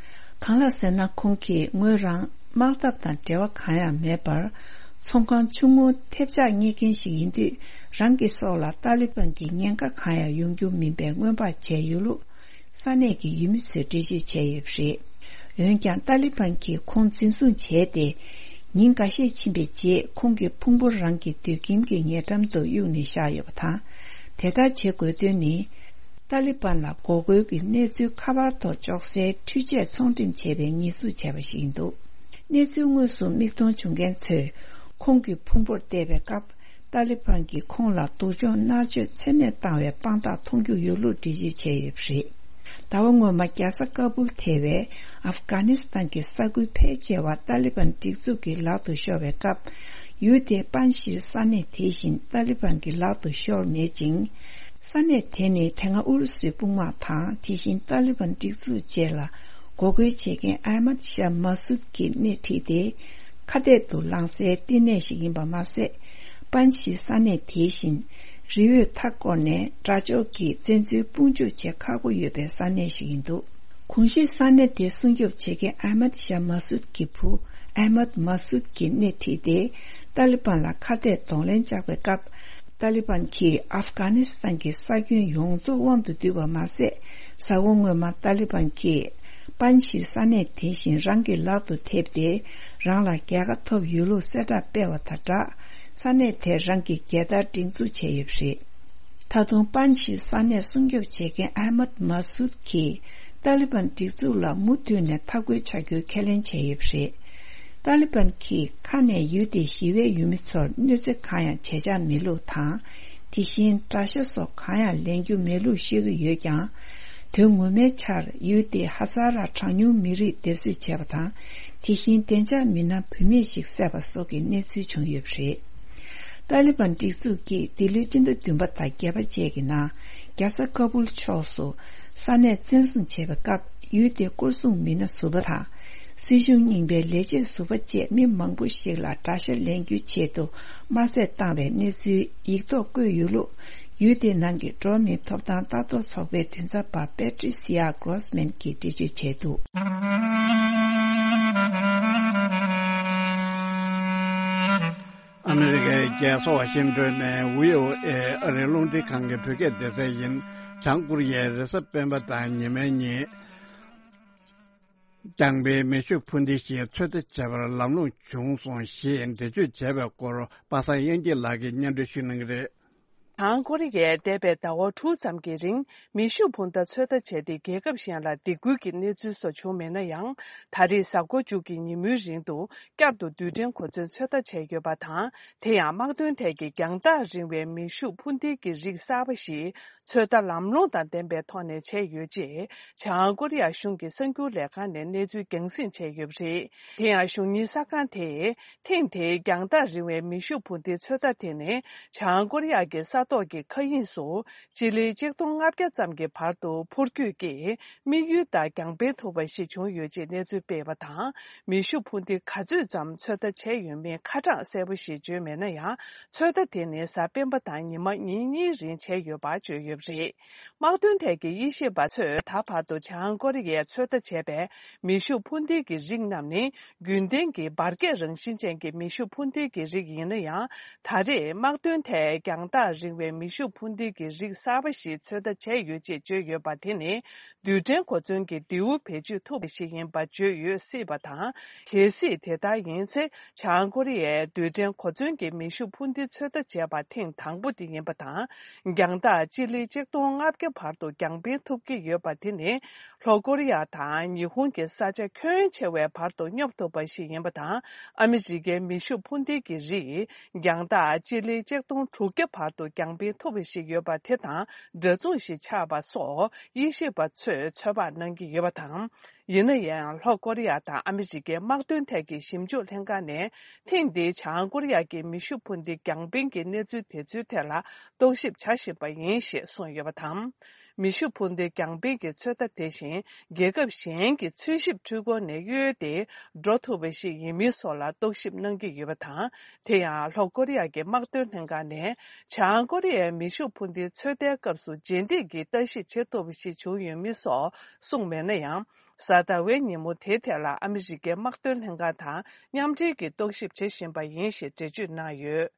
གང་ལ་ཟེར་ན། ཁོང་གིས་ངོས་རང་དམག་འཐབ་དང་འབྲེལ་བ་གང་ཡང་མེད་པར། ཚོང་ཁང་ཆུང་ངུ་ཐེབས་ཆག་གཉེར་མཁན་ཞིག་ཡིན་དུས། རང་གི་སྲོག་ལ་ཏཱ་ལི་བན་གྱིས་ཉེན་ཁ་གང་ཡང་ཡོང་རྒྱུ་མིན་པའི་སྔོན་དཔག་བྱས་ཡོད་ལུགས། ས་གནས་ཀྱི་ཡུལ་མི་ཚོས་འགྲེལ་བརྗོད་བྱས་ཡོད་པ་རེད། འོན་ཀྱང་། ཏཱ་ལི་བན་གྱིས་ཁོང་འཛིན་བཟུང་བྱས་ཏེ། ཉིན་འགའ་ཤས་ཕྱིན་པའི་རྗེས། ཁོང་གི་ཕུང་པོ་རང་གི་སྡོད་ཁྱིམ་གྱི་ཉེ་འགྲམ་དུ་གཡུགས་ནས་བཞག་ཡོད་པ་དང་། དེ་ལྟར་བྱེད་དགོས་དོན་ནི། ཏཱ་ལི་བན་ལ་འགོག་རྒོལ་གྱི་གནས་ཚུལ་ཁ་པར་ཐོག་འཇོག་སའི་འཕྲུལ་ཆས་ཚོང་འགྲེམས་བྱས་པའི་ཉེས་འཛུགས་བྱས་པ་ཞིག་ཡིན་འདུག་གནས་ཚུལ་དངོས་སུ་མིག་མཐོང་བྱུང་མཁན་ཚོས། ཁོང་གི་ཕུང་པོར་བལྟས་པའི་སྐབས། ཏཱ་ལི་བན་གྱིས་ཁོང་ལ་སྡུག་སྦྱོང་མནར་གཅོད་ཚད་མེད་བཏང་བའི་དཔང་རྟགས་མཐོང་རྒྱུ་ཡོད་ལུགས་འགྲེལ་བརྗོད་བྱས་ཡོད་པ་རེད། ཟླ་བ་སྔོན་མ་རྒྱལ་ས་ཀ་བུལ་ཐེ་བའི་ཨབ་གྷ་ནི་སི་ཐན་གྱི་ས་ཁུལ་ཕལ་ཆེ་བ་ཏཱ་ལི་བན་སྒྲིག་འཛུགས་ཀྱི་ལག་ཏུ་ཤོར་བའི་སྐབས། ཡུལ་དེའི་པན་ཇི་ཤིར་ས་གནས་དེ་བཞིན་ཏཱ་ལི་བན་གྱི་ལག་ཏུ་ཤོར་མེད་ཅིང་། ས་གནས་དེ་ནི་དེ་སྔ་ཨུ་རུ་སུའི་དཔུང་དམག་དང་། དེ་བཞིན་ཏཱ་ལི་བན་སྒྲིག་འཛུགས་བཅས་ལ་འགོག་རྒོལ་བྱེད་མཁན་ཨ་མད་ཤཱ་མ་སུད་ཀྱིས་སྣེ་ཁྲིད་དེ། ཁ་གཏད་དུ་ལངས་སའི་བསྟི་གནས་ཤིག་ཡིན་པ་མ་ཟད། པན་ཇི་ཤིར་ས་གནས་དེ་བཞིན་རི་བོས་མཐའ་བསྐོར་ནས་དགྲ་ཕྱོགས་ཀྱིས་བཙན་འཛུལ་དཔུང་འཇུག་བྱེད་ཁག་པོ་ཡོད་པའི་ས་གནས་ཤིག་ཡིན་འདུག་གོང་ཞུས་ས་གནས་དེ་སྲུང་སྐྱོབ་བྱེད་མཁན་ཨ་མད་ཤཱ་མ་སུད་ཀྱི་བུ་ཨ་མད་མ་སུད་ཀྱིས་སྣེ་ཁྲིད་དེ། ཏཱ་ལི་བན་ལ་ཁ་གཏད་གདོང་ལེན་བཅག་པའི་སྐབས། ཏཱ་ལི་བན་གྱིས་ཨབ་གྷ་ནི་སི་ཐན་གྱི་ས་ཁྱོན་ཡོངས་རྫོགས་དབང་དུ་བསྡུས་པ་མ་ཟད། གཟའ་འཁོར་སྔོན་མ་ཏཱ་ལི་བན་གྱིས་པན་ཇི་ཤིར་ས་གནས་དེ་བཞིན་རང་གི་ལག་ཏུ་ཐེབས་ཏེ། རང་ལ་རྒྱལ་ཁ་ཐོབ་ཡོད་ལུགས་གསལ་བསྒྲགས་སྤེལ་བ་དང་སྦྲགས། ས་གནས་དེར་རང་གི་རྒྱལ་དར་སྒྲེང་འཛུགས་བྱས་ཡོད་པ་རེད། ད་དུང་པན་ཇི་ཤིར་ས་གནས་སྲུང་སྐྱོབ་བྱེད་མཁན་ཨ་མད་མ་སུད་ཀྱིས་ཏཱ་ལི་བན་སྒྲིག་འཛུགས་ལ་མུ་མཐུད་ནས་འཐབ་རྒོལ་བྱ་རྒྱུའི་ཁས་ལེན་བྱས་ཡོད་པ་རེད། ཏཱ་ལི་བན་གྱིས་ཁ་ནས་ཡུལ་དེའི་ཞི་བའི་ཡུལ་མི་ཚོར་གནོད་འཚེ་གང་ཡང་བྱེད་འཆར་མེད་ལུགས་དང་། དེ་བཞིན་དགྲ་ཤ་སོགས་གང་ཡང་ལེན་རྒྱུ་མེད་ལུགས་བཤད་ཀྱི་ཡོད་ཀྱང་། དོན་ངོ་མའི་ཆར་ཡུལ་དེའི་ཧ་ཛ་ར་གྲངས་ཉུང་མི་རིགས་སྡེབ་གསོད་བྱས་པ་དང་། དེ་བཞིན་བདེ་འཇགས་མི་སྣ་བུད་མེད་ཞིག་བསད་པ་སོགས་ཀྱི་གནས་ཚུལ་བྱུང་ཡོད་པ་རེད། ཏཱ་ལི་བན་སྒྲིག་འཛུགས་ཀྱིས་འདི་ལོའི་སྤྱི་ཟླ་བདུན་པ་དང་བརྒྱད་པ་བཅས་ཀྱི་ནང་། རྒྱལ་ས་ཀ་བུལ་ཕྱོགས་སུ་ས་གནས་བཙན་བཟུང་བྱས་པའི་སྐབས། ཡུལ་དེའི་སྐོར་སྲུང་མི་སྣ་ཟུར་པ་དང་། སྲིད་གཞུང་རྙིང་པའི་ལས་བྱེད་ཟུར་པ་བཅས་མི་མང་པོ་ཞིག་ལ་དགྲ་ཤ་ལེན་རྒྱུའི་ཆེད་དུ་དམར་གསོད་བཏང་བའི་གནས་ཚུལ་ཡིག་ཐོག་བཀོད་ཡོད་ལུགས། ཡུལ་དེའི་ནང་གི་འགྲོ་བ་མིའི་ཐོབ་ཐང་ལྟ་རྟོག་ཚོགས་པའི་མགྲིན་ཚབ་པ་པེ་ཏྲི་སི་ཡ་གྷོ་རོ་སི་མན་གྱིས་འགྲེལ་བརྗོད་བྱས་འདུག་ཨ་མི་རི་ཀའི་རྒྱལ་ས་ཝ་ཤིང་ཏོན་ནས་བྷི་ཨོ་ཨེ་ཨ་རིའི་རླུང་འཕྲིན་ཁང་གི་བོད་སྐད་སྡེ་ཚན་ཡིན། བྱང་ཀོ་རི་ཡའི་རེས་གཟའ་སྤེན་པ་དང་ཉི་མའི་ཉིན། རྐྱང་པའི་མེ་ཤུགས་འཕུར་མདེལ་ཞིག་ཚོད་ལྟ་བྱས་པར་ལམ་ལྷོང་བྱུང་སོང་ཞེས་འགྲེལ་བརྗོད་བྱས་པའི་སྐོར། པ་སངས་དབྱངས་སྐྱིད་ལགས་ཀྱིས་སྙན་སྒྲོན་ཞུ་གནང་གི་རེད། བྱང་ཀོ་རི་ཡས་འདས་པའི་ཟླ་བ་དྲུག་ཙམ་གྱི་རིང་མེ་ཤུགས་འཕུར་མདའ་ཚོད་ལྟ་བྱས་ཏེ། རྒྱལ་ཁབ་གཞན་ལ་སྡིགས་སྐུལ་གྱི་གནས་ཚུལ་སོགས་བྱུང་མེད་ན་ཡང་། ད་རེས་གཟའ་འཁོར་བཅུ་གི་ཉིན་མོའི་རིང་དུ་བསྐྱར་དུ་རྡུལ་ཕྲན་གོ་མཚོན་ཚོད་ལྟ་བྱས་ཡོད་པ་དང་། དེ་ཡང་དམག་དོན་ཐད་ཀྱི་རྒྱང་ཐག་རིང་བའི་མེ་ཤུགས་འཕུར་མདེལ་གྱི་རིགས་གསར་པ་ཞིག་ཚོད་ལྟ་ལམ་ལྷོང་དང་ལྡན་པའི་ཐོག་ནས་བྱས་ཡོད་ཅེས། བྱང་ཀོ་རི་ཡ་གཞུང་གི་གསར་འགྱུར་ལས་ཁང་ནས་གནས་ཚུལ་རྒྱང་སྲིང་བྱས་ཡོད་པ་རེད། དེ་ཡང་གཞུང་གཉེར་གསར་ཁང་དེས། ཐེངས་དེའི་རྒྱང་ཐག་རིང་བའི་མེ་ཤུགས་འཕུར་མདེལ་ཚོད་ལྟ་དེ་ནི། བྱང་ཀོ་རི་ཡ་གི་ས་ཐོག་གི་མཁའ་དབྱིངས་སུ་སྤྱི་ལེ་ཆིག་སྟོང་ལྔ་བརྒྱ་ཙམ་གྱི་བར་དུ་འཕུར་སྐྱོད་ཀྱིས། དམིགས་ཡུལ་དང་རྒྱང་འཕེན་ཐུབ་པ་ཞིག་བྱུང་ཡོད་ཅེས་གནས་ཚུལ་སྤེལ་བ་དང་། མེ་ཤུགས་འཕུར་མདེལ་ག་ཚོད་ཙམ་ཚོད་ལྟ་བྱས་ཡོད་མེད་ཁ་གྲངས་གསལ་པོ་ཞིག་བརྗོད་མེད་ན་ཡང་། ཚོད་ལྟ་དེ་ནི་གཟའ་སྤེན་པ་དང་ཉི་མ་ཉིན་གཉིས་རིང་བྱས་ཡོད་པ་བརྗོད་ཡོད་པ་རེད། དམག་དོན་ཐད་ཀྱི་དབྱེ་ཞིབ་པ་ཚོས་ད་བར་དུ་བྱང་ཀོ་རི་ཡས་ཚོད་ལྟ་བྱས་པའི་མེ་ཤུགས་འཕུར་མདེལ་གྱི་རིགས་རྣམས་ནི། རྒྱུན་ལྡན་གྱི་འབར་གས་རང་བཞིན་ཅན་གྱི་མེ་ཤུགས་འཕུར་མདེལ་གྱི་རིགས་ཡིན་ན་ཡང་། ད་རེས་དམག་དོན་ཐད་རྒྱང་ཐག་རིང་བའི་མེ་ཤུགས་འཕུར་མདེལ་གྱི་རིགས་གསར་པ་ཞིག་ཚོད་ལྟ་བྱས་ཡོད་ཅེས་བརྗོད་ཡོད་པ་དེ་ནི། རྡུལ་ཕྲན་གོ་མཚོན་གྱི་མདེའུ་བེད་སྤྱོད་ཐུབ་པ་ཞིག་ཡིན་པ་བརྗོད་ཡོད་སྲིད་པ་དང་། གལ་སྲིད་དེ་ལྟར་ཡིན་ཚེ། བྱང་ཀོ་རི་ཡས་རྡུལ་ཕྲན་གོ་མཚོན་གྱི་མེ་ཤུགས་འཕུར་མདེལ་ཚོད་ལྟ་བྱས་པ་ཐེངས་དང་པོ་དེ་ཡིན་པ་དང་། རྒྱང་ཐག་སྤྱི་ལེ་ཆིག་སྟོང་ལྔ་བརྒྱ་བར་དུ་རྒྱང་འཕེན་ཐུབ་ཀྱི་ཡོད་པ་དེ་ནི། ལྷོ་ཀོ་རི་ཡ་དང་ཉི་ཧོང་གི་ས་ཆ་ཁྱོན་ཆེ་བའི་བར་དུ་སྙོབ་ཐུབ་པ་ཞིག་ཡིན་པ་དང་། ཨ་མི་རི་ཀའི་མེ་ཤུགས་འཕུར་མདེལ་གྱི་རིགས་རྒྱང་ཐག་སྤྱི་ལེ་ཆིག་སྟོང་དྲུག་བརྒྱ་བར་དུ་རྒྱང་འཕེན་ཐུབ་པ་ཞིག་ཡོད་པ་དེ་དང་འདྲ་མཚུངས་ཤིག་ཆགས་པ་སོགས་དབྱེ་ཞིབ་པ་ཚོས་ཚོད་དཔག་གནང་གི་ཡོད་པ་དང་། ཡིན་ན་ཡང་། ལྷོ་ཀོ་རི་ཡ་དང་ཨ་མི་རི་ཀའི་དམག་དོན་ཐད་ཀྱི་ཞིབ་འཇུག་ལྷན་ཁང་ནས། ཐེངས་འདིའི་བྱང་ཀོ་རི་ཡ་གི་མེ་ཤུགས་འཕུར་མདེལ་རྒྱང་འཕེན་གྱི་གནས་ཚུལ་དེ་ཚོའི་ཐད་ལ་རྟོག་ཞིབ་བྱ་བཞིན་པ་ཡིན་ཞེས་གསུངས་ཡོད་པ་དང་། མེ་ཤུགས་འཕུར་མདེལ་རྒྱང་འཕེན་གྱི་ཚོད་ལྟ་དེ་བཞིན་རྒྱལ་ཁབ་གཞན་གྱི་འཚོལ་ཞིབ་འཕྲུལ་འཁོར་ནས་གཡོལ་ཏེ་འགྲོ་ཐུབ་པ་ཞིག་ཡིན་མིན་སོགས་ལ་རྟོག་ཞིབ་གནང་གི་ཡོད་པ་དང་། དེ་ཡང་། ལྷོ་ཀོ་རི་ཡ་གི་དམག་དོན་ལྷན་ཁང་ནས། བྱང་ཀོ་རི་ཡའི་མེ་ཤུགས་འཕུར་མདེལ་ཚོད་ལྟའི་སྐབས་སུ་རྗེས་འདེད་ཀྱིས་ལྟ་ཞིབ་བྱེད་ཐུབ་པ་ཞིག་བྱུང་ཡོད་མིན་སོགས་གསུངས་མེད་ན་ཡང་། གཟའ་ཟླ་བའི་ཉིན་མོ་དེའི་ཐད་ལ་ཨ་མི་རི་ཀའི་དམག་དོན་ལྷན་ཁང་དང་མཉམ་འབྲེལ་གྱིས་རྟོག་ཞིབ་བྱེད་བཞིན་པ་ཡིན་ཞེས་འགྲེལ་བརྗོད་གནང་ཡོད།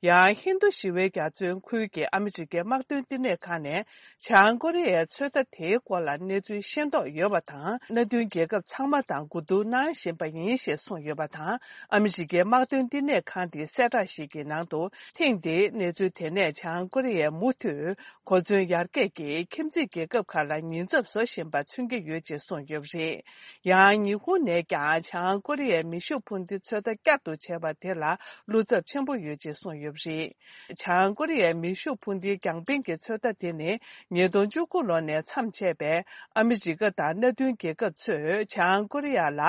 ཡང་། ཧིན་རྡུ་ཞི་བའི་རྒྱ་མཚོའི་ཁུལ་གྱི་ཨ་མི་རི་ཀའི་དམག་དོན་བསྟི་གནས་ཁང་ནས། བྱང་ཀོ་རི་ཡའི་ཚོད་ལྟ་དེའི་སྐོར་ལ་གནས་ཚུལ་ཤེས་རྟོགས་ཡོད་པ་དང་། མནའ་མཐུན་རྒྱལ་ཁབ་ཚང་མ་དང་གོ་བསྡུར་གནང་བཞིན་པ་ཡིན་ཞེས་གསུངས་ཡོད་པ་དང་། ཨ་མི་རི་ཀའི་དམག་དོན་བསྟི་གནས་ཁང་དེའི་གསལ་བསྒྲགས་ཤིག་གི་ནང་དུ། ཐེངས་འདིའི་གནས་ཚུལ་དེ་ནས་བྱང་ཀོ་རི་ཡས་མུ་མཐུད་གོ་མཚོན་ཡར་རྒྱས་ཀྱིས་ཁྱིམ་མཚེས་རྒྱལ་ཁབ་ཁག་ལ་ཉེན་ཚབས་བཟོ་བཞིན་པ་མཚོན་གྱི་ཡོད་ཅེས་གསུངས་ཡོད་པ་རེད། ཡང་། ཉི་ཧོང་ནས་ཀྱང་བྱང་ཀོ་རི་ཡའི་མེ་ཤུགས་འཕུར་མདེལ་ཚོད་ལྟ་བསྐྱར་དུ་བྱས་པ་དེ་ལ་བློ་འཚབ་ཆེན་པོ་ཡོད་ཅེས་གསུངས་ཡོད་པ་རེད། བྱང་ཀོ་རི་ཡའི་མེ་ཤུགས་འཕུར་མདེལ་རྒྱང་འཕེན་གྱི་ཚོད་ལྟ་དེ་ནི། ཉིས་སྟོང་བཅུ་དགུ་ལོ་ནས་མཚམས་ཆད་པའི་ཨ་མི་རི་ཀ་དང་མནའ་མཐུན་རྒྱལ་ཁབ་ཚོས་བྱང་ཀོ་རི་ཡ་ལ།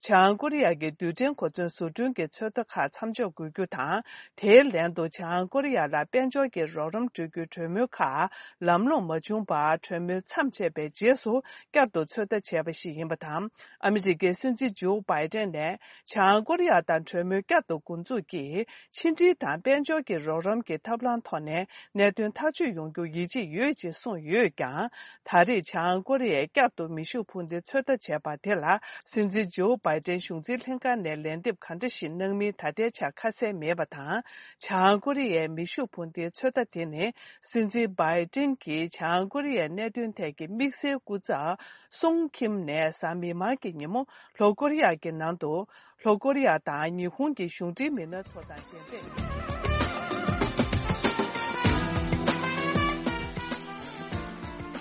བྱང་ཀོ་རི་ཡ་གི་རྡུལ་ཕྲན་གོ་མཚོན་བཟོ་སྐྲུན་གྱི་ཚོད་ལྟ་ཁག་མཚམས་འཇོག་དགོས་རྒྱུ་དང་། དེའི་ལན་དུ་བྱང་ཀོ་རི་ཡ་ལ་དཔལ་འབྱོར་གྱི་རོགས་རམ་སྤྲོད་རྒྱུའི་གྲོས་མོལ་ཁག་ལམ་ལྷོང་མ་བྱུང་བར། གྲོས་མོལ་མཚམས་ཆད་པའི་རྗེས་སུ་བསྐྱར་དུ་ཚོད་ལྟ་བྱས་པ་ཞིག་ཡིན་པ་དང་། ཨ་མི་རི་ཀའི་སྲིད་འཛིན་ཇོ་བྷའི་ཏན་ནས། བྱང་ཀོ་རི་ཡ་དང་གྲོས་མོལ་བསྐྱར་དུ་འགོ་འཛུགས་ཀྱིས། ཕྱི་འབྲེལ་དང་དཔལ་འབྱོར་གྱི་རོགས་རམ་གྱི་ཐབས་ལམ་ཐོག་ནས་གནད་དོན་ཐག་གཅོད་ཡོང་རྒྱུར་ཡིད་ཆེས་ཡོད་ཅེས་གསུངས་ཡོད་ཀྱང་། ད་རེས་བྱང་ཀོ་རི་ཡས་བསྐྱར་དུ་མེ་ཤུགས་འཕུར་མདེལ་ཚོད་ལྟ་བྱས་པ་དེ་ལ། སྲིད་འཛིན་ཇོ་བྷའི་ཏན་གཞུང་འཛིན་ལྷན་ཁང་ནས་ལན་འདེབས་ག་འདྲ་ཞིག་གནང་མིན་ད་ལྟའི་ཆར་ཁ་གསལ་མེད་པ་དང་། བྱང་ཀོ་རི་ཡའི་མེ་ཤུགས་འཕུར་མདེལ་ཚོད་ལྟ་དེ་ནི། སྲིད་འཛིན་བྷའི་ཏན་གྱིས་བྱང་ཀོ་རི་ཡའི་གནད་དོན་ཐད་ཀྱི་དམིགས་བསལ་སྐུ་ཚབ། སུང་ཁིམ་ནས་གཟའ་མིག་དམར་གྱི་ཉིན་མོ་ལྷོ་ཀོ་རི་ཡ་གི་ནང་དུ། ལྷོ་ཀོ་རི་ཡ་དང་ཉི་ཧོང་གི་གཞུང་འབྲེལ་མི་སྣ་ཚོ་དང་མཇལ་འཕྲད།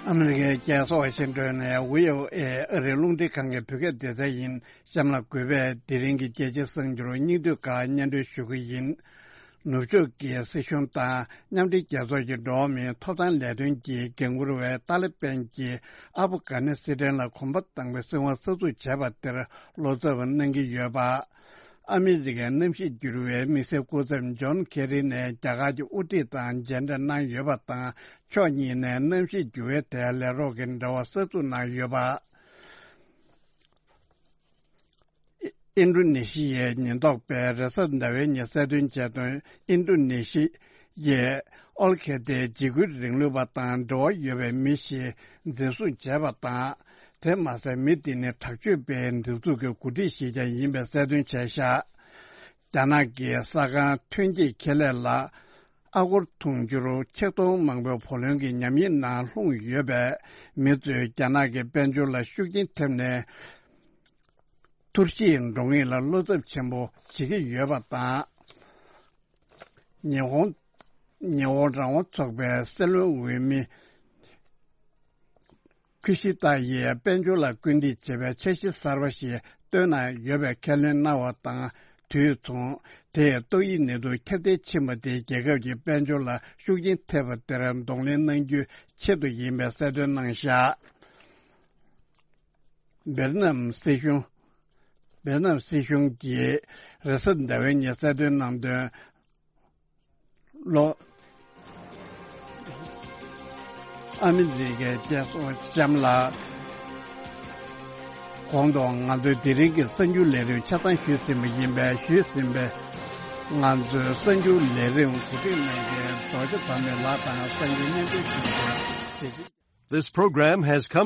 ཨ་མི་རི་ཀའི་རྒྱལ་ས་ཝ་ཤིང་ཏོན་ནས་ཝི་ཨོ་ཨེ་ཨ་རིའི་རླུང་འཕྲིན་ཁང་གི་བོད་སྐད་སྡེ་ཚན་ཡིན། གཤམ་ལ་གུས་པས་དེ་རིང་གི་རྒྱལ་སྤྱིའི་གསར་འགྱུར་སྙིང་བསྡུས་ཁག་སྙན་སྒྲོན་ཞུ་གི་ཡིན། ནུབ་ཕྱོགས་ཀྱི་སྲིད་གཞུང་དང་མཉམ་འབྲེལ་རྒྱལ་ཚོགས་ཀྱི་འགྲོ་བ་མིའི་ཐོབ་ཐང་ལས་དོན་གྱི་འགན་འཁུར་བས་ཏཱ་ལི་བན་གྱིས་ཨབ་གྷ་ནི་སི་ཐན་ལ་གོམ་པ་དང་པོའི་སྲིད་དབང་གསར་འཛུགས་བྱས་པ་དེར་བློ་འཚབ་གནང་གི་ཡོད་པ། ཨ་མི་རི་ཀའི་གནམ་གཤིས་འགྱུར་བའི་དམིགས་བསལ་སྐུ་ཚབ་ཇོན་ཁེ་རི་ནས་རྒྱ་གར་གྱི་དབུ་ཁྲིད་དང་མཇལ་འཕྲད་གནང་ཡོད་པ་དང་། ཕྱོགས་གཉིས་ནས་གནམ་གཤིས་འགྱུར་བའི་ཐད་ལས་རོགས་ཀྱི་འབྲེལ་བ་གསར་འཛུགས་གནང་ཡོད་པ། ཨིན་ཌོ་ནེ་ཤི་ཡའི་ཉེན་རྟོག་པས་རེས་གཟའ་ཟླ་བའི་ཉིན་གསལ་སྟོན་བྱས་དོན། ཨིན་ཌོ་ནེ་ཤི་ཡས་ཨོལ་ཁེ་ཏའི་འཇིགས་སྐུལ་རིང་ལུགས་པ་དང་འབྲེལ་བ་ཡོད་པའི་མི་ཞིག་འཛིན་བཟུང་བྱས་པ་དང་། དེ་མ་ཟད་མི་དེ་ནི་དྲག་སྤྱོད་པའི་སྒྲིག་འཛུགས་ཀྱི་འགོ་ཁྲིད་ཞིག་ཀྱང་ཡིན་པའི་གསལ་སྟོན་བྱས་ཤག་རྒྱ་ནག་གི་ས་ཁང་ཐོན་སྐྱེད་ཁེ་ལས་ལ་ཨ་སྒོར་དུང་ཕྱུར་ཆིག་སྟོང་མང་པོའི་བུ་ལོན་གྱི་ཉམས་ཉེས་ནང་ལྷུང་ཡོད་པས། མི་ཚོས་རྒྱ་ནག་གི་དཔལ་འབྱོར་ལ་ཤུགས་རྐྱེན་ཐེབས་ནས། འཐོར་ཞིག་འགྲོ་ངེས་ལ་བློ་འཚབ་ཆེན་པོ་བྱེད་ཀྱི་ཡོད་པ་དང་། ཉི་ཧོང་ ཉི་འོང་རང་དབང་ཚོགས་པའི་སྲིད་བློན་འོས་མི་ཁུ་ཤི་ཏཱ་ཡིས་དཔལ་འབྱོར་ལ་སྐུལ་འདེད་བྱེད་པའི་འཆར་གཞི་གསར་པ་ཞིག་བཏོན་གནང་ཡོད་པའི་ཁས་ལེན་གནང་བ་དང་དུས་མཚུངས། དེས་ཏོག་དབྱིབས་ནད་དུག་ཁྱབ་གདལ་ཕྱིན་པ་དེས་རྒྱལ་ཁབ་ཀྱི་དཔལ་འབྱོར་ལ་ཤུགས་རྐྱེན་ཐེབས་པ་དེར་གདོང་ལེན་གནང་རྒྱུའི་ཆེད་དུ་ཡིན་པའི་གསལ་སྟོན་གནང་བཞག། ཝེ་ཏི་ནམ་སྲིད་གཞུང་། ཝེ་ཏི་ནམ་སྲིད་གཞུང་གིས་རེས་གཟའ་ཟླ་བའི་ཉིན་གསལ་སྟོན་གནང་དོན། ལོ། ཨ་མི་རི་ཀའི་རྒྱལ་སྲུང་ལྕམ་ལགས། གོང་དུ་ང་ཚོའི་དེ་རིང་གི་གསར་འགྱུར་ལས་རིམ་ཆ་ཚང་ཞུས་ཟིན་པ་ཡིན་པས། ཞུས་ཟིན་པའི་ང་ཚོའི་གསར་འགྱུར་ལས་རིམ་གོ་སྒྲིག་གནང་མཁན་རྡོ་རྗེ་བར་མའི་ལགས་དང་གསར་འགྱུར་སྙན་སྒྲོན་ཞུ་མཁན། This program has come